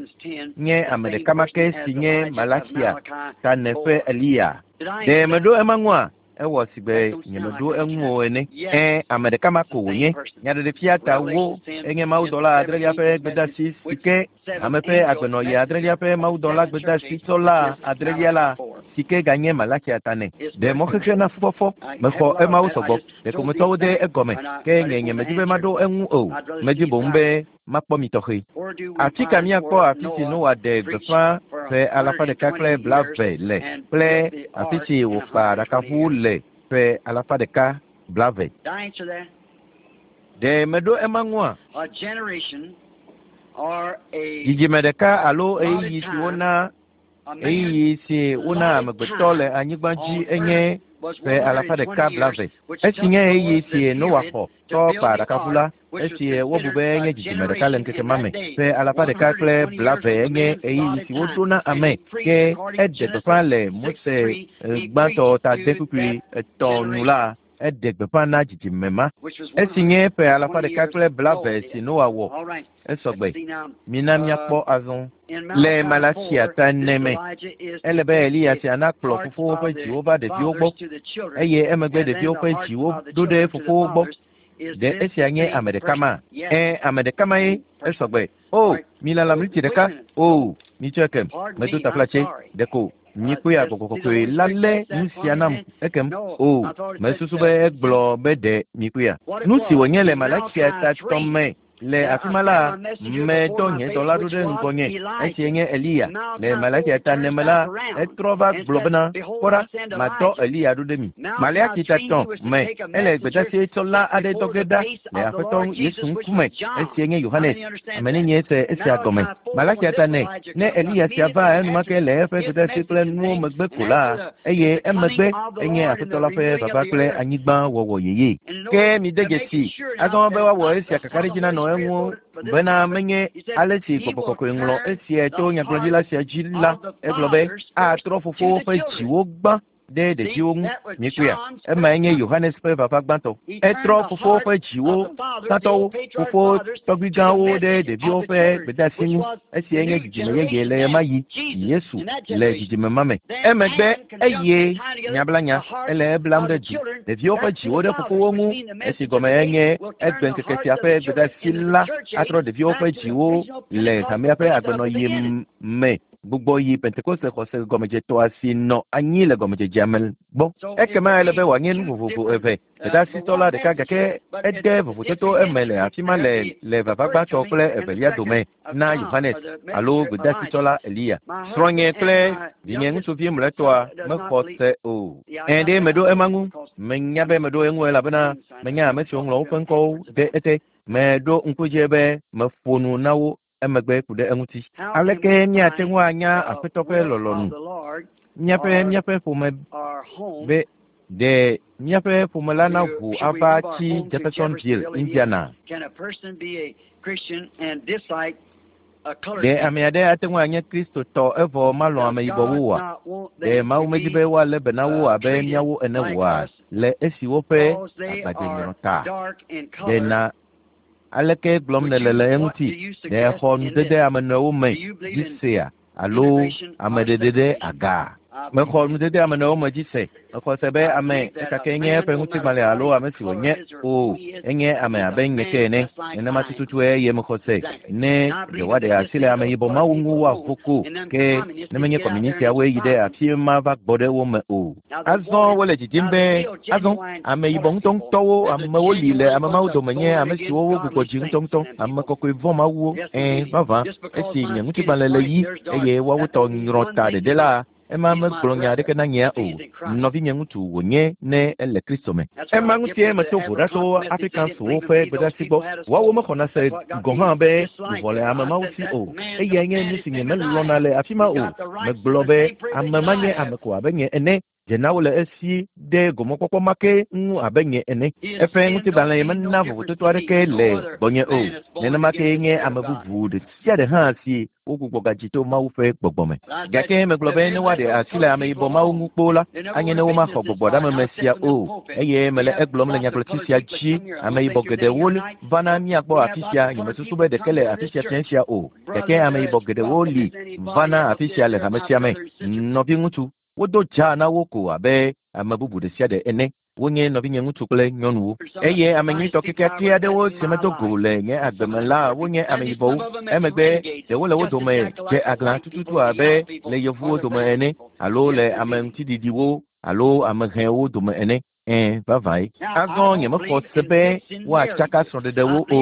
nye ame ɖeka ma ke si nye Malaxia ta ene ƒe Eliya? Ɖe meɖo ema ŋua? Ewɔ sigbe nyemeɖo eŋu o ene. Ẽ, ame ɖeka ma ko wònye. Nyaɖeɖefia tawo enye mawudɔla adrelia ƒe gbedeasi si ke ame ƒe agbenɔɣi adrelia ƒe mawudɔla gbedeasitsɔla adrelia la si ke ganye Malaxia ta nɛ. Ɖe mɔxexe na fufɔfɔ. Mexɔ emawo sɔgbɔ. Ɖeko metsɔ wo de egɔme. Ke nye nyemedi be maɖo eŋu o. Medi boŋ be makpɔ mi tɔxɛ. Afi ka míakpɔ afi si Noa ɖe gbeƒã ƒe 120 le kple afi si wòkpa aɖakaʋu le ƒe 120? Ɖe meɖo ema ŋua? Dzidzime ɖeka alo ɣeyiɣi si wona ɣeyiɣi si wona amegbetɔ le anyigba dzi enye ƒe alafa ɖeka blaeve. Esi nye ɣeyiɣi si Noa xɔ tsɔ kpa aɖakaʋu la, esi wobu be enye dzidzime ɖeka le ŋkeke ma me. Ƒe alafa ɖeka kple blaeve enye ɣeyiɣi si woɖo na ame, ke eɖe gbeƒã le Mose gbãtɔ ta ade kpukpui etɔ̃ nu la, eɖe gbeƒã na dzidzime ma. Esi nye ƒe alafa ɖeka kple blaeve si Noa wɔ, esɔgbe. Mina míakpɔ azɔ. Le Malaxia ta ene me, ele be Eliya sia nakplɔ fofowo ƒe dziwo va ɖeviwo gbɔ, eye emegbe ɖeviwo ƒe dziwo ɖo ɖe fofowo gbɔ. Ɖe esia nye ame ɖeka ma? Ẽ, ame ɖeka mae. Esɔgbe. O, milala miniti ɖeka. O, mitsɔe kem. Medo taflatse. Ɖeko mikpɔe gbɔgbɔ kɔkɔe la lé nu sia nam ekem. O, mesusu be egblɔ be ɖe mikpɔea. Nu si wònye le Malaxia ta tɔ̃ me le afi ma la, medɔ nye dɔla ɖo ɖe ŋgɔnye, esie nye Eliya. Le Malaxia ta ene me la, etrɔ va gblɔ bena, kpɔ ɖa, madɔ Eliya ɖo ɖe mi. Maleaxi ta tɔ̃ me, ele gbedeasi tsɔla aɖe dɔ ge ɖa le Aƒetɔ Yesu ŋkume, esie nye Yohanes. Ame nenie se esia gɔme? Malaxia ta ene, ne Eliya sia va enumake le eƒe gbedeasi kple nuwo megbe ko la, eye emegbe enye Aƒetɔ la ƒe vava kple anyigba wɔwɔ yeye. Ke mide dzesi azɔ be woawɔ esia kakaɖedzi nanɔ eŋu bena menye ale si gbɔgbɔ kɔkɔe ŋlɔ esia to nyagblɔɖila sia dzi la, egblɔ be atrɔ fofowo ƒe dziwo gbã ɖe ɖeviwo ŋu. Miekpɔea? Emae nye Yohanes ƒe vava gbãtɔ. Etrɔ fofowo ƒe dziwo gbãtɔwo, fofowo tɔgbuigãwo ɖe ɖeviwo ƒe gbedeasi ŋu. Esiae nye dzidzime yeye le ɣemaɣi. Yesu le dzidzime ma me. Emegbe eye nyablanya ele eblam ɖe du ɖeviwo ƒe dziwo ɖe fofowo ŋu. Esi gɔme enye egbe ŋkeke sia ƒe gbedeasi la atrɔ ɖeviwo ƒe dziwo le hamea ƒe agbenɔɣi me gbugbɔ yi Pentekoste xɔse gɔmedzetɔa si nɔ anyi le gɔmedzedzea me gbɔ. Ekema ele be wòanye nu vovovo eve. Gbedeasitɔ la ɖeka gake ede vovototo eme le afi ma le le vava gbãtɔ kple evelia dome na Yohanes alo gbedeasitsɔla Eliya. Srɔ̃nye kple vinye ŋutsuvi mlɔetɔa mexɔ se o. Ẽ ɖe meɖo ema ŋu. Menya be meɖo eŋu elabena menya ame siwo ŋlɔ woƒe ŋkɔwo ɖe ete. Meɖo ŋku edzi be meƒo nu na wo emegbe ku ɖe eŋuti. Aleke míate ŋu anya Aƒetɔ ƒe lɔlɔ̃nu? Míaƒe míaƒe ƒome be ɖe míaƒe ƒome la naʋu ava tsi Jeffersonville, Indiana. Ɖe ame aɖe ate ŋu anye Kristotɔ evɔ malɔ̃ ameyibɔwo oa? Ɖe Mawu medi be woalé be na wo abe míawo ene oa? Le esi woƒe agbadze ta. Ɖe na aleke gblɔm nèle le eŋuti? Ɖe exɔ nudede ame nɔewo me dzi sea alo ameɖeɖe ɖe aga? Mexɔ nudede ame nɔewo me dzi se. Mexɔ se be ame ekake nye eƒe ŋutigbalẽ alo ame si wònye o, enye ame abe nye ke ene. Nenema tututue eye mexɔ se ne ɖe woaɖe asi le ameyibɔ mawo ŋu woavo ko, ke ne menye kɔmunisiawoe yi ɖe afi ma va gbɔ ɖe wo me o. Azɔ wole dzidzim be azɔ ameyibɔ ŋutɔŋutɔwo amewo li le ame mawo dome nye ame siwo wogbugbɔ dzi ŋutɔŋutɔ, ame kɔkɔe vɔ̃ mawuwo. Ẽ, vavã, esi nye ŋutigbalẽ le ɣi eye woawo tɔ nyrɔ ta ɖeɖe la, ema megblɔ nya aɖeke na nyea o. Nɔvinye ŋutsu wònye ne ele Kristo me. Ema ŋutie meto vo ɖa tso Afrikanswo ƒe gbedeasi gbɔ. Woawo mexɔna se gɔ̃ hã be luʋɔ le ame mawo si o. Eyae nye nu si nyemelɔ̃na le afi ma o. Megblɔ be ame ma nye ame ko abe nye ene. Dze na wo le esi ɖe gomekpɔkpɔ ma ke ŋu abe nye ene. Eƒe ŋutigbalẽ mena vovototo aɖeke le gbɔnye o. Nenema kee nye ame bubu ɖe sia ɖe hã si wogbugbɔ gadzi to Mawu ƒe gbɔgbɔ me. Gake megblɔ be ne woaɖe asi le ameyibɔ mawo ŋu kpoo la, anye ne womaxɔ gbɔgbɔɖameme sia o. Eye mele egblɔm le nyagblɔti sia dzi, ameyibɔ geɖewo vana mía gbɔ afi sia, nyemesusu be ɖeke le afi sia fiẽ sia o. Gake ameyibɔ geɖewo li vana afi sia le hame sia me. Nɔviŋutsu, wodo dzaa na wo ko abe ame bubu ɖe sia ɖe ene. Wonye nɔvinye ŋutsu kple nyɔnuwo. Eye ame nyuitɔ kekeake aɖewo si medo go le nye agbe me la, wonye ameyibɔwo. Emegbe ɖewo le wo dome dze aglã tututu abe le yevuwo dome ene, alo le ame ŋutiɖiɖiwo alo ame hɛwo dome ene. Ẽ, vavãe. Azɔ nyemexɔ se be woatsaka srɔ̃ɖeɖewo o.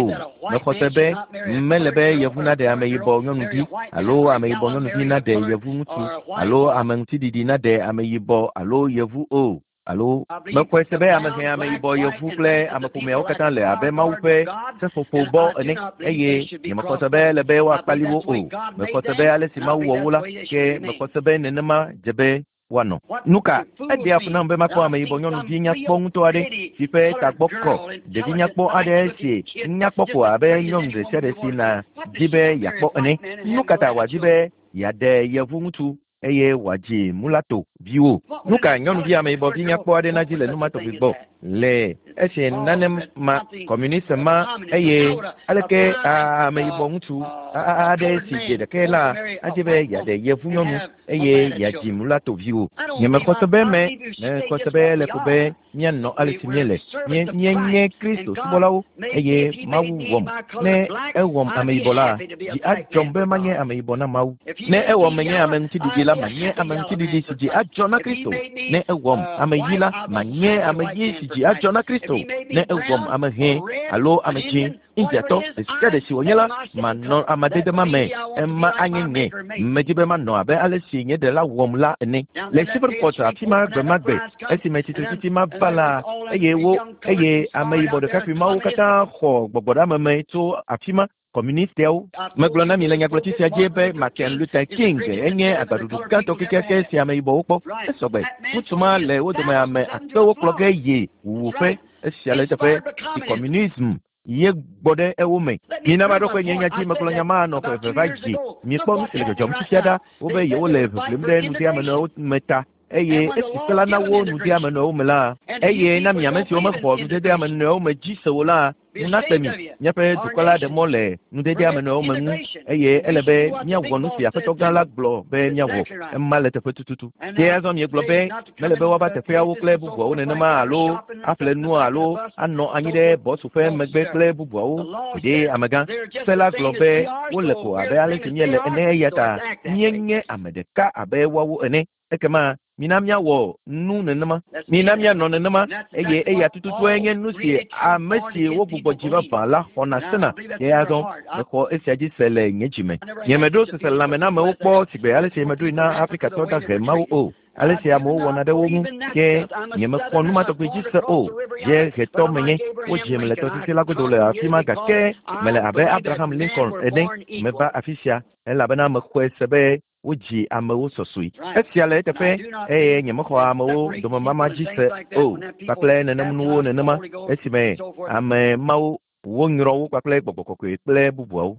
Mexɔ se be mele be yevu naɖe ameyibɔ nyɔnuvi alo ameyibɔ nyɔnuvi naɖe yevu ŋutsu alo ame ŋutiɖiɖi naɖe ameyibɔ alo yevu o. Alo mexɔe se be ame hẽ, ameyibɔ, yevu kple ameƒomeawo katã le abe Mawu ƒe seƒoƒobɔ ene, eye nyemexɔ se be ele be woakpali wo o. Mexɔ se be ale si Mawu wɔ wo la, ke mexɔ se be nenema dze be woanɔ. Nu ka? Eɖea fu nam be makpɔ ameyibɔ nyɔnuvi nyakpɔ ŋutɔ aɖe si ƒe tagbɔ kɔ, ɖevi nyakpɔ aɖe si nyakpɔ ko abe nyɔnu ɖe sia ɖe si nàdi be yeakpɔ ene. Nu ka ta wòadi be yeaɖe yevu ŋutsu eye wòadzi mulato viwo? Nu ka nyɔnuvi ameyibɔvi nyakpɔ aɖe nadzi le nu ma tɔgbi gbɔ le esi nane ma kɔmunist ma, eye aleke ameyibɔ ŋutsu aɖe si dze ɖekɛ la adi be yeaɖe yevu nyɔnu eye yeadzi mulato viwo? Nyemexɔ se be me, mexɔ se be ele ko be míanɔ ale si míele. Míenye Kristo subɔlawo eye Mawu wɔm. Ne ewɔm ameyibɔ la, dzi adzɔm be manye ameyibɔ na Mawu. Ne ewɔm menye ame ŋutiɖiɖi la, manye ame ŋutiɖiɖi si dzi adzɔ na Kristo. Ne ewɔm ame ɣi la, manye ame ɣi si dzi adzɔ na Kristo. Ne ewɔm ame hẽ alo ame dzĩ, Indiatɔ ɖe sia ɖe si wònye la, manɔ amadede ma me. Ema anye nye. Medi be manɔ abe ale si nye ɖela wɔm la ene. Le Shreveport afi ma gbe ma gbe, esime tsitretsitsi ma va la, eye wo, eye ameyibɔ ɖekakpui mawo katã xɔ gbɔgbɔɖeameme tso afi ma, kɔmunistiawo. Megblɔ na mi le nyagblɔtsi sia dzi be Martin Luther King enye agbaɖuɖu gãtɔ kekeake si ameyibɔwo kpɔ. Esɔgbe. Ŋutsu ma le wo dome ame akpewo kplɔ ge yi wuwuƒe. Esia le eteƒe si kɔmunism ye gbɔ ɖe ewo me. Mina maɖo kpe nye nya dzi, megblɔ nya ma nɔ ƒe eve va yi. Mikpɔ nu si le dzɔdzɔm fifia ɖa, wobe yewole ʋiʋlim ɖe nudeamenɔewo me ta, eye esi se la na wo nudeamenɔewo me la, eye na mi ame siwo mexɔ nudedeamenɔewo me dzi se o la, nu nakpe mi. Míaƒe dukɔ la ɖe mɔ le nudedeamenɔewo me ŋu, eye ele be míawɔ nu si Aƒetɔ Gã la gblɔ be míawɔ. Ema le teƒe tututu. Ke azɔ miegblɔ be mele be woava teƒeawo kple bubuawo nenema alo aƒle nua alo anɔ anyi ɖe bɔsu ƒe megbe kple bubuawo. Gbeɖe, amegã. Se la gblɔ be wole ko abe ale si míele ene, eya ta míenye ame ɖeka abe woawo ene. Ekema mina míawɔ nu nenema. Mina míanɔ nenema, eye eya tututue nye nu si ame si wogbugbɔ dzi vavã la xɔna sena. Ke azɔ mexɔ esia dzi se le nye dzi me. Nyemeɖo seselelãmenamewo kpɔ sigbe ale si meɖoe na Afrikatɔ dahe mawo o. Ale si amewo wɔna ɖe wo ŋu, ke nyemexɔ nu ma tɔgbi dzi se o. Dziehetɔ menye, wodzim le tɔsisi la godo le afi ma, gake mele abe Abraham Lincoln ene. Meva afi sia elabena mexɔe se be wodzi amewo sɔsɔe. Esia le eteƒe, eye nyemexɔ amewo domemama dzi se o, kpakple nenem nuwo nenema, esime ame mawo wonyrɔ wo kpakple gbɔgbɔ kɔkɔe kple bubuawo.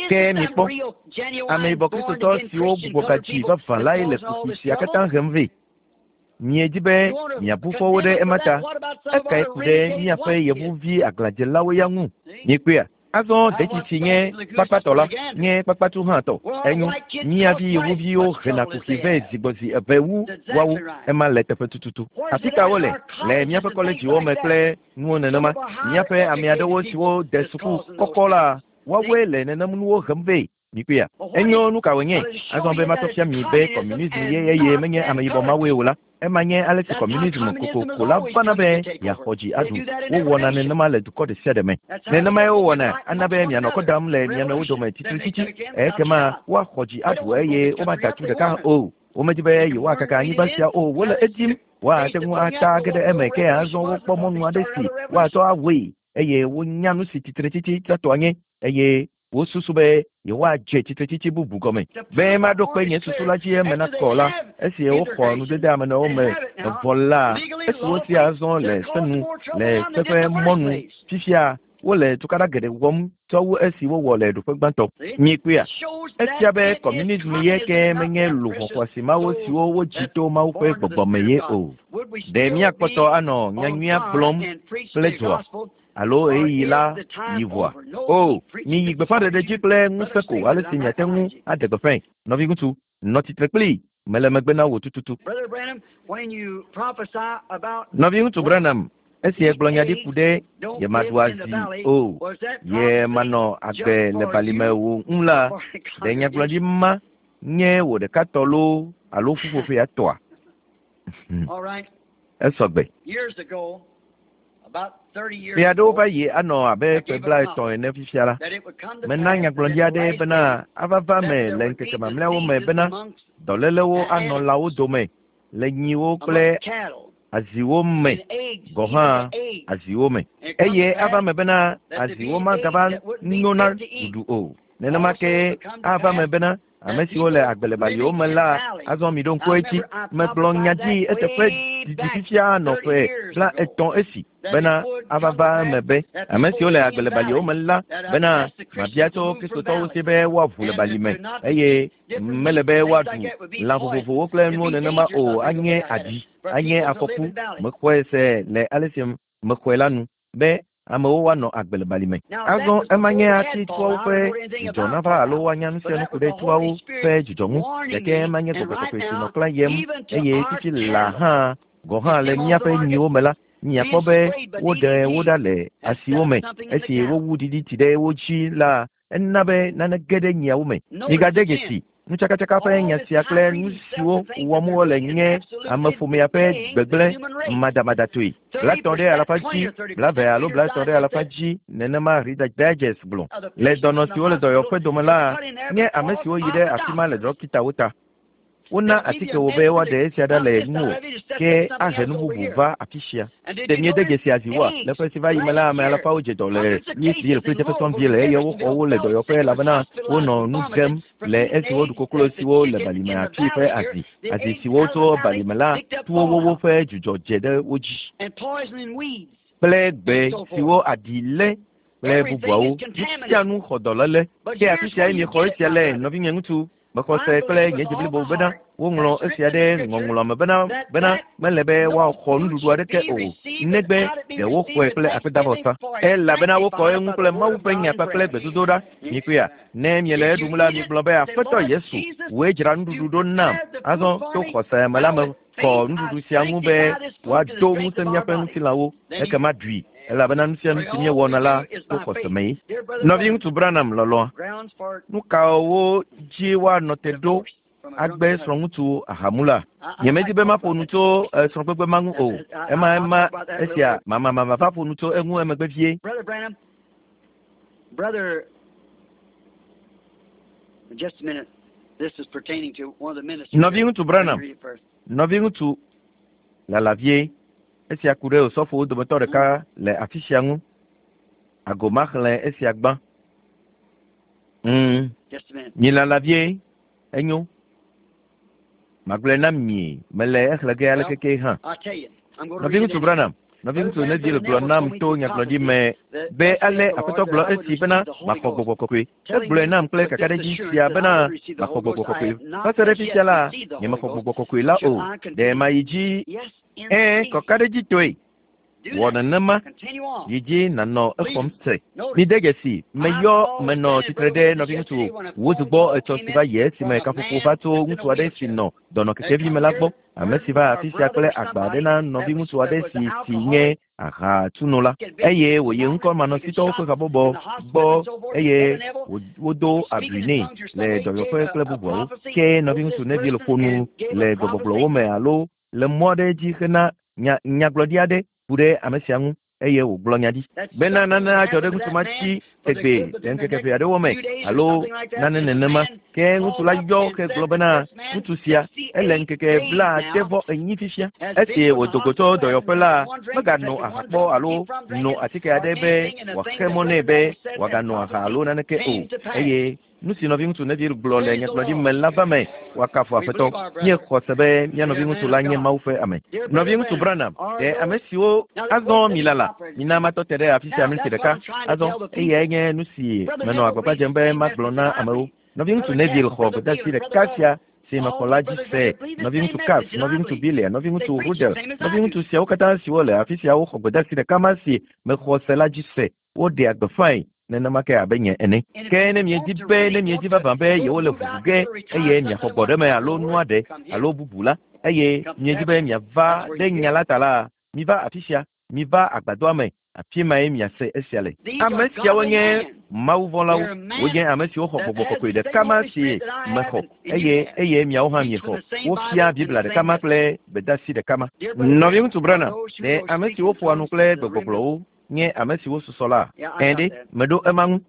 Ke mikpɔ, ameyibɔ Kristotɔ siwo gbugbɔ gadzi vavã lae le kuxi sia katã hem vɛ. Miedi be miabu fɔ wo ɖe ema ta. Ekae ku ɖe míaƒe yevuvi aglãdzelawo ya ŋu? Miekpɔea? Azɔ detsi nye kpakpatɔ la nye kpakpatu hã tɔ. Enyo, mía vi yevuviwo hena kuxi vɛ zigbɔzi eve wu woawo. Ema le teƒe tututu. Afi ka wole? Le míaƒe kɔledziwo me kple nuwo nenema. Míaƒe ame aɖewo siwo de suku kɔkɔ la, woawoe le nenem nuwo hem vɛ. Mikpɔea? Enyo, nu ka wònye? Azɔ be matɔ fia mi be kɔmunism ye eye menye ameyibɔ mawoe o la, ema nye ale si kɔmunism kokoko la vana be yeaxɔ dzi aɖu. Wowɔna nenema le dukɔ ɖe sia ɖe me. Nenemae wowɔna ana be mianɔ kɔ dam le mia nɔewo dome tsitretsitsi. Ekema woaxɔ dzi aɖu eye womada tu ɖeka o. Womedi be yewoakaka anyigba sia o, wole edim. Woate ŋu ata ge ɖe eme, ke azɔ wokpɔ mɔnu aɖe si woatsɔ awɔe eye wonya nu si tsitretsitsi tsɔtɔa nye eye wosusu be yewoadze tsitretsitsi bubu gɔme. Be maɖo kpe nye susu la dzi eme nakɔ la, esi woxɔ nudede ame nɔewo me vɔ la, esi wosi azɔ le se nu le se ƒe mɔnu fifia, wole tukaɖa geɖe wɔm tsɔ wu esi wowɔ le ɖoƒe gbãtɔ. Miekpɔea? Efia be kɔmunism ye ke menye luʋɔ xɔasi mawo siwo wodzi to Mawu ƒe gbɔgbɔ me ye o. Ɖe míakpɔtɔ anɔ nyanyuia gblɔm kple dzoa alo ɣeyiɣi la yi vɔa? O, miyi gbeƒãɖeɖe dzi kple ŋusẽ ko ale si miate ŋu aɖe gbeƒãe. Nɔviŋutsu, nɔ tsitre kplii, mele megbe na wò tututu. Nɔviŋutsu Branham, esi egblɔ nya ɖi ku ɖe yemaɖu azi o, yemanɔ agbe le balime o ŋu la, ɖe nyagblɔɖi ma nye wò ɖeka tɔ loo alo ƒuƒoƒea tɔa? Esɔgbe. Ƒe aɖewo va yi anɔ abe ƒe 30 ene fifia la, mena nyagblɔɖi aɖe bena ava va me le ŋkeke mamlɛawo me bena dɔlélewo anɔ lãwo dome le nyiwo kple Aziwo me gɔ̃ hã aziwo me. Eye ava me bena aziwo magava nyo na ɖuɖu o. Nenema ke ava me bena ame siwo le agbe le baliwo me la, azɔ miɖo ŋku edzi. Megblɔ nya dzi eteƒe didi fifia nɔ ƒe 30 esi bena ava va eme be ame siwo le agbe le baliwo me la bena mabia tso Kristotɔwo si be woaʋu le bali me eye mele be woaɖu lã vovovowo kple nuwo nenema o, anye aɖi, anye afɔku. Mexɔe se le ale si mexɔe la nu be amewo woanɔ agbe le bali me. Azɔ ema nye ati tuawo ƒe dzudzɔ nava alo woanya nu sia nu ku ɖe tuawo ƒe dzudzɔ ŋu, gake ema nye gbɔgbɔ kɔkɔe si nɔ klã yem eye fifi laa hã gɔ̃ hã le míaƒe nyiwo me la, miakpɔ be woɖe wo ɖa le asiwo me. Esi wowu ɖiɖiti ɖe wo dzi la, ena be nane ge ɖe nyiawo me. Migade dzesi nutsakatsaka ƒe nya sia kple nu siwo wɔm wole nye ameƒomea ƒe gbegblẽ madamadatɔe. 30 ɖe alafa dzi, 20 alo 30 ɖe alafa dzi, nenema Reader's Digest gblɔ. Le dɔnɔ siwo le dɔyɔƒe dome la, nye ame siwo yi ɖe afi ma le ɖɔkitawo ta. Wona atike wo be woaɖe esia ɖa le ŋuwò, ke ahe nu bubu va afi sia. Ɖe miede dzesi aziwoa? Le ƒe si va yi me la, ame alafawo dze dɔ le Louisville kple Jeffersonville eye woxɔ wo le dɔyɔƒe elabena wonɔ nu gem le esi woɖu koklo siwo le balime afi ƒe azi. Azi siwo tso balime la tu wo woƒe dzudzɔ dze ɖe wo dzi. Kple gbe siwo aɖi lé kple bubuawo. Nu sia nu xɔ dɔléle. Ke afi siae miexɔ esia le, nɔvinye ŋutsu. Mexɔ se kple nye dzi blibo bena woŋlɔ esia ɖe ŋɔŋlɔ me bena bena mele be woaxɔ nuɖuɖu aɖeke o, negbe ɖe woxɔe kple akpedavɔsa. Elabena wokɔ eŋu kple Mawu ƒe nya kpakple gbedodoɖa. Mikpɔea? Ne miele eɖum la, migblɔ be, Aƒetɔ Yesu, wòe dzra nuɖuɖu ɖo nam. Azɔ to xɔse me la mekɔ nuɖuɖu sia ŋu be wòado ŋusẽ míaƒe ŋutilãwo. Ekema ɖui, elabena nu sia nu si míewɔna la to xɔse mee. Nɔviŋutsu Branham lɔlɔ̃a, nu kawo dzi woanɔ te ɖo agbe srɔ̃ŋutsu ahamula? Nyemedi be maƒo nu tso srɔ̃gbegbe ma ŋu o. Ema ema esia mamamama va ƒo nu tso eŋu emegbe vie. Brother Branham, brother, just a minute. This is pertaining to one of the ministers. Nɔviŋutsu Branham, Let me read it first. nɔviŋutsu lala vie, esia ku ɖe osɔfowo dometɔ ɖeka le afi sia ŋu. Ago maxlẽ esia gbã. Just a minute. Mi lala vie, enyo. Magblɔe na mi, mele exlẽ ge ale keke hã. I'll tell you. I'm going to read it Nɔviŋutsu Branham, nɔviŋutsu Neville gblɔ nam to nyagblɔɖi me be ale Aƒetɔ gblɔ esi bena maxɔ gbɔgbɔ kɔkɔe. Egblɔe nam kple kakaɖedzi sia bena maxɔ gbɔgbɔ kɔkɔe. Va se ɖe fifia la, nyemexɔ gbɔgbɔ kɔkɔe la o. Ɖe mayi dzi? Ẽ, kɔkaɖedzitɔe. Wɔ nenema. Yi dzi nànɔ exɔm se. Mide dzesi, meyɔ menɔ tsitre ɖe nɔviŋutsu Woods gbɔ etsɔ si va yi esime kaƒoƒo va tso ŋutsu aɖe si nɔ dɔnɔ kekevi me la gbɔ. Ame si va afi sia kple agba aɖe na nɔviŋutsu aɖe si si nye ahatsunola eye wòyi ŋkɔmanɔsitɔwo ƒe habɔbɔ gbɔ eye wodo abui nɛ le dɔyɔƒe kple bubuawo. Ke nɔviŋutsu Neville ƒo nu le gbegbɔgblɔwo me alo le mɔ aɖe dzi hena nyagblɔɖi aɖe ku ɖe ame sia ŋu eye wògblɔ nya ɖi bena nane adzɔ ɖe ŋutsu ma dzi tegbee le ŋkeke ʋɛ aɖewo me alo nane nenema. Ke ŋutsu la yɔ ke gblɔ bena ŋutsu sia ele ŋkeke 74 fifia. Esi wòdo go tso dɔyɔƒe la, meganɔ aha kpɔ alo no atike aɖe be wòaxe mɔ nɛ be wòaganɔ aha alo naneke o. Eye nu si nɔviŋutsu Neville gblɔ le nyagblɔɖi me la va me, woakafu Aƒetɔ. Míexɔ se be mía nɔviŋutsu la nye Mawu ƒe ame. Nɔviŋutsu Branham, ɖe ame siwo azɔ mi lala, mina matɔ te ɖe afi sia miniti ɖeka. Azɔ eyae nye nu si menɔ agbagba dzem be magblɔ na amewo. Nɔviŋutsu Neville xɔ gbedeasi ɖeka sia si mexɔ la dzi se. Nɔviŋutsu Capps, nɔviŋutsu Bilia, nɔviŋutsu Ruddell, nɔviŋutsu siawo katã siwo le afi sia woxɔ gbedeasi ɖeka ma si mexɔ se la dzi se. Woɖea gbeƒãe nenema ke abe nye ene. Ke ne miedi be ne miedi vavã be yewole ʋuʋu ge eye miaxɔ gbɔɖeme alo nua ɖe alo bubu la, eye miedi be miava ɖe nya la ta la, miva afi sia, miva agbadɔa me, afi mae miase esia le. Ame siawo nye mawuvɔ̃lawo, wonye ame siwo xɔ gbɔgbɔ kɔkɔe ɖeka ma si mexɔ eye eye miawo hã miexɔ. Wofia Biblia ɖeka ma kple gbedeasi ɖeka ma. Nɔviŋutsu Branham, ɖe ame siwo ƒoa nu kple gbegbɔgblɔwo nye ame siwo susɔ la? Ẽ ɖe, meɖo ema ŋu.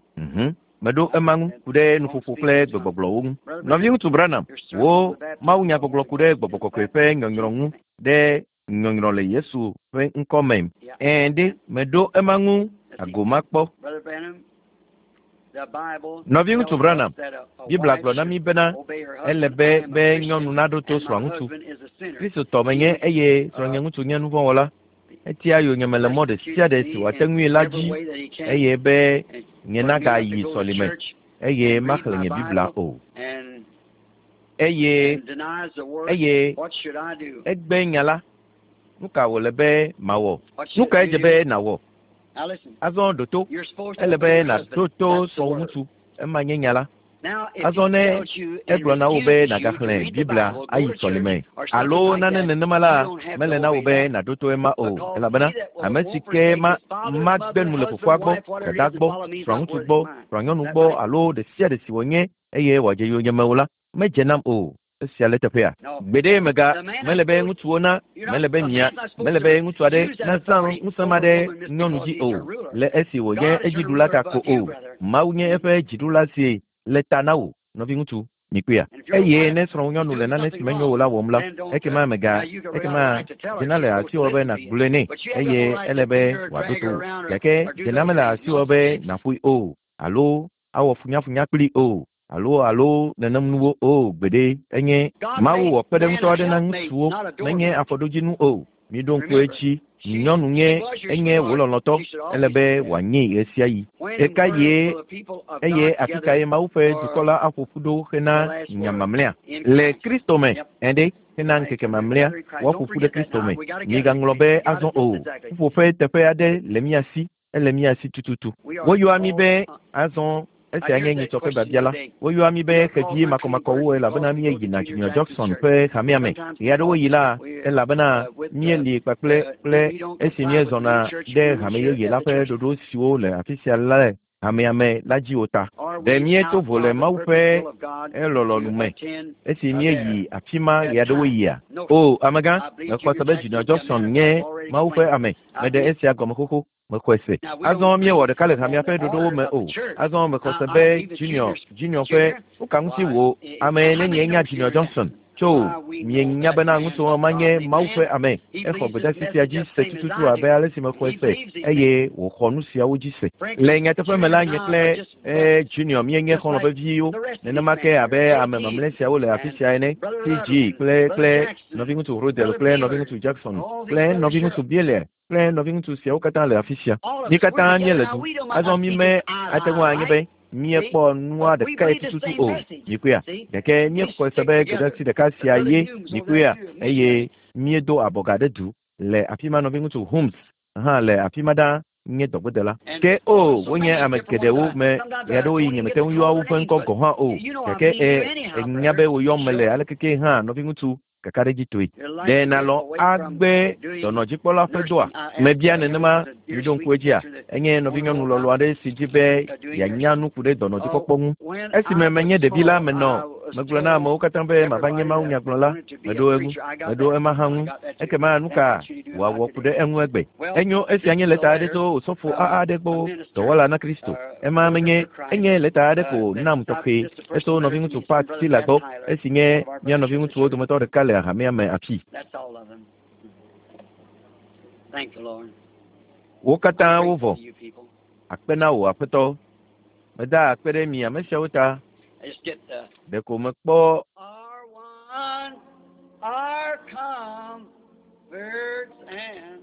Meɖo ema ŋu ku ɖe nuƒoƒo kple gbegbɔgblɔwo ŋu. Nɔviŋutsu Branham, wò mawunyagbɔgblɔ ku ɖe gbɔgbɔ kɔkɔe ƒe nyɔnyrɔ ŋu ɖe nyɔnyrɔ le Yesu ƒe ŋkɔ me. Ɛ̃ ɖe, meɖo ema ŋu ago makpɔ. Nɔviŋutsu Branham, Biblia gblɔ na mí bena ele be be nyɔnu naɖo to srɔ̃aŋutsu. Kristotɔ menye eye srɔ̃nyeŋutsu nye nuvɔ̃wɔla. Etia yonyeme le mɔ ɖe sia ɖe si wòate ŋui la dzi eye be nye nagayi sɔlime eye maxlẽ nye Biblia o. Eye eye egbe nya la. Nu ka wòle be mawɔ? Nu kae dze be nàwɔ? Azɔ ɖo to. Ele be nàɖo to srɔ̃wò ŋutsu. Ema nye nya la. Azɔ ne egblɔ na wò be nàgaxlẽ Biblia ayi sɔlime alo nane nenema la, mele na wò be nàɖo to ema o, elabena ame si ke ma magbe nu le fofoa gbɔ, dada gbɔ, srɔ̃aŋutsu gbɔ, srɔ̃anyɔnu gbɔ alo ɖe sia ɖe si wònye eye wòadze yonyeme o la, medze nam o. Esia le teƒea. Gbeɖe mega mele be ŋutsuwo na mele be mia mele be ŋutsu aɖe nazã ŋusẽ ma ɖe nyɔnu dzi o le esi wònye edziɖula ta ko o. Mawu nye eƒe dziɖula si le ta na wò, nɔviŋutsu, mikpɔea. Eye ne srɔ̃nyɔnu le nane si menyo o la wɔm la, ekema mega ekema dzena le asiwò be nàgblɔe nɛ eye ele be wòaɖo to wò. Gake dzena mele asiwò be nàƒoe o alo awɔ funyafunya kpli o alo alo nenem nuwo o gbeɖe enye Mawu wɔ kpeɖeŋutɔ aɖe na ŋutsuwo menye afɔɖodzinu o. Miɖo ŋku edzi. Nyɔnu nye enye wò lɔlɔ̃tɔ ele be wòanyee ɣe sia ɣi. Ɣeka ye eye afi kae Mawu ƒe dukɔ la aƒo ƒu ɖo hena nya mamlɛa? Le Kristo me. Ɛ̃ ɖe, hena ŋkeke mamlɛa woaƒo ƒu ɖe Kristo me. Migaŋlɔ be azɔ o. Ƒuƒoƒe teƒe aɖe le mía si. Ele mía si tututu. Woyɔa mí be azɔ esia nye nyitsɔ ƒe biabia la. Woyɔa mí be xevi makɔmakɔwo elabena míeyina Junior Jackson ƒe hamea me. Ɣe aɖewo yi la, elabena míeli kpakple kple esi míezɔna ɖe hame yeye la ƒe ɖoɖo siwo le afi sia le hamea me la dzi o ta. Ɖe míeto vo le Mawu ƒe elɔlɔ̃nu me esi míeyi afi ma ɣe aɖewo yia? O, amegã, mexɔ se be Junior Jackson nye Mawu ƒe ame. Meɖe esia gɔme xoxo. Mexɔe se. Azɔ míewɔ ɖeka le hamea ƒe ɖoɖowo me o. Azɔ mexɔ se be Junior, Junior ƒe nu ka ŋuti wò ame nenie nya Junior Johnson? Tso, mienya bena ŋutsu ma nye Mawu ƒe ame. Exɔ gbedeasi sia dzi se tututu abe ale si mexɔe se eye wòxɔ nu siawo dzi se. Le nyateƒe me la, nye kple e Junior míenye xɔlɔ̃ veviwo. Nenema ke abe ame mamlɛ siawo le afi sia ene. TG kple kple nɔviŋutsu Rodel kple nɔviŋutsu Jackson kple nɔviŋutsu Bieler kple nɔviŋutsu siawo katã le afi sia. Mí katã míele du. Azɔ mí me ate ŋu anye be míekpɔ nua ɖekae tututu o. Mikpɔea? Gake míexɔe se be gbedeasi ɖeka sia ye mikpɔea eye míedo abɔga ɖe du le afi ma nɔviŋutsu Holmes hã le afi ma ɖaa nye dɔgbedela. Ke o wonye ame geɖewo me ɣeaɖewoɣi nyemete ŋu yɔa woƒe ŋkɔ gɔ̃ hã o. Gake e enya be woyɔm mele alekeke hã nɔviŋutsu kakaɖedzitɔe. Ɖe nàlɔ̃ agbe dɔnɔdzikpɔla ƒe dɔa? Mebia nenema miɖo ŋku edzia? Enye nɔvinyɔnu lɔlɔ̃ aɖe si dzi be yeanya nu ku ɖe dɔnɔdzikpɔkpɔ ŋu. Esime menye ɖevi la menɔ megblɔ na amewo katã be mava nye mawunyagblɔla. Meɖo eŋu. Meɖo ema hã ŋu. Ekema nu ka wòawɔ ku ɖe eŋu egbe? Enyo esia nye lɛta aɖe tso osɔfo AA aɖe gbɔ dɔwɔla na Kristo. Ema menye enye lɛta aɖe ko nam tɔxɛ etso nɔviŋutsu Pat Taylor gbɔ esi nye mía nɔviŋutsuwo dometɔ ɖeka le hamea me afi. That's all of them. Thank the Lord. Wo katã wovɔ. You people. Akpe na wò aƒetɔ. Meda akpe ɖe mi ame siawo ta. I just get the Ɖeko mekpɔ our one, our comforts and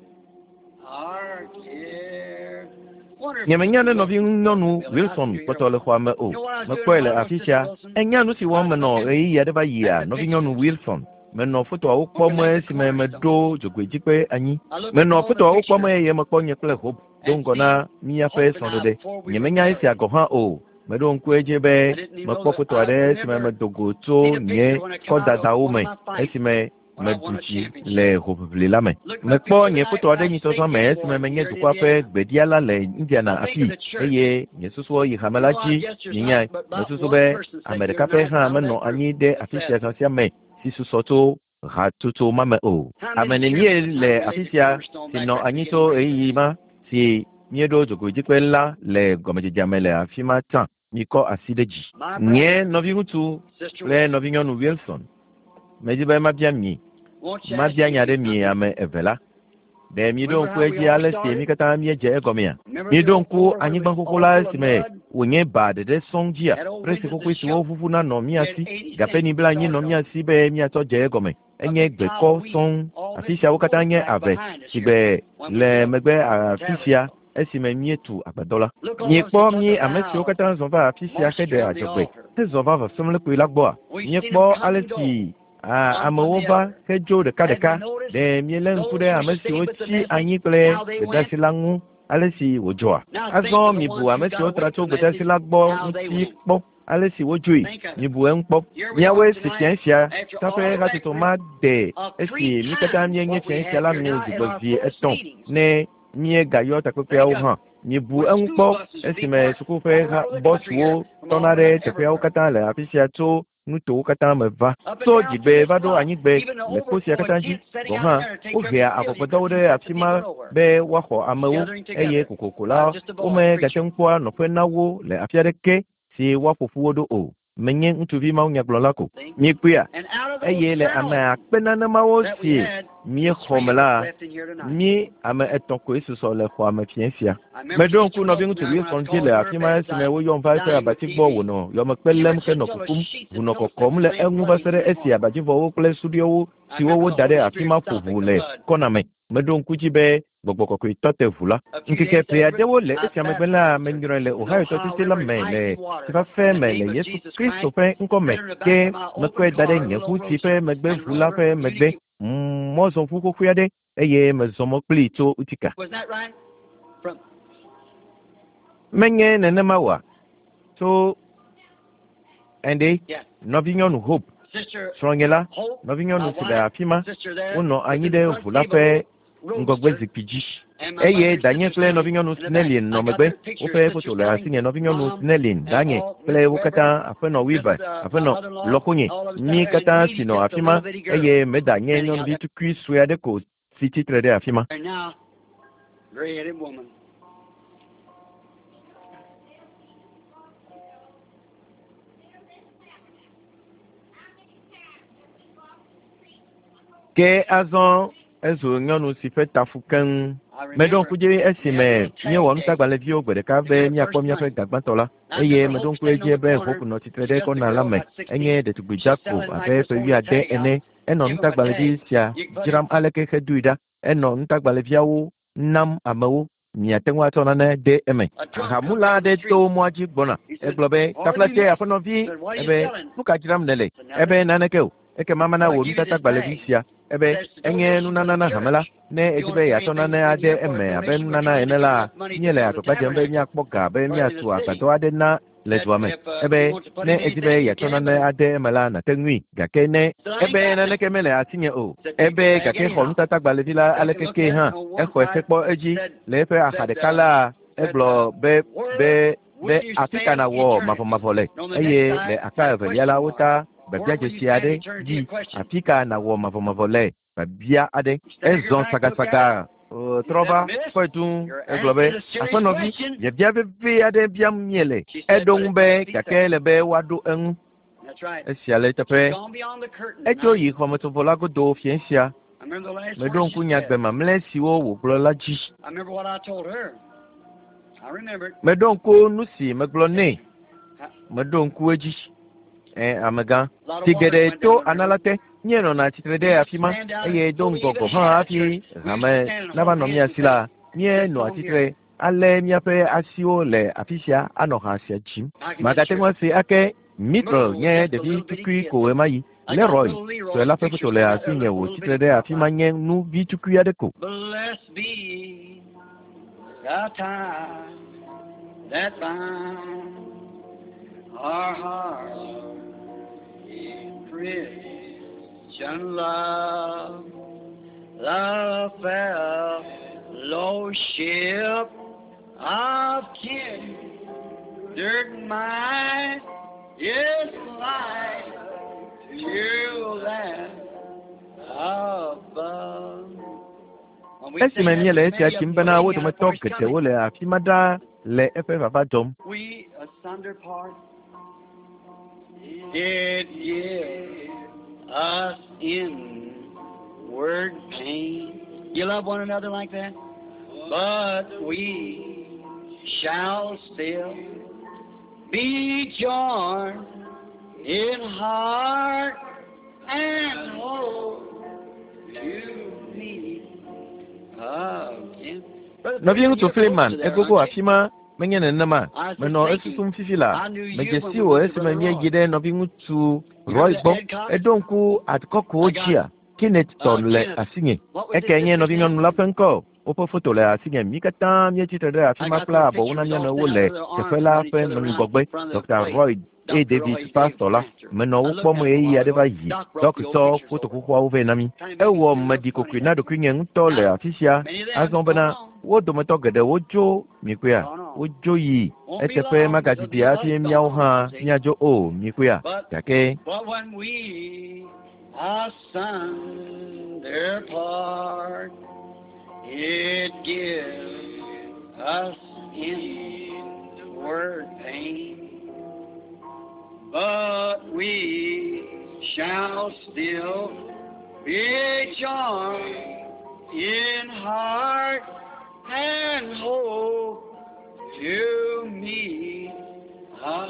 our care. Wonder if Nyemenya ne nɔvinyɔnu Wilson kpɔtɔ le xɔa me o. Mekpɔe le afi sia. Enya nu si wɔm menɔ ɣeyiɣi aɖe va yia nɔvinyɔnu Wilson. Menɔ fotoawo kpɔm esime meɖo dzogoedzikpe anyi. Menɔ fotoawo kpɔm eye mekpɔ nye kple Hope do ŋgɔ na míaƒe srɔ̃ɖeɖe. Nyemenya esia gɔ̃ hã o. Meɖo ŋku edzi be mekpɔ foto aɖe esime medo go tso nye kɔdadawo me esime meɖu dzi le hoʋiʋli la me. Mekpɔ nye foto aɖe nyitsɔzã me esime menye dukɔa ƒe gbeɖiala le Indiana afi eye nye susuwo yi hame la dzi mienyae. Mesusu be ame ɖeka pɛ hã menɔ anyi ɖe afi sia zã sia me si susɔ tso hatsotso ma me o. Ame nenie le afi sia si nɔ anyi tso ɣeyiɣi ma si míeɖo dzogoedzikpe la le gɔmedzedzea me le afi ma tsã. Mikɔ asi ɖe dzi. Nye nɔviŋutsu Sister kple nɔvinyɔnu Wilson. Medi be mabia mi. Mabia nya ɖe mi ame eve la. Ɖe miɖo ŋku edzi ale si mi katã míedze egɔmea? Miɖo ŋku anyigba xoxo la esime wònye ba ɖeɖe sɔŋ dzia? Presi xoxoe siwo ʋuʋuna nɔ mía si, gaƒe bla anyi nɔ mía si be míatsɔ dze egɔme. Enye gbekɔ sɔŋ. Afi siawo katã nye ave si gbe le megbe afi sia esime míetu agbadɔ la. Miekpɔ mí ame siwo katã zɔ va afi sia heɖe adzɔgbe hezɔ va vɔsamlekpui la gbɔa? Míekpɔ ale si amewo va hedzo ɖekaɖeka. Ɖe míelé ŋku ɖe ame siwo tsi anyi kple gbedeasi la ŋu ale si wòdzɔa? Azɔ mibu ame siwo tra tso gbedeasi la gbɔ ŋuti kpɔ ale si wodzoe. Mibu eŋu kpɔ. Míawoe si fia sia taƒe hatsotso ma de esi mí katã míenye fia sia la nu zi gbɔ zi etɔ̃ ne míegayɔ takpekpeawo hã. Mibu eŋu kpɔ esime suku ƒe bɔsuwo tɔna ɖe teƒeawo katã le afi sia tso nutowo katã me va. Tso dzigbe va ɖo anyigbe le kpo sia katã dzi gɔ̃ hã wohea avɔgbedɔwo ɖe afi ma be woaxɔ amewo eye kokoko la womegate ŋu kpɔa nɔƒe na wo le afi aɖeke si woaƒo ƒu wo ɖo o. Menye ŋutsuvi mawunyagblɔla ko. Miekpɔea? Eye le ame akpe nanemawo si míexɔ me la, mí ame etɔ̃ koe susɔ le xɔa me fiẽ sia. Meɖo ŋku nɔviŋutsu Wilson dzi le afi ma esime woyɔm va eƒe abati gbɔ wònɔ yɔmekpe lém henɔ kukum, ʋu nɔ kɔkɔm le eŋu va se ɖe esi abadzivɔwo kple suɖiwo siwo woda ɖe afi ma ƒo ʋu le kɔna me. Meɖo ŋku dzi be gbɔgbɔ kɔkɔe tɔ te ʋu la. Ŋkeke ʋɛ aɖewo le esia megbe la, menyrɔe le Ohio tɔsisi la me le tsifafe me le Yesu Kristo ƒe ŋkɔ me ke mekɔe da ɖe nye ʋu si ƒe megbe ʋu la ƒe megbe mɔzɔʋu xoxoe aɖe eye mezɔ mɔ kplii tso Utica. Menye nenema oa? Tso ɛnde nɔvinyɔnu Hope, srɔ̃nye la, nɔvinyɔnu si le afi ma, wonɔ anyi ɖe ʋu la ƒe ŋgɔgbe zikpui dzi. Eye danye kple nɔvinyɔnu Snellin nɔ megbe. Woƒe foto le asinye nɔvinyɔnu Snellin, danye kple wo katã, aƒenɔ Weaver, aƒenɔ lɔƒonye, mí katã si nɔ afi ma eye meda nye nyɔnuvi tukui sue aɖe ko si tsitre ɖe afi ma. And now, gray-headed woman. Ke azɔ ezu nyɔnu si ƒe tafu keŋ. Meɖo ŋku dzi esime míewɔ nutagbalẽviwo gbe ɖeka be míakpɔ míaƒe gagbãtɔ la eye meɖo ŋku edzi be Hope nɔ tsitre ɖe kɔna la me. Enye ɖetugbui dzako abe ƒe wuiade ene. Enɔ nutagbalẽvi sia dzram aleke hedoe ɖa. Enɔ nutagbalẽviawo nam amewo. Miate ŋu atsɔ nane de eme. Ahamula aɖe to mɔa dzi gbɔna. Egblɔ be, "Taflatse aƒenɔvi, ebe nu ka dzram nèle?" Ebe naneke o. Ekema mana wò nutatagbalẽvi sia. Ebe enye nunana na hame la. Ne edi be yeatsɔ nane ade eme abe nunana ene la, míele agbagba dzem be míakpɔ ga be míatu agbadɔ aɖe na le dua me. Ebe ne edi be yeatsɔ nane ade eme la, nàte ŋui. Gake ne ebe naneke mele asinye o. Ebe gake xɔ nutatagbalẽvi la aleke ke hã, exɔe hekpɔ edzi le eƒe axa ɖeka la, egblɔ be be be afi ka nàwɔ mavɔmavɔ le eye le akpa evelia la wota biabia dzesi aɖe dzi afi ka nàwɔ mavɔmavɔ le biabia aɖe. Ezɔ sagasaga trɔ va kpɔe duu egblɔ be aƒenɔvi biabia vevi aɖe biam míele. Eɖo ŋu be gake ele be woaɖo eŋu. That's right. Esia le eteƒe. She's gone beyond the curtain. Etso yi xɔmetsovɔ la godo fiẽ sia. I remember the last Meɖo word ŋku she nya said. gbe mamlɛ siwo wògblɔ la dzi. I remember what I told her. I remember it. Meɖo ŋku nu si megblɔ nɛ. Meɖo ŋku edzi. Ɛ amegã. Tsi geɖe to ana la te. Míenɔna tsitre ɖe afi ma eye do ŋgɔ gɔ̃ hã hafi hame nava nɔ mía si la, míenɔa tsitre alé míaƒe asiwo le afi sia anɔ ha sia dzim. Magate ŋu ase ake Mitchell nye ɖevi tukui ko ɣemaɣi. Leroy sue la ƒe foto le asinye wòtsi tre ɖe afi ma nye nu vi tukui aɖe ko. Blessed be the tie that binds our hearts in Christian love. The fellowship of kindred minds is light to them above. When we Esime sing that, míele there's esia many of dzim them bena wo waiting out dometɔ for his geɖewo coming. le afi ma ɖaa le eƒe vava dzɔm. We asunder part did give us in Inward pain. You love one another like that? But we shall still be joined in heart and hope to meet again. Nɔviŋutsu Freeman, egogo afi ma menye nenema. Menɔ esusum fifi la. Medze si wò esime míeyi ɖe nɔviŋutsu Roy gbɔ. Eɖo ŋku Adkɔkɔwo dzia. Kenneth tɔ le asinye. Eke nye nɔvinyɔnu la ƒe ŋkɔ. Woƒe foto le asinye. Mí katã míetsi tre ɖe afi ma kple abɔwo na mía nɔewo le teƒe la ƒe ŋgɔgbe. Dr. Roy A. Davis, pastor la, menɔ wo kpɔm ɣeyiɣi aɖe va yi. Dɔk tsɔ foto xoxoawo vɛ na mí. Ewɔ meɖi kokoe na ɖokuinye ŋutɔ le afi sia. Azɔ bena wo dometɔ geɖewo dzo mikpɔea, wodzo yi eteƒe magadidi hafi míawo hã míadzo o mikpɔea. Gake But when we asunder part, it gives us inward pain. But we shall still be joined in heart and hope to meet us.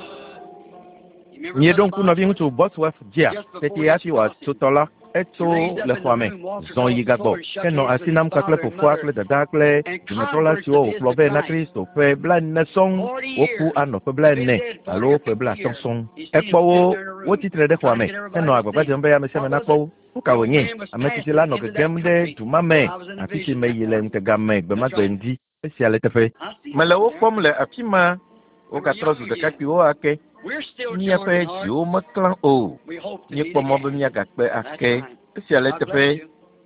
Míeɖo ŋku nɔviŋutsu Bosworth dzia tete hafi wòatso tɔ la etso le xɔa me zɔn yi gagbɔ henɔ asi nam kpakple fofoa kple dadaa kple dumetrɔla siwo wòkplɔ vɛ na Kristo ƒe 40 sɔŋ woku anɔ ƒe 40 alo ƒe 50 sɔŋ. Ekpɔ wo wotsitre ɖe xɔa me henɔ agbagba dzem be ame sia ame nakpɔ wo. Nu ka wònye? Ame tsitsi la nɔ gegem ɖe du ma me afi si meyi le ŋutega me gbe ma gbe ŋdi. Esia le teƒe. Mele wo kpɔm le afi ma. Wogatrɔ zu ɖekakpuiwo ake. Míaƒe dziwo meklã o. Míekpɔ mɔ be míagakpe ake. Esia le teƒe.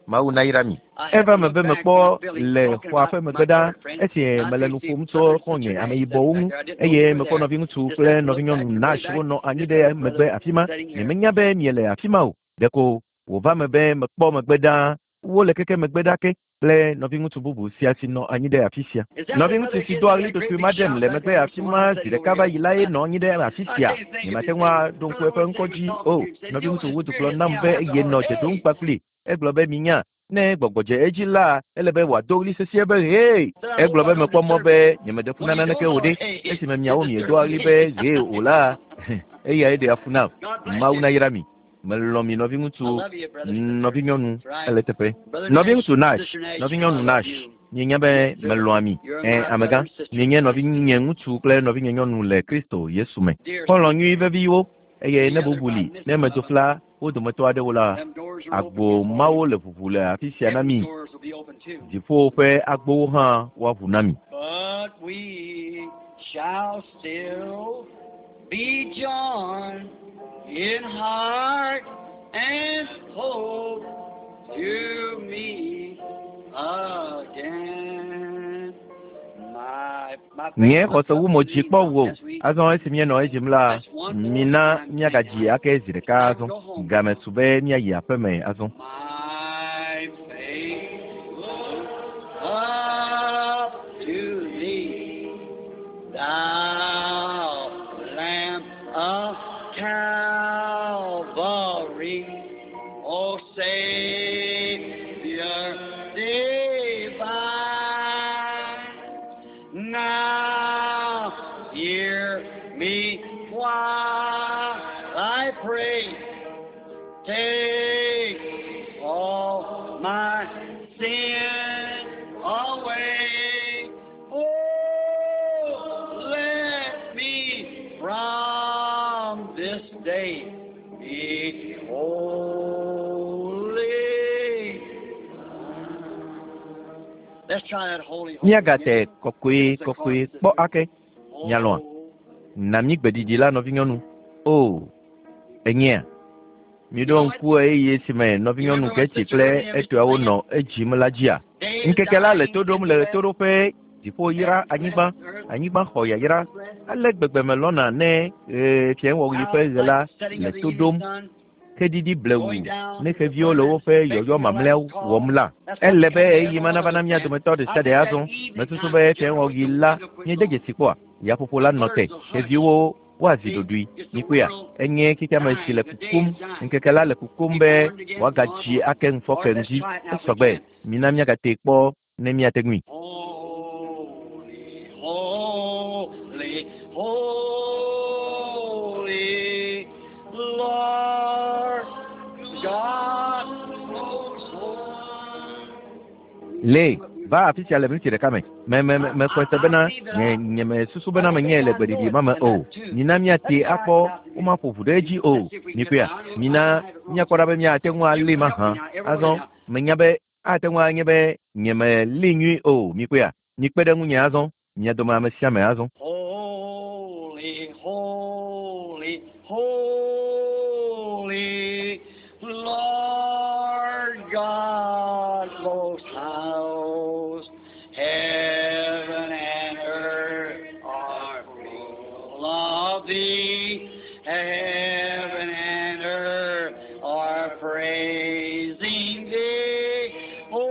Mawu nayra mi. Eva me be mekpɔ le xɔa ƒe megbe ɖa esi mele nu ƒom tso xɔ̃nye ameyibɔwo ŋu eye mekpɔ nɔviŋutsu kple nɔvinyɔnu Nash wonɔ anyi ɖe megbe afi ma. Nyemenya be miele afi ma o. Ɖeko wòva me be mekpɔ megbe ɖaa. Wole keke megbe ɖa ke kple nɔviŋutsu bubu sia si nɔ anyi ɖe afi sia. Nɔviŋutsu si doa ɣli totoe ma ɖem le megbe afi ma zi ɖeka va yi la ye nɔ anyi ɖe afi sia. Nyemate ŋu aɖo ŋku eƒe ŋkɔ dzi o. Nɔviŋutsu Wood gblɔ nam be yenɔ dze ɖom kpakpli. Egblɔ be minya ne gbɔgbɔ dze edzi la ele be wòado ɣli sesĩe be hee. Egblɔ be mekpɔ mɔ be nyemeɖe fu na naneke o ɖe. Esime miawo miedoa ɣli be hee o la, eyae ɖea fu nam. Mawu nayra mi. Melɔ̃ mi nɔviŋutsu, nɔvinyɔnu, ele teƒe. Nɔviŋutsu Nash, nɔvinyɔnu Nash, mienya be melɔ̃a mi. Ɛ, amegã, mienye nɔvinye ŋutsu kple nɔvinye nyɔnu le Kristo Yesu me. Xɔlɔ̃ nyui veviwo eye ne bubu li ne medzo fla wo dometɔ aɖewo la, agbo mawo le ʋuʋu le afi sia na mi. Dziƒo ƒe agbowo hã woaʋu na mi. But we shall still be joined in heart and hope to meet again. My Nye xɔse wu mo dzi kpɔ wo. Azɔ esi míenɔ edzim la, mina míagadzi ake zi ɖeka azɔ. Game su be míayi aƒeme azɔ. My faith looks up to thee, thou Lamb of Calvary, O Savior divine. Now hear me while I pray. Take all my sin away. Oh, let me from this day be holy. Let's try that holy, holy Míagate again. kɔkɔe kɔkɔe kpɔ ake. Mialɔ̃a? Na mí gbeɖiɖi la nɔvinyɔnu. O, enyea? Miɖo ŋku ɣeyiɣi si me nɔvinyɔnu Getty kple etɔawo nɔ edzim la dzia? Ŋkeke la le to ɖom le ɣetoɖoƒe, dziƒo yra anyigba, anyigba xɔ yayra. Ale gbegbe melɔ̃na ne fiẽwɔɣi ƒe ɣe la le to ɖom. Xeɖiɖi blewu ne xeviwo le woƒe yɔyɔ mamlɛawo wɔm la. Ele be ɣeyiɣi ma nava na mía dometɔ ɖe sia ɖe azɔ. Mesusu be fiẽwɔɣi la míede dzesi kpɔa? Yaƒoƒo la nɔ te. Xeviwo Woazi ɖoɖoe. Mikpɔea? Enye xexeame si le kukum. Ŋkeke la le kukum be wòagadzi ake ŋufɔke ŋdi. Esɔgbe. Mina míagatee kpɔ ne míate ŋui. Holy, holy, holy, Lord God Most High. Le, va afi sia le miniti ɖeka me. Me, me, me, mexɔe se bena nye, nyemesusu bena menye le gbeɖiɖi ma me o. Mina míatee akpɔ, womaƒo ʋu ɖe edzi o. Mikpɔea? Mina míakpɔ ɖa be míate ŋu alée mahã. Azɔ, menya be ate ŋu anye be nyemelée nyuie o. Mikpɔea? Mikpe ɖe ŋunye azɔ, mia dome ame sia ame azɔ. Holy, holy, holy, Lord God most high, heaven and earth are full of thee. Heaven and earth are praising thee, O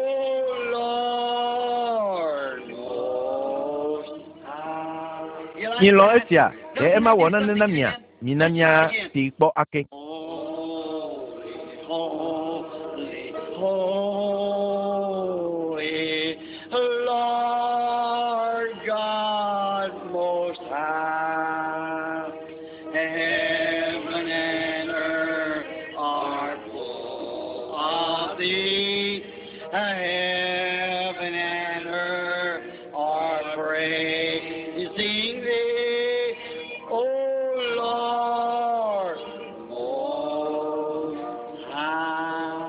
Lord most high. You like Milɔ̃ that? esia, ɖe Don't ema you wɔ like nane something na mia? again? Mina Let's try again. míatee kpɔ ake. Holy, holy, holy, Lord God Most High. Heaven and earth are full of thee. Heaven and earth are praising thee, O Lord Most High.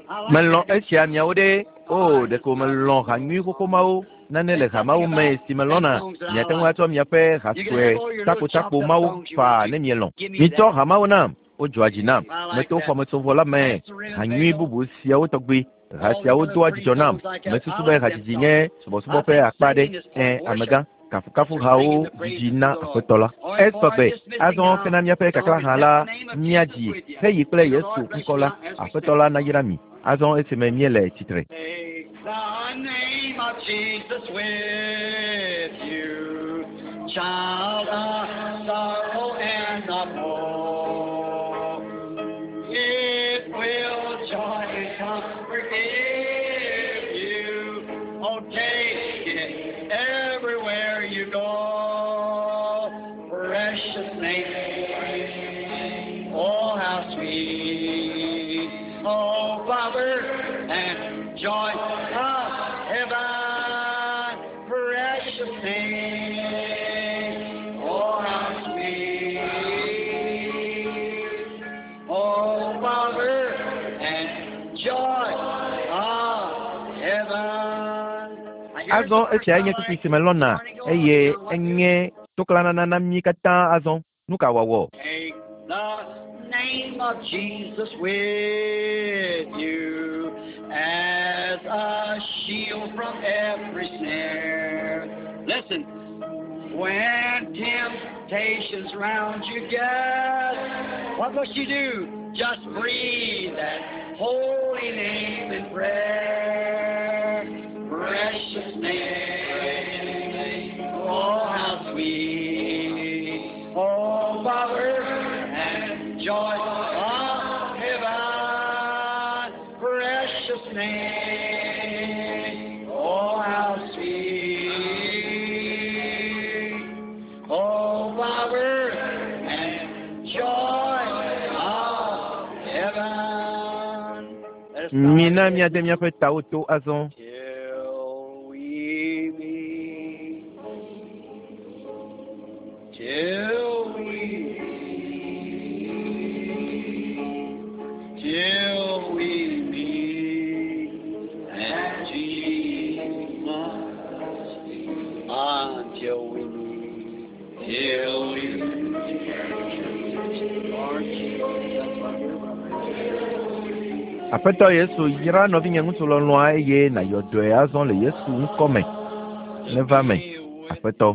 I like Melɔ̃ that. esia miawo ɖe. O, ɖeko melɔ̃ ha nyui xoxo mawo. Nane le ha mawo me si melɔ̃na. Miate ŋu atsɔ miaƒe ha You can sue have all your little chopped takotakpo up mawo songs you faa want ne to. mielɔ̃. Give me Mitsɔ that. ha mawo nam. Wodzɔa dzi nam. I like Meto that. xɔmetsovɔ la me. That's the Ha nyui Winnebago. bubu siawo tɔgbi. Ha All these siawo other doa pretty dzidzɔ nam. songs like that. I Mesusu be like them hadzidzi songs. nye I subɔsubɔ ƒe think akpa aɖe. singing is part Ẽ, of worship. amegã, kafukafu They're singing hawo the dzidzi praises na of the Lord. Aƒetɔ la. All right, boy, Esɔgbe. dismissing Azɔ now. kena míaƒe Song kakla is hã Take la, the name of Jesus míadzi with you. heyi kple May the Yesu Lord bless ŋkɔ you la. now as we Aƒetɔ stand. la nayra mi. Azɔ esime míele tsitre. Take the name of Jesus with you, child of sorrow and the poor. It will joy and comfort give you. Oh, take it everywhere you go. Precious name. Oh, how sweet. Oh, Father, and joy of heaven. Precious name. Oh, how sweet. Oh, Father, and joy of heaven. Now, here's Azɔ the verse esiae I nye like. kpukpui si melɔ̃na Morning glory. eye Now, what do? enye toklanana na mí katã azɔ. Nu ka wòawɔ? Take the name of Jesus with you as a shield from every snare. Listen, when temptations round you get, what must you do? Just breathe that holy name in prayer. Precious name, oh how sweet. Oh, power and joy of heaven, precious name, oh how sweet. Oh, power and joy of heaven. Let us bow our Mina heads. míade míaƒe tawo to azɔ. Till we meet, till we meet, till we meet at Jesus, until we meet, till we meet, Lord Jesus, my dear brother. Aƒetɔ Yesu yra nɔvinye ŋutsu lɔlɔ̃a eye nàyɔ dɔe azɔ le Yesu ŋkɔ me. Neva me, Aƒetɔ.